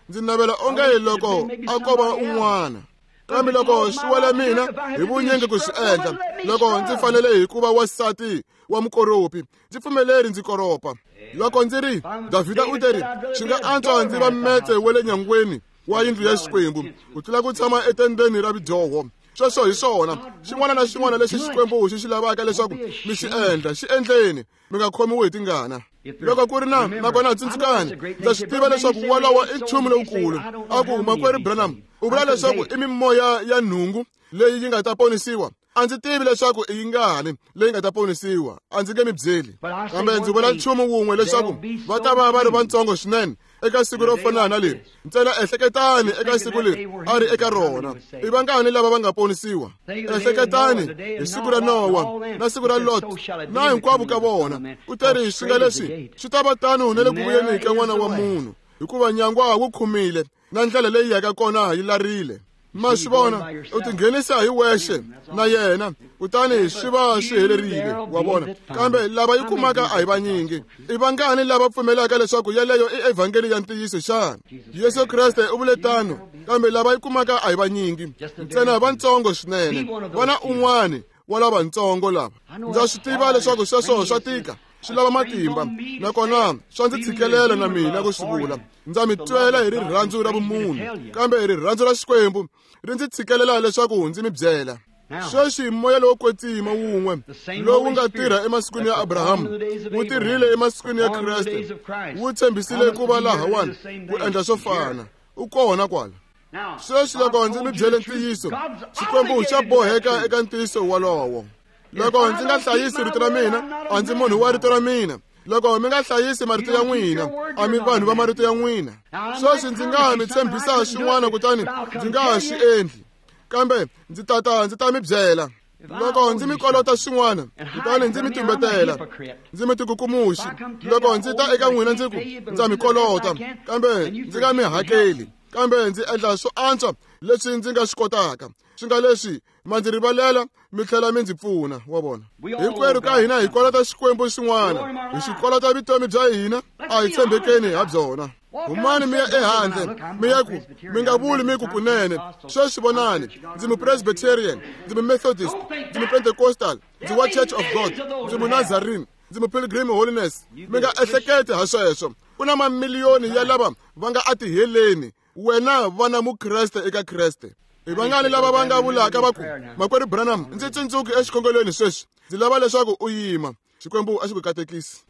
Ndzi navela onge loko a ko va un'wana, kambe loko swi wela mina hi vunyingi ku swi endla, loko ndzi fanele hi ku va wansati wa mukoropi, ndzi pfumeleri ndzi koropa. Loko ndzi ri Davhida u teri, swi nga antswa ndzi va metse wa le nyangweni wa yindlu ya Xikwembu ku tlula ku tshama etendeni ra vidyoho. Sweswo hi swona. Xin'wana na xin'wana lexi Xikwembu xi xi lavaka leswaku mi xi endla, xi endleni, mi nga khomiwi hi tingana. Loko ku ri na nakona tsundzukani, ndza swi tiva leswaku wolowo i nchumu lowukulu. A ku makwerhu Branham u vula leswaku i mimoya ya nhungu leyi yi nga ta ponisiwa. A ndzi tivi leswaku i yingani leyi nga ta ponisiwa, a ndzi nge mi byeli, kambe ndzi vula nchumu wun'we, leswaku va ta va va ri vantsongo swinene eka siku ro fana na leri. Ntsena ehleketani eka siku leri a ri eka rona, i vangani lava va nga ponisiwa? Ehleketani hi siku ra Nowa na siku ra Lot na hinkwavo ka vona. U teri swi nga leswi swi ta va tano na le ku vuyeni ka N'wana wa Munhu, hikuva nyangwa wu khumile na ndlela leyi yaka kona yi larile. Ma swi vona, u tinghenisa hi wexe na yena, kutani swi va swi helerile, wa vona. Kambe lava yi kumaka a hi vanyingi. I vangani lava pfumelaka leswaku yeleyo i evhangeli ya ntiyiso xana? Yesu Kreste u vule tano, kambe lava yi kumaka a hi vanyingi, ntsena vantsongo swinene. Vana un'wani wa lavatsongo lava. Ndza swi tiva leswaku sweswo swa tika, swi lava matimba, nakona swa ndzi tshikelela na mina ku swi vula. Ndza mi twela hi rirhandzu ra vumunhu, kambe hi rirhandzu ra Xikwembu ri ndzi tshikelela leswaku ndzi mi byela. Sweswi moya lowo kwetsima wun'we lowu nga tirha emasikwini ya Abrahamu wu tirhile emasikwini ya Kreste, wu tshembisile ku va lahawani ku endla swo fana. U kona kwala. Sweswi loko ndzi mi byele ntiyiso, Xikwembu xa boheka eka ntiyiso wolowo. Loko ndzi nga hlayisi rito ra mina, a ndzi munhu wa rito ra mina. Loko mi nga hlayisi marito ya n'wina, a mi vanhu va marito ya n'wina. Sweswi ndzi nga mi tshembisa xin'wana kutani ndzi nga ha swi endli, kambe ndzi tata ndzi ta mi byela. Loko ndzi mi kolota xin'wana kutani ndzi mi tumbetela, ndzi mi tikukumuxi. Loko ndzi ta eka n'wina ndzi ku ndza mi kolota, kambe ndzi nga mi hakeli, kambe ndzi endla swo antswa leswi ndzi nga swi kotaka, swi nga leswi ma ndzi rivalela mi tlhela mi ndzi pfuna. Wa vona, hinkwerhu ka hina hi kolota Xikwembu xin'wana, hi xi kolota vutomi bya hina, a hi tshembekeni ha byona. Humani mi ya ehandle mi ya ku mi nga vuli mi ku kunene, sweswi vonani, ndzi mupresbyterian, ndzi mumethodist, ndzi mupentecostal, ndzi wa Church of God, ndzi munazarene, ndzi mupilgrim holiness. Mi nga ehleketi ha sweswo. Ku na mamiliyoni ya lava va nga atiheleni. Wena vana mukreste eka Kreste. Hi vangani lava va nga vulaka va ku, Makwerhu Branham, ndzi tsundzuki exikhongelweni sweswi, ndzi lava leswaku u yima. Xikwembu a xi ku katekisi.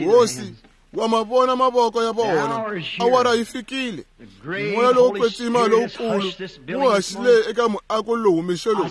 Hosi, wa ma vona mavoko ya vona. Awara yi fikile. Moya lowo kwetsima lowukulu wu haxile eka muako lowu mixo lowu.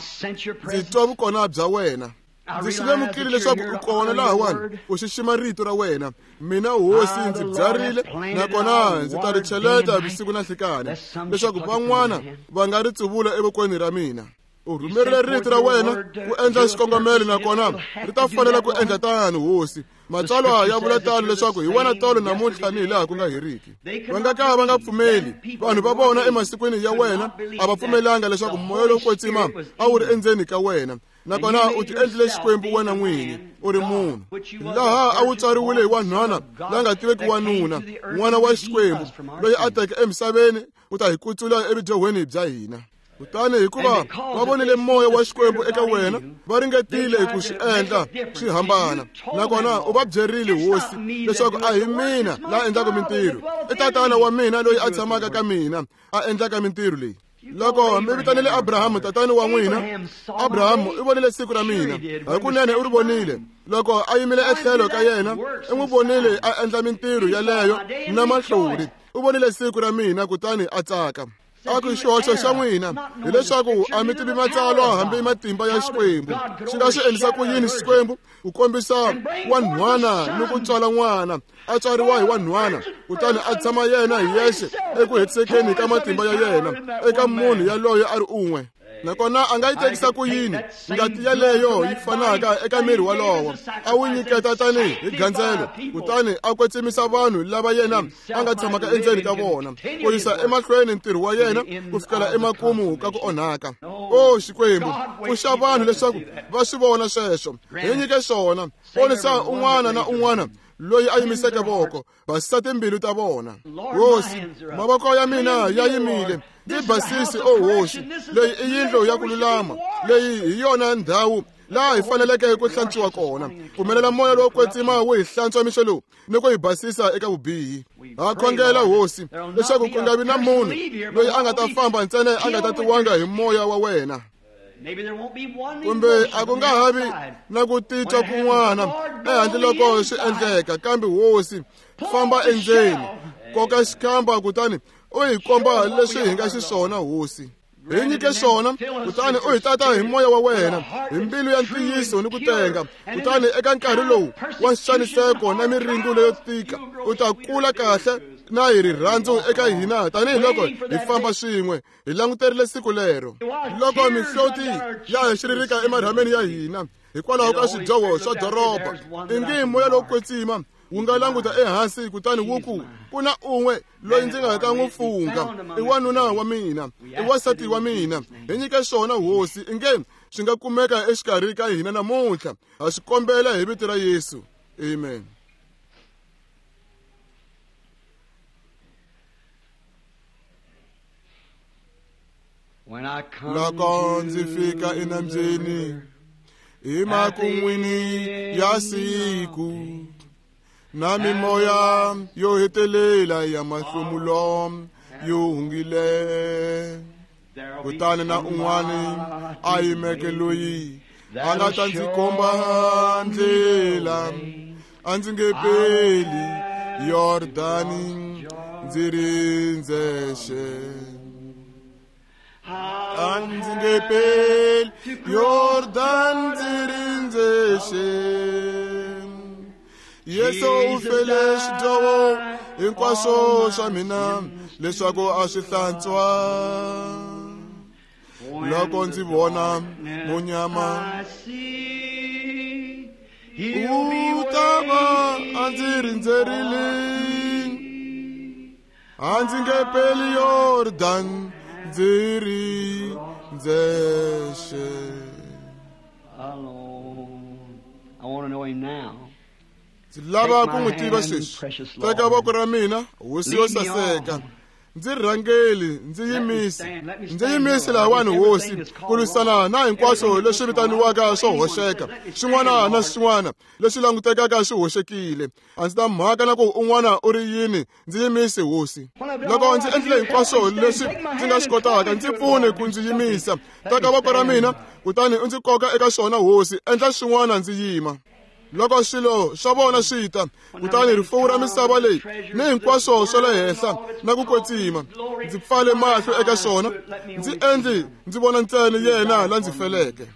Ndzi twa vukona bya wena. Ndzi swi lemukile leswaku u kona lahawani, u xixima rito ra wena. Mina hosi ndzi byarile, nakona ndzi ta ri cheleta vusiku na nhlikani, leswaku van'wana va nga ri tsuvula evokweni ra mina. U rhumerile rito ra wena ku endla xikongomelo, nakona ri ta fanela ku endla tano, hosi. Matsalwa ya vula tano leswaku hi wena tolo namuntlha ni hi laha ku nga heriki. Va nga ka va nga pfumeli. Vanhu va vona emasikwini ya wena a va pfumelanga leswaku moya lowo kwetsima a wu ri endzeni ka wena, nakona u ti endlile Xikwembu wena n'wini, u ri munhu. Laha a wu tswariwile hi wanhwana la nga tiveki wanuna, n'wana wa Xikwembu, loyi a teke emisaveni ku ta hi kutsula evudyohweni bya hina. Kutani hikuva va vonile moya wa Xikwembu eka wena, va ringetile ku swi endla swi hambana, nakona u va byerile hosi leswaku a hi mina la endlaka mintirho, i tatana wa mina loyi a tshamaka ka mina a endlaka mintirho leyi. Loko mi vitanile Abrahamu tatani wa n'wina, Abrahamu i vonile siku ra mina, hakunene u ri vonile. Loko a yimile etlhelo ka yena, i n'wi vonile a endla mintirho yaleyo na mahlori. U vonile siku ra mina kutani a tsaka. A ku xihoxo xa n'wina hileswaku a mi tivi matsalwa hambi matimba ya Xikwembu. Xi nga swi endlisa ku yini Xikwembu ku kombisa wanhwana ni ku tswala n'wana, a tswariwa hi wanhwana, kutani a tshama yena hi yexe eku hetisekeni ka matimba ya yena eka munhu yaloye a ri un'we? Nakona a nga yi tekisa ku yini ngati yaleyo yi fanaka eka miri walowo a wu nyiketa tanihi hi gandzelo, kutani a kwetsimisa vanhu lava yena a nga tshamaka endzeni ka vona, ku yisa emahlweni ntirho wa yena ku fikela emakumu ka ku onhaka. O Xikwembu, pfuxa vanhu leswaku va swi vona sweswo. Hi nyike swona. Ponisa un'wana na un'wana loyi a yimiseke voko, basisa timbilu ta vona. Hosi, mavoko ya mina ya yimile, ndzi basisi, o hosi. Leyi i yindlu ya ku lulama, leyi hi yona ndhawu laha hi faneleke ku hlantswiwa kona. Pfumelela moya lowo kwetsima wu hi hlantswa mixo lowu ni ku hi basisa eka vubihi. Ha khongela hosi leswaku ku nga vi na munhu loyi a nga ta famba ntsena a nga tatiwanga hi moya wa wena, kumbe a ku nga ha vi na ku titwa kun'wana ehandle loko swi endleka. Kambe hosi, famba endzeni, koka xikhamba kutani u hi komba leswi hi nga xiswona. Hosi, hi nyike swona, kutani u hi tata hi moya wa wena, hi mbilu ya ntiyiso ni ku tenga. Kutani eka nkarhi lowu wa nxaniseko na miringo leyo tika, u ta kula kahle na hi rirhandzu eka hina tanihiloko hi famba swin'we hi languterile siku lero. Loko mihloti ya hi xiririka emarhameni ya hina hikwalaho ka swidyoho swa doroba, ingi moya lowo kwetsima wu nga languta ehansi kutani wu ku, ku na un'we loyi ndzi nga ta n'wi fungha, i wanuna wa mina, i wansati wa mina. Hi nyike swona hosi, inge swi nga kumeka exikarhi ka hina namuntlha. Ha swi kombela hi vito ra Yesu, amen. Loko ndzi fika enambyeni hi makun'wini ya siku, na mimoya yo hetelela ya mahlomulo yo hungile, kutani na un'wana a yimeke loyi a nga ta ndzi komba ndlela, a ndzi nge peli Yordani ndzi ri ndzexe. A ndzi nge peli Yordan ndzi ri ndzexe. Yesu u fele swidyoho hinkwaswo swa mina leswaku a swi hlantswa. Loko ndzi vona munyama u ta va a ndzi rindzerile, a ndzi nge peli Yordan ndzi ri ndzexe. I want to know him now. Ndzi lava ku n'wi tiva sweswi. Teka voko ra mina, hosi yo saseka. Ndzi rhangeli, ndzi yimise. Ndzi yimise lahawani hosi, ku lwisana na hinkwaswo leswi vitaniwaka swo hoxeka, swin'wana na swin'wana leswi langutekaka swi hoxekile. A ndzi ta mhaka na ku un'wana u ri yini, ndzi yimise hosi. Loko ndzi endlile hinkwaswo leswi ndzi nga swi kotaka, ndzi pfune ku ndzi yimisa. Teka voko ra mina, kutani u ndzi koka eka swona hosi, endla swin'wana ndzi yima. Loko swilo swa vona swi ta, kutani rifuwo ra misava leyi ni hinkwaswo swa le henhla na ku kwetsima, ndzi pfale mahlo eka swona, ndzi endli ndzi vona ntsena yena la ndzi feleke.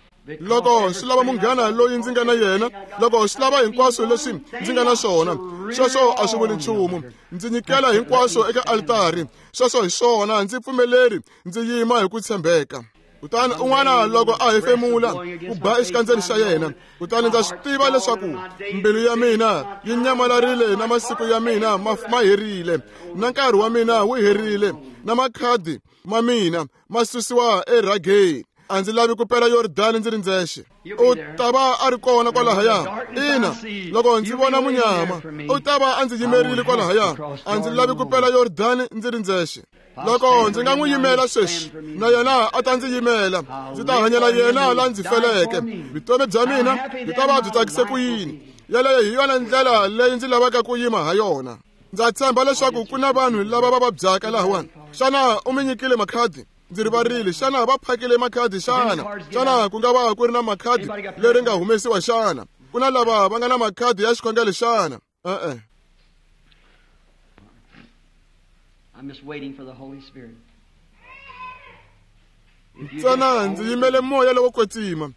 Loko swi lava munghana loyi ndzi nga na yena, loko swi lava hinkwaswo leswi ndzi nga na swona, sweswo a swi vuli nchumu. Ndzi nyikela hinkwaswo eka altari, sweswo hi swona, ndzi pfumeleri ndzi yima hi ku tshembeka. Kutani un'wana loko a hefemula ku ba exikandzeni xa yena, kutani ndza swi tiva leswaku mbilu ya mina yi nyamalarile na masiku ya mina ma herile, na nkarhi wa mina wu herile, na makhadi ma mina ma susiwa erhageni. A ndzi lavi ku pela Yordani ndzi ri ndzexe. U ta va a ri kona kwalahaya. Ina, loko ndzi vona munyama, u ta va a ndzi yimerile kwalahaya. A ndzi lavi ku pela Yordani ndzi ri ndzexe. Loko ndzi nga n'wi yimela sweswi, na yena a ta ndzi yimela. Ndzi ta hanyela yena la ndzi feleke. Vutomi bya mina byi ta va byi tsakise ku yini? Yeleyo hi yona ndlela leyi ndzi lavaka ku yima ha yona. Ndza tshemba leswaku ku na vanhu lava va vabyaka lahawani. Xana u mi nyikile makhadi? Ndzi rivarile. Xana va phakile makhadi xana? Xana ku nga va ku ri na makhadi leri nga humesiwa xana? Ku na lava va nga na makhadi ya xikhongelo xana? E-e. I'm just waiting for the Holy Spirit. Ntsena ndzi yimele moya lowo kwetsima.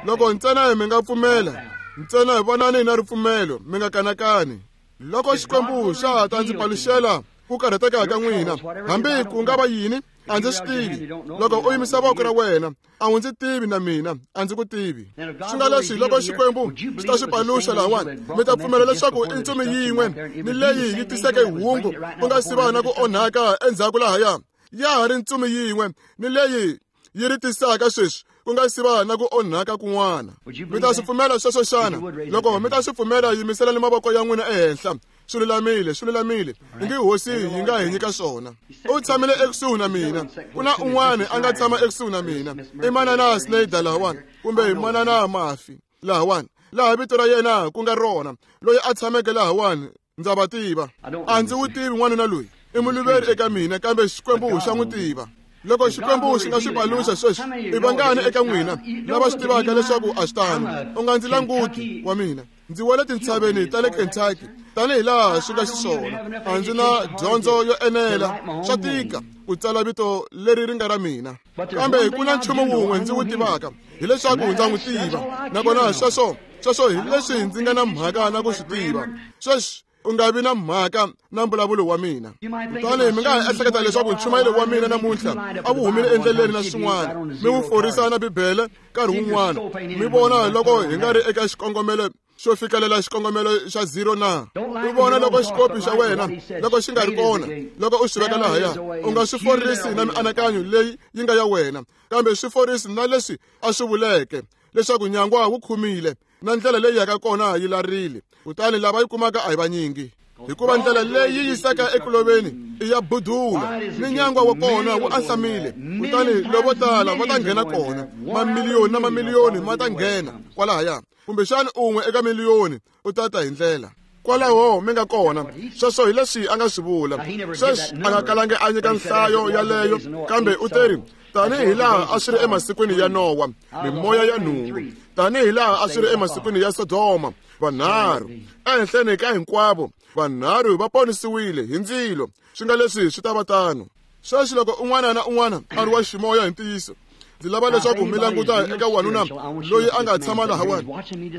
Loko ntsena mi nga pfumela, ntsena hi vonani na ripfumelo, mi nga kanakani. Loko Xikwembu xa ha ta ndzi paluxela ku karhateka ka n'wina, hambi ku nga va yini, a ndzi swi tivi. Loko u yimisa voko ra wena, a wu ndzi tivi na mina a ndzi ku tivi. Swi nga leswi loko Xikwembu xi ta swi paluxa lahawani, mi ta pfumela leswaku i ntsumi yin'we ni leyi yi tiseke hungu ku nga si va na ku onhaka endzhaku lahaya. Ya ha ri ntsumi yin'we ni leyi yi ri tisaka sweswi ku nga si va na ku onhaka kun'wana. Mi ta swi pfumela sweswo xana? Loko mi ta swi pfumela, yimiselani mavoko ya n'wina ehenhla. Swi lulamile, swi lulamile. Ingi hosi yi nga hi nyika swona. U tshamile ekusuhi na mina. Ku na un'wana a nga tshama ekusuhi na mina. I manana Snyder lahawani, kumbe manana Mafi lahawani, laha vito ra yena ku nga rona, loyi a tshameke lahawani. Ndza va tiva. A ndzi wu tivi n'wanuna loyi. I muluveri eka mina, kambe Xikwembu xa n'wi tiva. Loko Xikwembu xi nga swi paluxa sweswi, i vangani eka n'wina lava swi tivaka leswaku a swi tano? U nga ndzi languti wa mina. Ndzi wele tintshaveni ta le Kentucky tanihi laha swi nga xiswona. A ndzi na dyondzo yo enela, swa tika ku tsala vito leri ri nga ra mina. Kambe ku na nchumu wun'we ndzi wu tivaka, hileswaku ndza n'wi tiva. Nakona sweswo sweswo hi leswi ndzi nga na mhaka na ku swi tiva. Sweswi u nga vi na mhaka na mbulavulo wa mina. Kutani mi nga ha ehleketa leswaku nchumayelo wa mina namuntlha a wu humile endleleni na swin'wana, mi wu forisa na Bibele nkarhi wun'wana, mi vona loko hi nga ri eka xikongomelo xo fikelela xikongomelo xa zero na. U vona loko xikopi xa wena loko xi nga ri kona, loko u xi veka lahaya, u nga swi forisi na mianakanyo leyi yi nga ya wena, kambe swi forisi na leswi a swi vuleke leswaku nyangwa wu khumile na ndlela leyi yaka kona yi larile. Kutani lava yi kumaka a hi vanyingi, hikuva ndlela leyi yi yisaka ekuloveni i ya budula, ni nyangwa wa kona wu ahlamile. Kutani lovo tala va ta nghena kona, mamiliyoni na mamiliyoni ma ta nghena kwalahaya, kumbexani un'we eka miliyoni u ta ta hi ndlela kwalaho mi nga kona. Sweswo hi leswi a nga swi vula. Sweswi a nga kalangi a nyika nhlayo yaleyo, kambe u teri tanihi laha a swi ri emasikwini ya Nowa, mimoya ya nhungu, tanihi laha a swi ri emasikwini ya Sodoma, vanharhu ehenhleni ka hinkwavo vanharhu va ponisiwile hi ndzilo. Swi nga leswi swi ta va tano. Sweswi loko un'wana na un'wana a ri wa ximoya hi ntiyiso, Ndzi lava leswaku mi languta eka wanuna loyi a nga tshama lahawani.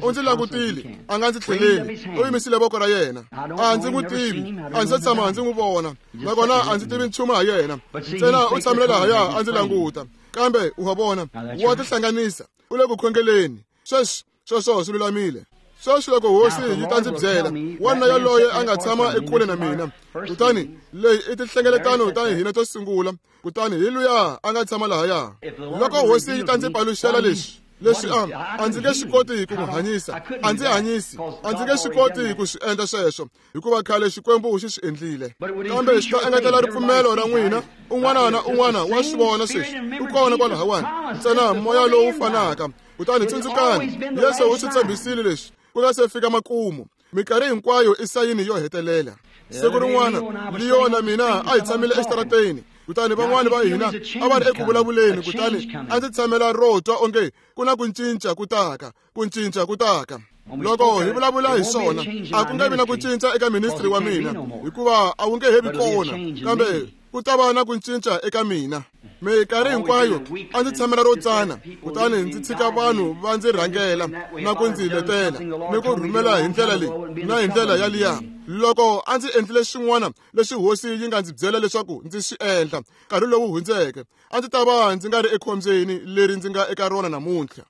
U ndzi langutile, a nga ndzi tlheleli, u yimisile voko ra yena. A ndzi n'wi tivi, a ndzi se tshama ndzi n'wi vona, nakona a ndzi tivi nchumu ha yena. Ntsena u tshamile lahaya a ndzi languta. Kambe u wa vona, wa tihlanganisa, u le ku khongeleni. Sweswi sweswo swi lulamile. Sweswi loko hosi yi ta ndzi byela, wanuna yaloye a nga tshama ekule na mina, kutani leyi i tinhlengeletano ta hina to sungula, kutani hi luya a nga tshama lahaya. Loko hosi yi ta ndzi paluxela leswi, leswi a a ndzi nge swi koti ku n'wi hanyisa, a ndzi hanyisi, a ndzi nge swi koti ku swi endla sweswo, hikuva khale Xikwembu xi swi endlile. Kambe xi ta engetela ripfumelo ra n'wina. Un'wana na un'wana wa swi vona sweswi, u kona kwalahawani, ntsena moya lowu fanaka. Kutani tsundzukani, Yesu u swi tshembisile leswi ku nga se fika makumu. Minkarhi hinkwayo i sayini yo hetelela. Siku rin'wana Leo na mina a hi tshamile exitarateni, kutani van'wani va hina a va ri eku vulavuleni, kutani a ndzi tshamela ro twa onge ku na ku cinca ku taka, ku cinca ku taka. Loko hi vulavula hi swona, a ku nge vi na ku cinca eka ministry wa mina, hikuva a wu nge he vi kona, kambe ku ta va na ku cinca eka mina. Minkarhi hinkwayo a ndzi tshamela ro tsana, kutani ndzi tshika vanhu va ndzi rhangela na ku ndzi letela ni ku rhumela hi ndlela leyi na hi ndlela yaliya. Loko a ndzi endlile xin'wana lexi hosi yi nga ndzi byela leswaku ndzi swi endla nkarhi lowu hundzeke, a ndzi ta va ndzi nga ri ekhombyeni leri ndzi nga eka rona namuntlha.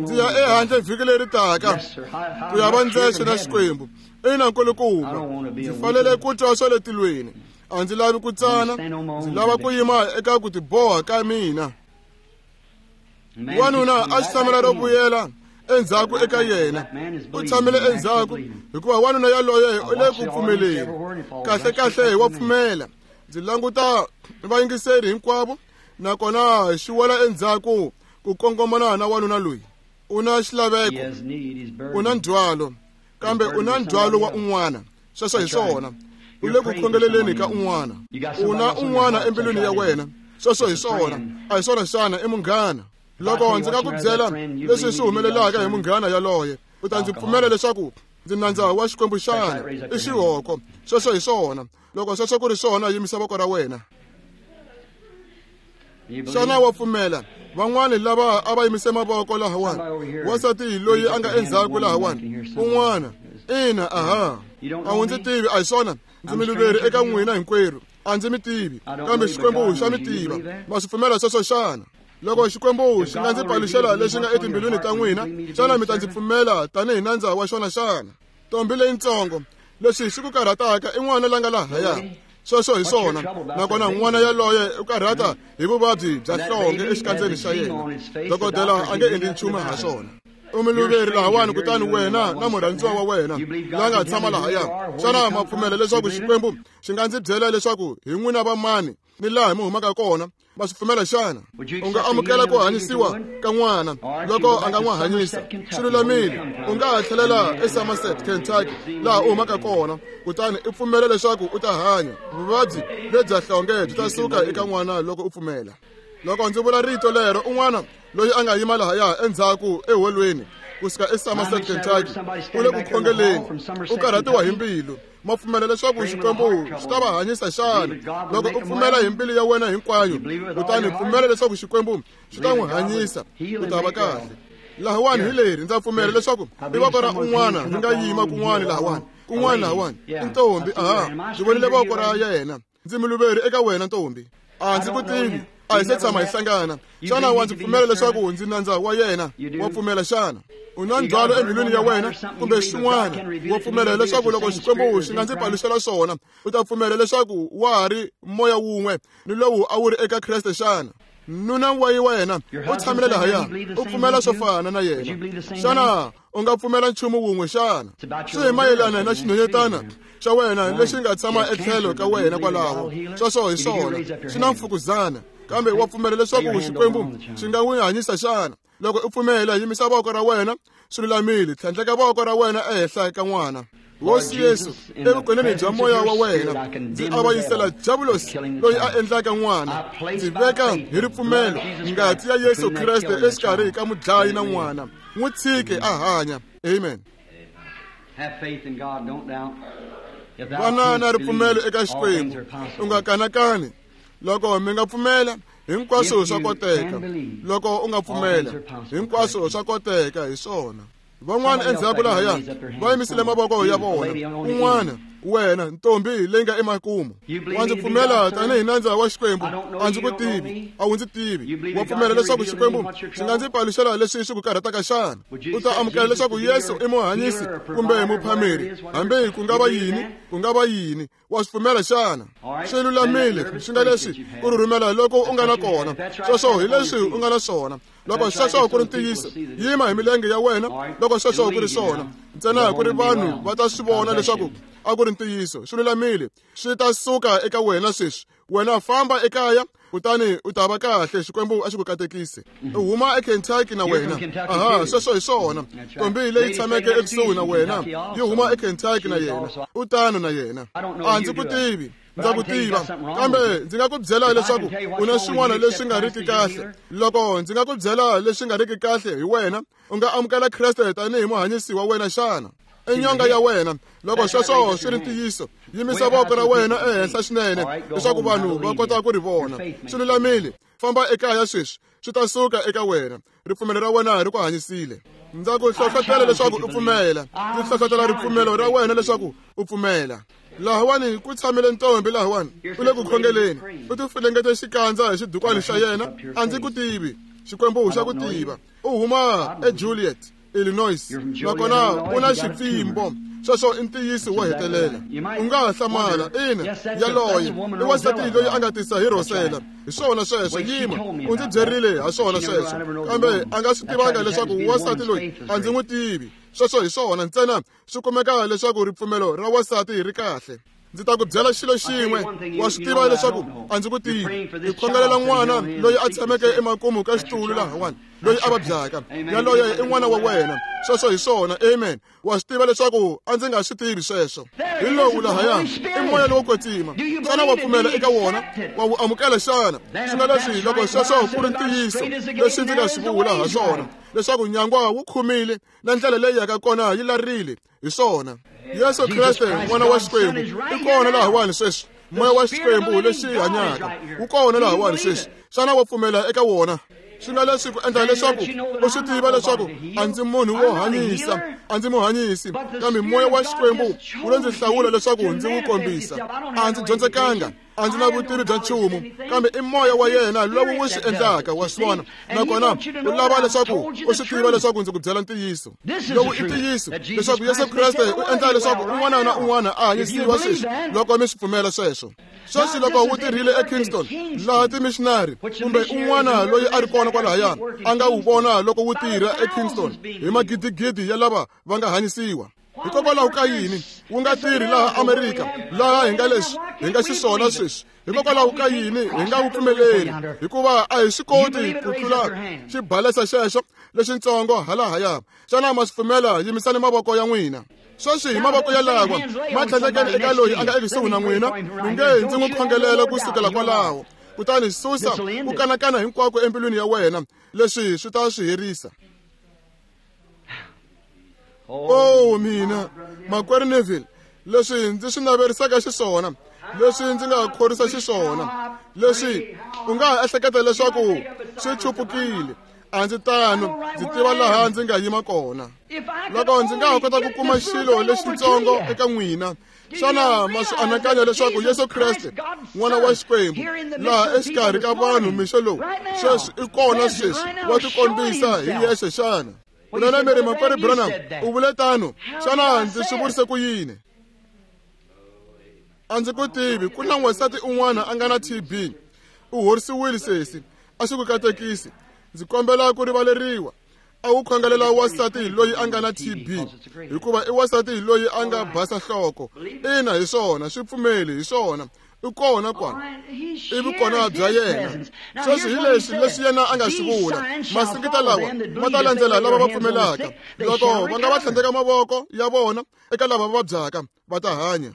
Ndzi ya ehandle vhiki leri taka ku ya va ndzexe na Xikwembu. Ina nkulukumba, ndzi fanele ku twa swa le tilweni. A ndzi lavi ku tsana, ndzi lava ku yima eka ku tiboha ka mina. Wanuna a xi tshamela ro vuyela endzhaku eka yena. U tshamile endzhaku hikuva wanuna yaloye u le ku pfumeleni. Kahle kahle wa pfumela. Ndzi languta vayingiseri hinkwavo, nakona xi wela endzhaku ku kongomana na wanuna loyi. U na xilaveko, u na ndzhwalo, kambe u na ndzhwalo wa un'wana. Sweswo hi swona. U le ku khongeleleni ka un'wana. U na un'wana embilwini ya wena. Sweswo hi swona. A hi swona xana? I munghana. Loko ndzi nga ku byela leswi swi humelelaka hi munghana yaloye, u ta ndzi pfumela leswaku ndzi nandza wa Xikwembu xana? I xihoko. Sweswo hi swona. Loko sweswo ku ri swona, yimisa voko ra wena. Xana wa pfumela? Van'wani lava a va yimise mavoko lahawani, wansati loyi a nga endzhaku lahawani, un'wana. Ina, aha. A wu ndzi tivi, a hi swona? Ndzi miluveri eka n'wina hinkwerhu. A ndzi mi tivi, kambe Xikwembu xa mi tiva. Ma swi pfumela sweswo xana? Loko Xikwembu xi nga ndzi paluxela leswi nga etimbilwini ta n'wina, xana mi ta ndzi pfumela tanihi nandza wa xona xana? Ntombi leyintsongo, leswi xi ku karhataka i n'wana la nga lahaya. Sweswo hi swona. Nakona n'wana yaloye u karhata hi vuvabyi bya nhlonge exikandzeni xa yena. Dokodela a nge endli nchumu ha swona. U muluveri lahawani, kutani wena na murhandziwa wa wena la nga tshama lahaya, xana ma pfumela leswaku Xikwembu xi nga ndzi byela leswaku hi n'wina va mani ni laha mi humaka kona? Ma swi pfumela xana? U nga amukela ku hanyisiwa ka n'wana loko a nga n'wi hanyisa. Swi lulamile. U nga ha tlhelela eSomerset, Kentucky, laha u humaka kona, kutani i pfumela leswaku u ta hanya. Vuvabyi lebya nhlonge byi ta suka eka n'wana loko u pfumela. Loko ndzi vula rito lero, un'wana loyi a nga yima lahaya endzhaku eholweni kusuka eSomerset, Kentucky, u le ku khongeleni, u karhatiwa hi mbilu. Ma pfumela leswaku Xikwembu xi ta va hanyisa xana? Loko u pfumela hi mbilu ya wena hinkwayo, kutani pfumela leswaku Xikwembu xi ta n'wi hanyisa, u ta va kahle. Lahawani hi leri, ndza pfumela leswaku i voko ra un'wana ri nga yima kun'wana lahawani, kun'wana lahawani. I ntombi, aha, ndzi vonile voko ra yena. Ndzi muluveri eka wena ntombi. A ndzi ku tivi, a hi se tshama hi hlangana. Xana wa ndzi pfumela leswaku ndzi nandza wa yena? Wa pfumela xana? U na ndzhwalo embilwini ya wena kumbe xin'wana? Wa pfumela leswaku loko Xikwembu xi nga ndzi paluxela swona, u ta pfumela leswaku wa ha ri moya wun'we ni lowu a wu ri eka Kreste xana? Nuna wa wena u tshamile lahaya, u pfumela swo fana na yena. Xana u nga pfumela nchumu wun'we xana? Swi hi mayelana na xinhwanyetana xa wena lexi nga tshama etlhelo ka wena kwalaho. Sweswo hi swona, xi na mfukuzana, kambe wa pfumela leswaku Xikwembu xi nga n'wi hanyisa xana? Loko u pfumela, yimisa voko ra wena. Swi lulamile. Tlhandleka voko ra wena ehenhla ka n'wana. Hosi Yesu, evukoneni bya moya wa wena, ndzi avanyisela Diabulosi loyi a endlaka n'wana. Ndzi veka hi ripfumelo ngati ya Yesu Kreste exikarhi ka mudlayi na n'wana. N'wi tshike a hanya. Amen. Vana na ripfumelo eka Xikwembu, u nga kanakani. Loko mi nga pfumela, Hinkwaswo swa koteka loko u nga pfumela. Hinkwaswo swa koteka hi swona. Van'wana endzhaku lahaya va yimisile mavoko ya vona. Un'wana wena ntombi leyi nga emakumu, wa ndzi pfumela tanihi nandza wa Xikwembu? A ndzi ku tivi, a wu ndzi tivi. Wa pfumela leswaku Xikwembu xi nga ndzi paluxela leswi swi ku karhataka xana? U ta amukela leswaku Yesu i muhanyisi kumbe muphameri, hambi ku nga va yini, ku nga va yini. Wa swi pfumela xana? Swi lulamile. Swi nga leswi ku rhurhumela loko u nga na kona, sweswo hi leswi u nga na swona. Loko sweswo ku ri ntiyiso, yima hi milenge ya wena. Loko sweswo ku ri swona, ntsena ku ri vanhu va ta swi vona leswaku a ku ri ntiyiso. Swi lulamile, swi ta suka eka wena sweswi. Wena famba ekaya kutani u ta va kahle. Xikwembu a xi ku katekise. U huma eKentucky na wena. Aha, sweswo hi swona. Ntombi leyi tshameke ekusuhi na wena yi huma eKentucky na yena. U tano na yena. A ndzi ku tivi, ndza ku tiva, kambe ndzi nga ku byela leswaku u na swin'wana leswi nga riki kahle. Loko ndzi nga ku byela leswi nga riki kahle hi wena, u nga amukela Kreste tanihi muhanyisi wa wena xana? I nyonga ya wena. Loko sweswo swi ri ntiyiso, yimisa voko ra wena ehenhla swinene leswaku vanhu va kota ku ri vona. Swi lulamile, famba ekaya sweswi, swi ta suka eka wena. Ripfumelo ra wena ri ku hanyisile. Ndza ku hlohlotela leswaku u pfumela. Ndzi hlohlotela ripfumelo ra wena leswaku u pfumela. Lahawani ku tshamile ntombi lahawani, u le ku khongeleni, u tifulengete xikandza hi xidukwani xa yena. A ndzi ku tivi, Xikwembu xa ku tiva. U huma eJuliet, Illinois, nakona u na xipfimbo. Sweswo i ntiyiso wo hetelela. U nga ha hlamala. Ina, yaloye i wansati loyi a nga tisa hi Rosela. Hi swona sweswo. Yima, u ndzi byerile ha swona sweswo, kambe a nga swi tivanga leswaku wansati loyi a ndzi n'wi tivi. Sweswo hi swona ntsena swi kumeka leswaku ripfumelo ra wansati ri kahle. Ndzi ta ku byela xilo xin'we, wa swi tiva leswaku a ndzi ku tivi. Hi khongelela n'wana loyi a tshameke emakumu ka xitulu lahawani, loyi a vabyaka. Yaloye i n'wana wa wena. Sweswo hi swona. Amen. Wa swi tiva leswaku a ndzi nga swi tivi sweswo. Hi lowu lahaya i moya lowo kwetsima. Xana wa pfumela eka wona? Wa wu amukela xana? Swi nga leswi loko sweswo ku ri ntiyiso leswi ndzi nga swi vula ha swona, leswaku nyangwa wu khumile na ndlela leyi yaka kona yi larile. Hi swona. Yesu Kreste n'wana wa Xikwembu i kona lahawani sweswi. Moya wa Xikwembu lexi hanyaka wu kona lahawani sweswi. Xana wa pfumela eka wona? Swi nga leswi ku endla leswaku u swi tiva leswaku a ndzi munhu wo hanyisa, a ndzi muhanyisi, kambe moya wa Xikwembu wu lo ndzi hlawula leswaku ndzi wu kombisa. A ndzi dyondzekanga, a ndzi na vutivi bya nchumu, kambe i moya wa yena lowu wu swi endlaka. Wa swi vona? Nakona u lava leswaku u swi tiva leswaku ndzi ku byela ntiyiso. Lowu i ntiyiso leswaku Yesu Kreste u endla leswaku un'wana na un'wana a hanyisiwa sweswi, loko mi swi pfumela sweswo. Sweswi loko wu tirhile eKingston, laha timissionary kumbe un'wana loyi a ri kona kwalahaya a nga wu vona loko wu tirha eKingston hi magidigidi ya lava va nga hanyisiwa. Hikokwalaho ka yini wu nga tirhi laha Amerika, laha hi nga leswi hi nga xiswona sweswi? Hikokwalaho ka yini hi nga wu pfumeleri? Hikuva a hi swi koti ku tlula xibalesa xexo lexitsongo halahaya. Xana ma swi pfumela? Yimisani mavoko ya n'wina sweswi. Hi mavoko ya lawa ma tlhandlekeni eka loyi a nga ekusuhi na n'wina, mi nge ndzi n'wi khongelela ku sukela kwalaho. Kutani susa ku kanakana hinkwako embilwini ya wena. Leswi swi ta swi herisa. Oh mina, makwerhu Neville, leswi ndzi swi naverisaka xiswona, leswi ndzi nga khorwisa xiswona, leswi u nga ha ehleketa leswaku swi chupukile. A ndzi tano, ndzi tiva laha ndzi nga yima kona. Loko ndzi nga ha kota ku kuma xilo lexitsongo eka n'wina, xana ma swi anakanya leswaku Yesu Kreste n'wana wa Xikwembu laha exikarhi ka vanhu mixo lowu sweswi i kona sweswi, wa tikombisa hi yexe xana? Kunene mi ri, makwerhu Branham u vule tano. Xana ndzi swi vurise ku yini? A ndzi ku tivi. Ku na n'wansati un'wana a nga na T B. U horisiwile sesi. A swi ku katekisi. Ndzi kombela ku rivaleriwa. A wu khongelela wansati loyi a nga na T B, hikuva i wansati loyi a nga basa nhloko. Ina, hi swona, swi pfumeli, hi swona. I kona kwala, i vukona bya yena. Sweswi hi leswi leswi yena a nga swi vula. Masingita lawa ma ta landzela lava va pfumelaka. Loko va nga va tlhandleka mavoko ya vona eka lava va vabyaka, va ta hanya.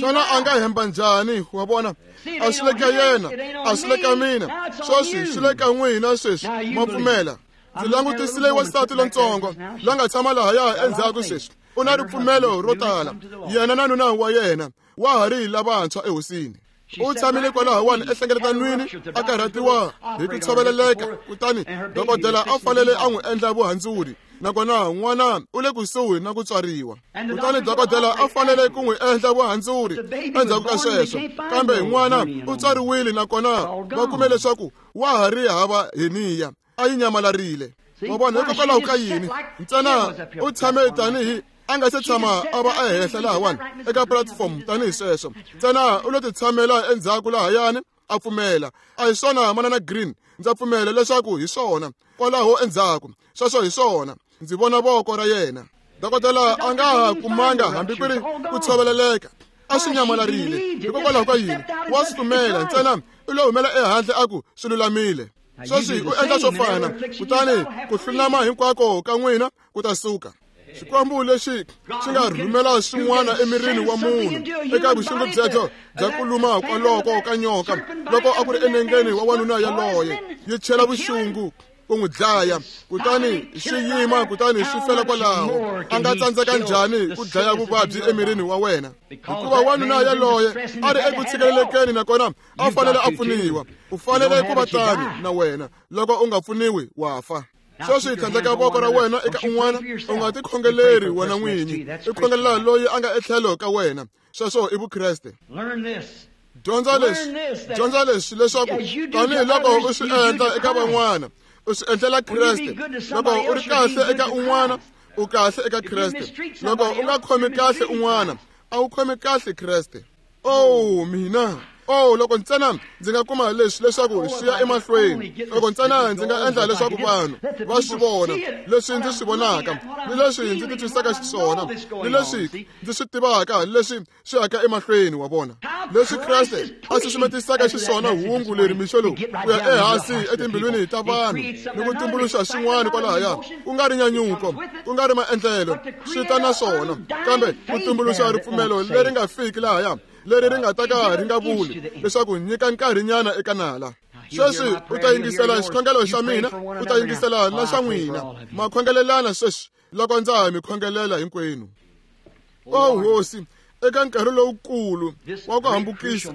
Xana a nga hemba njhani? Wa vona, a swi le ka yena, a swi le ka mina, sweswi swi le ka n'wina sweswi. Ma pfumela? Ndzi langutisile wansati lontsongo la nga tshama lahaya endzhaku sweswi. U na ripfumelo ro tala. Yena na nuna wa yena wa ha ri lavantshwa ehosini. U tshamile kwalahawani ehlengeletanwini a karhatiwa hi ku tshoveleleka, kutani dokodela a fanele a n'wi endla vuhandzuri, nakona n'wana u le kusuhi na ku tswariwa. Kutani dokodela a fanele ku n'wi endla vuhandzuri endzhaku ka sweswo, kambe n'wana u tswariwile nakona va kume leswaku wa ha ri hava heniya, a yi nyamalarile. Wa vona, hikokwalaho ka yini? Ntsena u tshame tanihi a nga se tshama a va ehenhla lahawani eka platform tanihi sweswo, ntsena u lo ti tshamela endzhaku lahayani a pfumela. A hi swona Manana Green, ndza pfumela leswaku hi swona kwalaho endzhaku, sweswo hi swona. Ndzi vona voko ra yena. Dokodela a nga ha kumanga hambi ku ri ku tshoveleleka, a swi nyamalarile. Hikokwalaho ka yini? Wa swi pfumela, ntsena u lo humela ehandle a ku swi lulamile. Sweswi u endla swo fana, kutani ku hlunama hinkwako ka n'wina ku ta suka. Xikwembu lexi xi nga rhumela swin'wana emirini wa munhu eka vuxungu byebyo bya ku luma kwaloko ka nyoka, loko a ku ri enengeni wa wanuna yaloye, yi chela vuxungu ku n'wi dlaya, kutani xi yima, kutani xi fela kwalaho. A nga tsandzeka njhani ku dlaya vuvabyi emirini wa wena? Hikuva wanuna yaloye a ri eku tshikelelekeni, nakona a fanele a pfuniwa. U fanele ku va tani na wena, loko u nga pfuniwi wa fa. Sweswi tlhandleka voko ra wena eka un'wana, u nga tikhongeleri wena n'winyi, i khongelela loyi a nga etlhelo ka wena. Sweswo i Vukreste. Dyondza leswi, dyondza leswi leswaku tanihiloko u swi endla eka van'wana, u swi endlela Kreste. Loko u ri kahle eka un'wana, u kahle eka Kreste. Loko u nga khomi kahle un'wana, a wu khomi kahle Kreste. Oh mina, oh loko ntsena ndzi nga kuma leswi leswaku swi ya emahlweni, loko ntsena ndzi nga endla leswaku vanhu va swi vona leswi ndzi swi vonaka, ni leswi ndzi titwisaka xiswona, ni leswi ndzi swi tivaka, leswi swi yaka emahlweni wa vona, leswi Kreste a susumetisaka xiswona hungu leri mixo lowu ku ya ehansi etimbilwini ta vanhu ni ku tumbuluxa swin'wana kwalahaya, ku nga ri nyanyuko, ku nga ri maendlelo, swi ta na swona, kambe ku tumbuluxa ripfumelo leri nga fiki lahaya, leri ri nga ta ka ri nga vuli leswaku nyika nkarhinyana eka nala. Sweswi u ta yingisela xikhongelo xa mina, u ta yingisela na xa n'wina. Ma khongelelana sweswi loko ndza ha mi khongelela hinkwenu. O Hosi, eka nkarhi lowukulu wa ku hambukisa,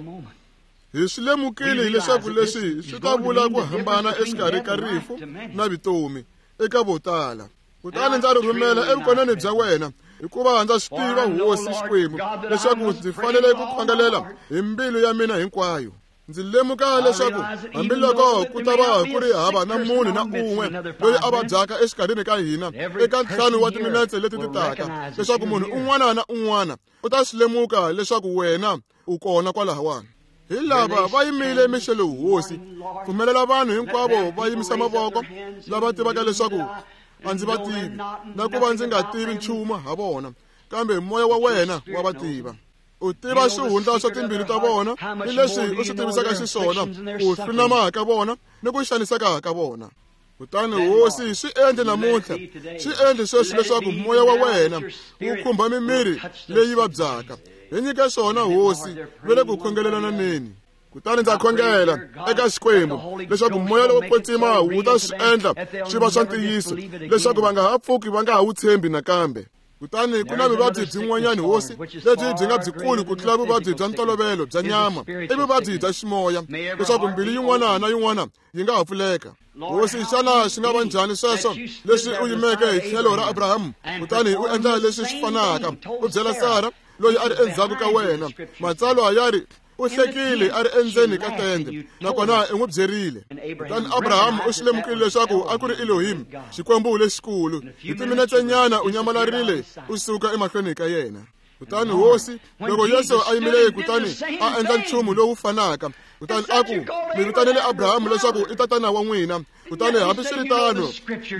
hi swi lemukile leswaku leswi swi ta vula ku hambana exikarhi ka rifu na vutomi eka vo tala. Kutani ndza ri rhumela evukoneni bya wena, hikuva ndza swi tiva Hosi Xikwembu leswaku ndzi fanele ku khongelela hi mbilu ya mina hinkwayo. Ndzi lemuka leswaku hambiloko ku ta va ku ri hava na munhu na un'we loyi a vabyaka exikarhini ka hina eka ntlhanu wa timinetse leti ti taka, leswaku munhu un'wana na un'wana u ta swi lemuka leswaku wena u kona kwalahawani. Hi lava va yimile mixo lowu, Hosi, pfumelela vanhu hinkwavo va yimisa mavoko lava tivaka leswaku a ndzi va tivi, na ku va ndzi nga tivi nchumu ha vona, kambe moya wa wena wa va tiva. U tiva swihundla swa timbilu ta vona ni leswi u swi tivisaka xiswona, ku hlunama ka vona ni ku xaniseka ka vona. Kutani Hosi, swi endle namuntlha, swi endle sweswi leswaku moya wa wena wu khumba mimiri leyi vabyaka. Hi nyike swona Hosi, va le ku khongelelaneni. Kutani ndza khongela eka Xikwembu leswaku moya lowo kwetsima wu ta swi endla swi va swa ntiyiso, leswaku va nga ha pfuki va nga ha wu tshembi nakambe. Kutani ku na vuvabyi byin'wanyana Hosi lebyi byi nga byikulu ku tlula vuvabyi bya ntolovelo bya nyama, i vuvabyi bya ximoya, leswaku mbilu yin'wana na yin'wana yi nga ha pfuleka. Hosi, xana swi nga va njhani sweswo leswi u yimeke hi tlhelo ra Abrahamu, kutani u endla leswi swi fanaka, u byela Sara loyi a ri endzhaku ka wena, matsalwa ya ri u hlekile a ri endzeni ka tende, nakona i n'wi byerile. Kutani Abrahamu u swi lemukile leswaku a ku ri Elohim, Xikwembu lexikulu. Hi timinetsenyana u nyamalarile u suka emahlweni ka yena. Kutani Hosi, loko Yesu a yimile kutani a endla nchumu lowu fanaka, kutani a ku, mi vitanele Abrahamu leswaku i tatana wa n'wina, kutani hambiswiritano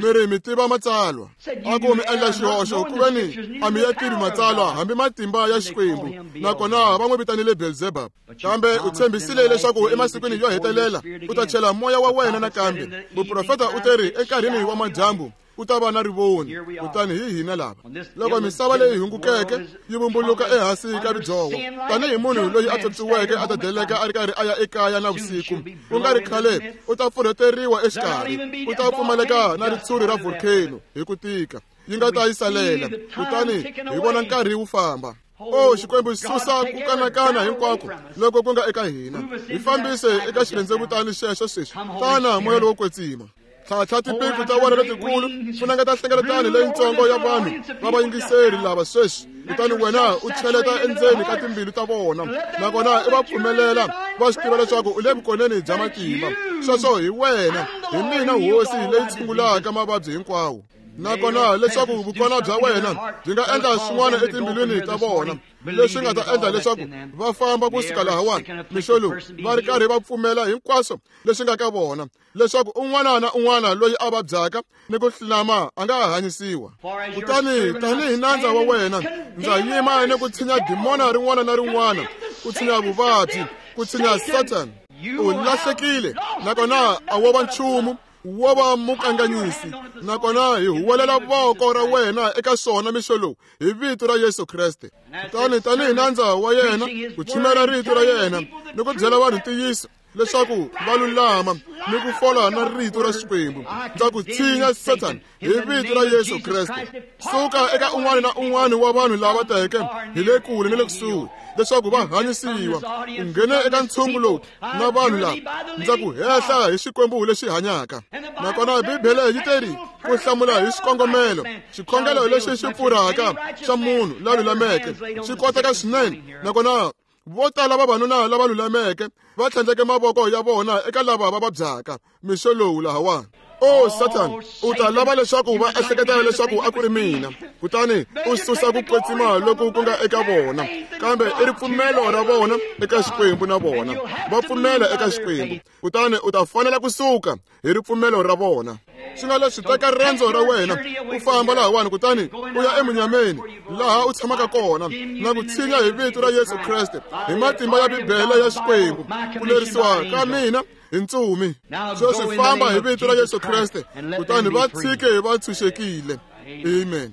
mi ri mi tiva matsalwa. A ku mi endla xihoxo ku veni a mi ya tivi matsalwa hambi matimba ya Xikwembu, nakona va n'wi vitanile Beelzebub. Kambe u tshembisile leswaku emasikwini yo hetelela u ta chela moya wa wena nakambe. Muprofeta u teri enkarhini wa madyambu ku ta va na rivoni, kutani hi hina lava. Loko misava leyi hungukeke yi vumbuluka ehansi ka ridzoho, tanihi munhu loyi a tswotswiweke a ta deleka a ri karhi a ya ekaya na vusiku, ku nga ri khale u ta pfurheteriwa exikarhi, u ta pfumaleka na ritshuri ra volcano hi ku tika yi nga ta yi salela. Kutani hi vona nkarhi wu famba. O Xikwembu, susa ku kanakana hinkwako loko ku nga eka hina, hi fambise eka xirhendzevutani xexo sweswi. Tana Moya lowo Kwetsima, tlhatlha tipiku ta wena letikulu, funengeta nhlengeletano leyitsongo ya vanhu va vayingiseri lava sweswi, kutani wena u cheleta endzeni ka timbilu ta vona, nakona i va pfumelela va swi tiva leswaku u le vukoneni bya matimba. Sweswo hi wena, hi mina Hosi leyi tshungulaka mavabyi hinkwawo. Nakona leswaku vukona bya wena byi nga endla swin'wana etimbilwini ta vona leswi nga ta endla leswaku va famba kusuka lahawani mixo lowu va ri karhi va pfumela hinkwaswo leswi nga ka vona, leswaku un'wana na un'wana loyi a vabyaka ni ku hlulama a nga hanyisiwa. Kutani tanihi nandza wa wena ndza yima ni ku tshinya dimona rin'wana na rin'wana, ku tshinya vuvabyi, ku tshinya Satan. U lahlekile, nakona a wo va nchumu, wo va mukanganyisi, nakona hi huwelela voko ra wena eka swona mixo lowu hi vito ra Yesu Kreste. Kutani tanihi nandza wa yena ku chumela rito ra yena ni ku byela vanhu ntiyiso leswaku va lulama ni ku fola na rito ra Xikwembu, ndza ku tshinya Satan hi vito ra Yesu Kreste. Suka eka un'wana na un'wana wa vanhu lava teke hi le kule ni le kusuhi leswaku va hanyisiwa. U nghene eka ntshungu lowu na vanhu lava, ndza ku hehla hi Xikwembu lexi hanyaka. Nakona Bibele yi teri ku hlamula hi xikongomelo, xikhongelo lexi xi pfurhaka xa munhu la lulameke xi koteka swinene. Nakona vo tala vavanuna lava lulameke va tlhandleke mavoko ya vona eka lava va vabyaka mixo lowu lahawani. O Satan, u ta lava leswaku va ehleketa leswaku a ku ri mina, kutani u susa ku kwetsima loku ku nga eka vona, kambe i ripfumelo ra vona eka Xikwembu na vona va pfumela eka Xikwembu, kutani u ta fanela kusuka hi ripfumelo ra vona. Swi nga leswi teka riendzo ra wena u famba lahawani, kutani u ya emunyameni laha u tshamaka kona, na ku tshinya hi vito ra Yesu Kreste hi matimba ya Bibele ya Xikwembu, ku lerisiwa ka mina hi ntsumi. Sweswi famba hi vito ra Yesu Kreste, kutani va tshike va tshunxekile. Amen.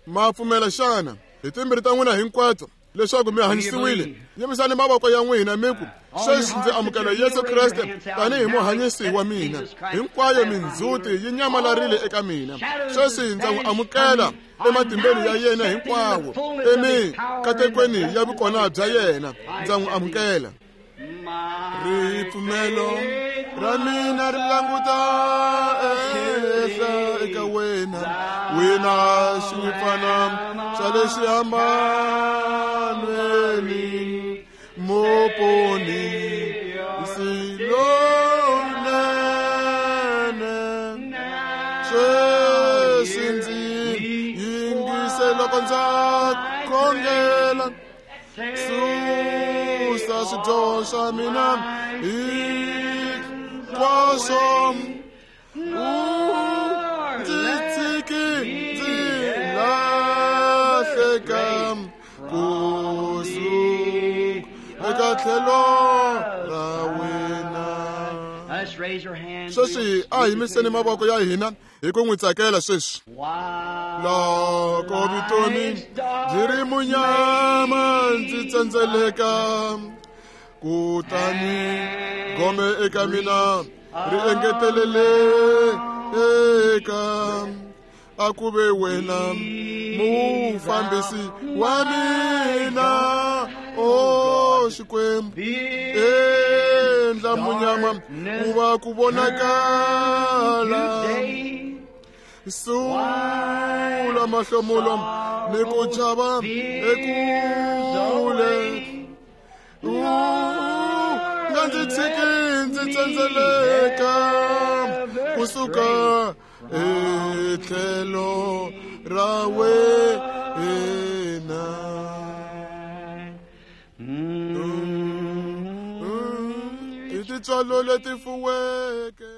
Ma pfumela xana hi timbirhi ta n'wina hinkwato leswaku mi hanyisiwile? Yimisani mavoko ya n'wina mi ku, sweswi ndzi amukela Yesu Kreste tanihi muhanyisi wa mina, hinkwayo mindzhuti yi nyamalarile eka mina. Sweswi ndza n'wi amukela ematimbeni ya yena hinkwawo, emikatekweni ya vukona bya yena ndza n'wi amukela. Ripfumelo ra mina ri languta ehenhla eka wena, wena xinyimpfana xa le xihambanweni, muponi silonene. Sweswi ndzi yingise loko ndza khongela, susa swidyoho swa mina hinkwaswo, u ndzi tshiki ndzi lahleka kusuka eka tlhelo ra wena. Sweswi a yimiseni mavoko ya hina hi ku n'wi tsakela sweswi. Loko vutomi byi ri munyama ndzi tsendzeleka, kutani gome eka mina ri engeteleleka, a ku ve wena mufambisi wa mina. O Xikwembu, endla munyama ku va ku vonakala, sula mahlomulo ni ku chava ekule, u nga ndzi tshiki ndzi tsendzeleka kusuka etlhelo ra wena. I tintswalo leti fuweke.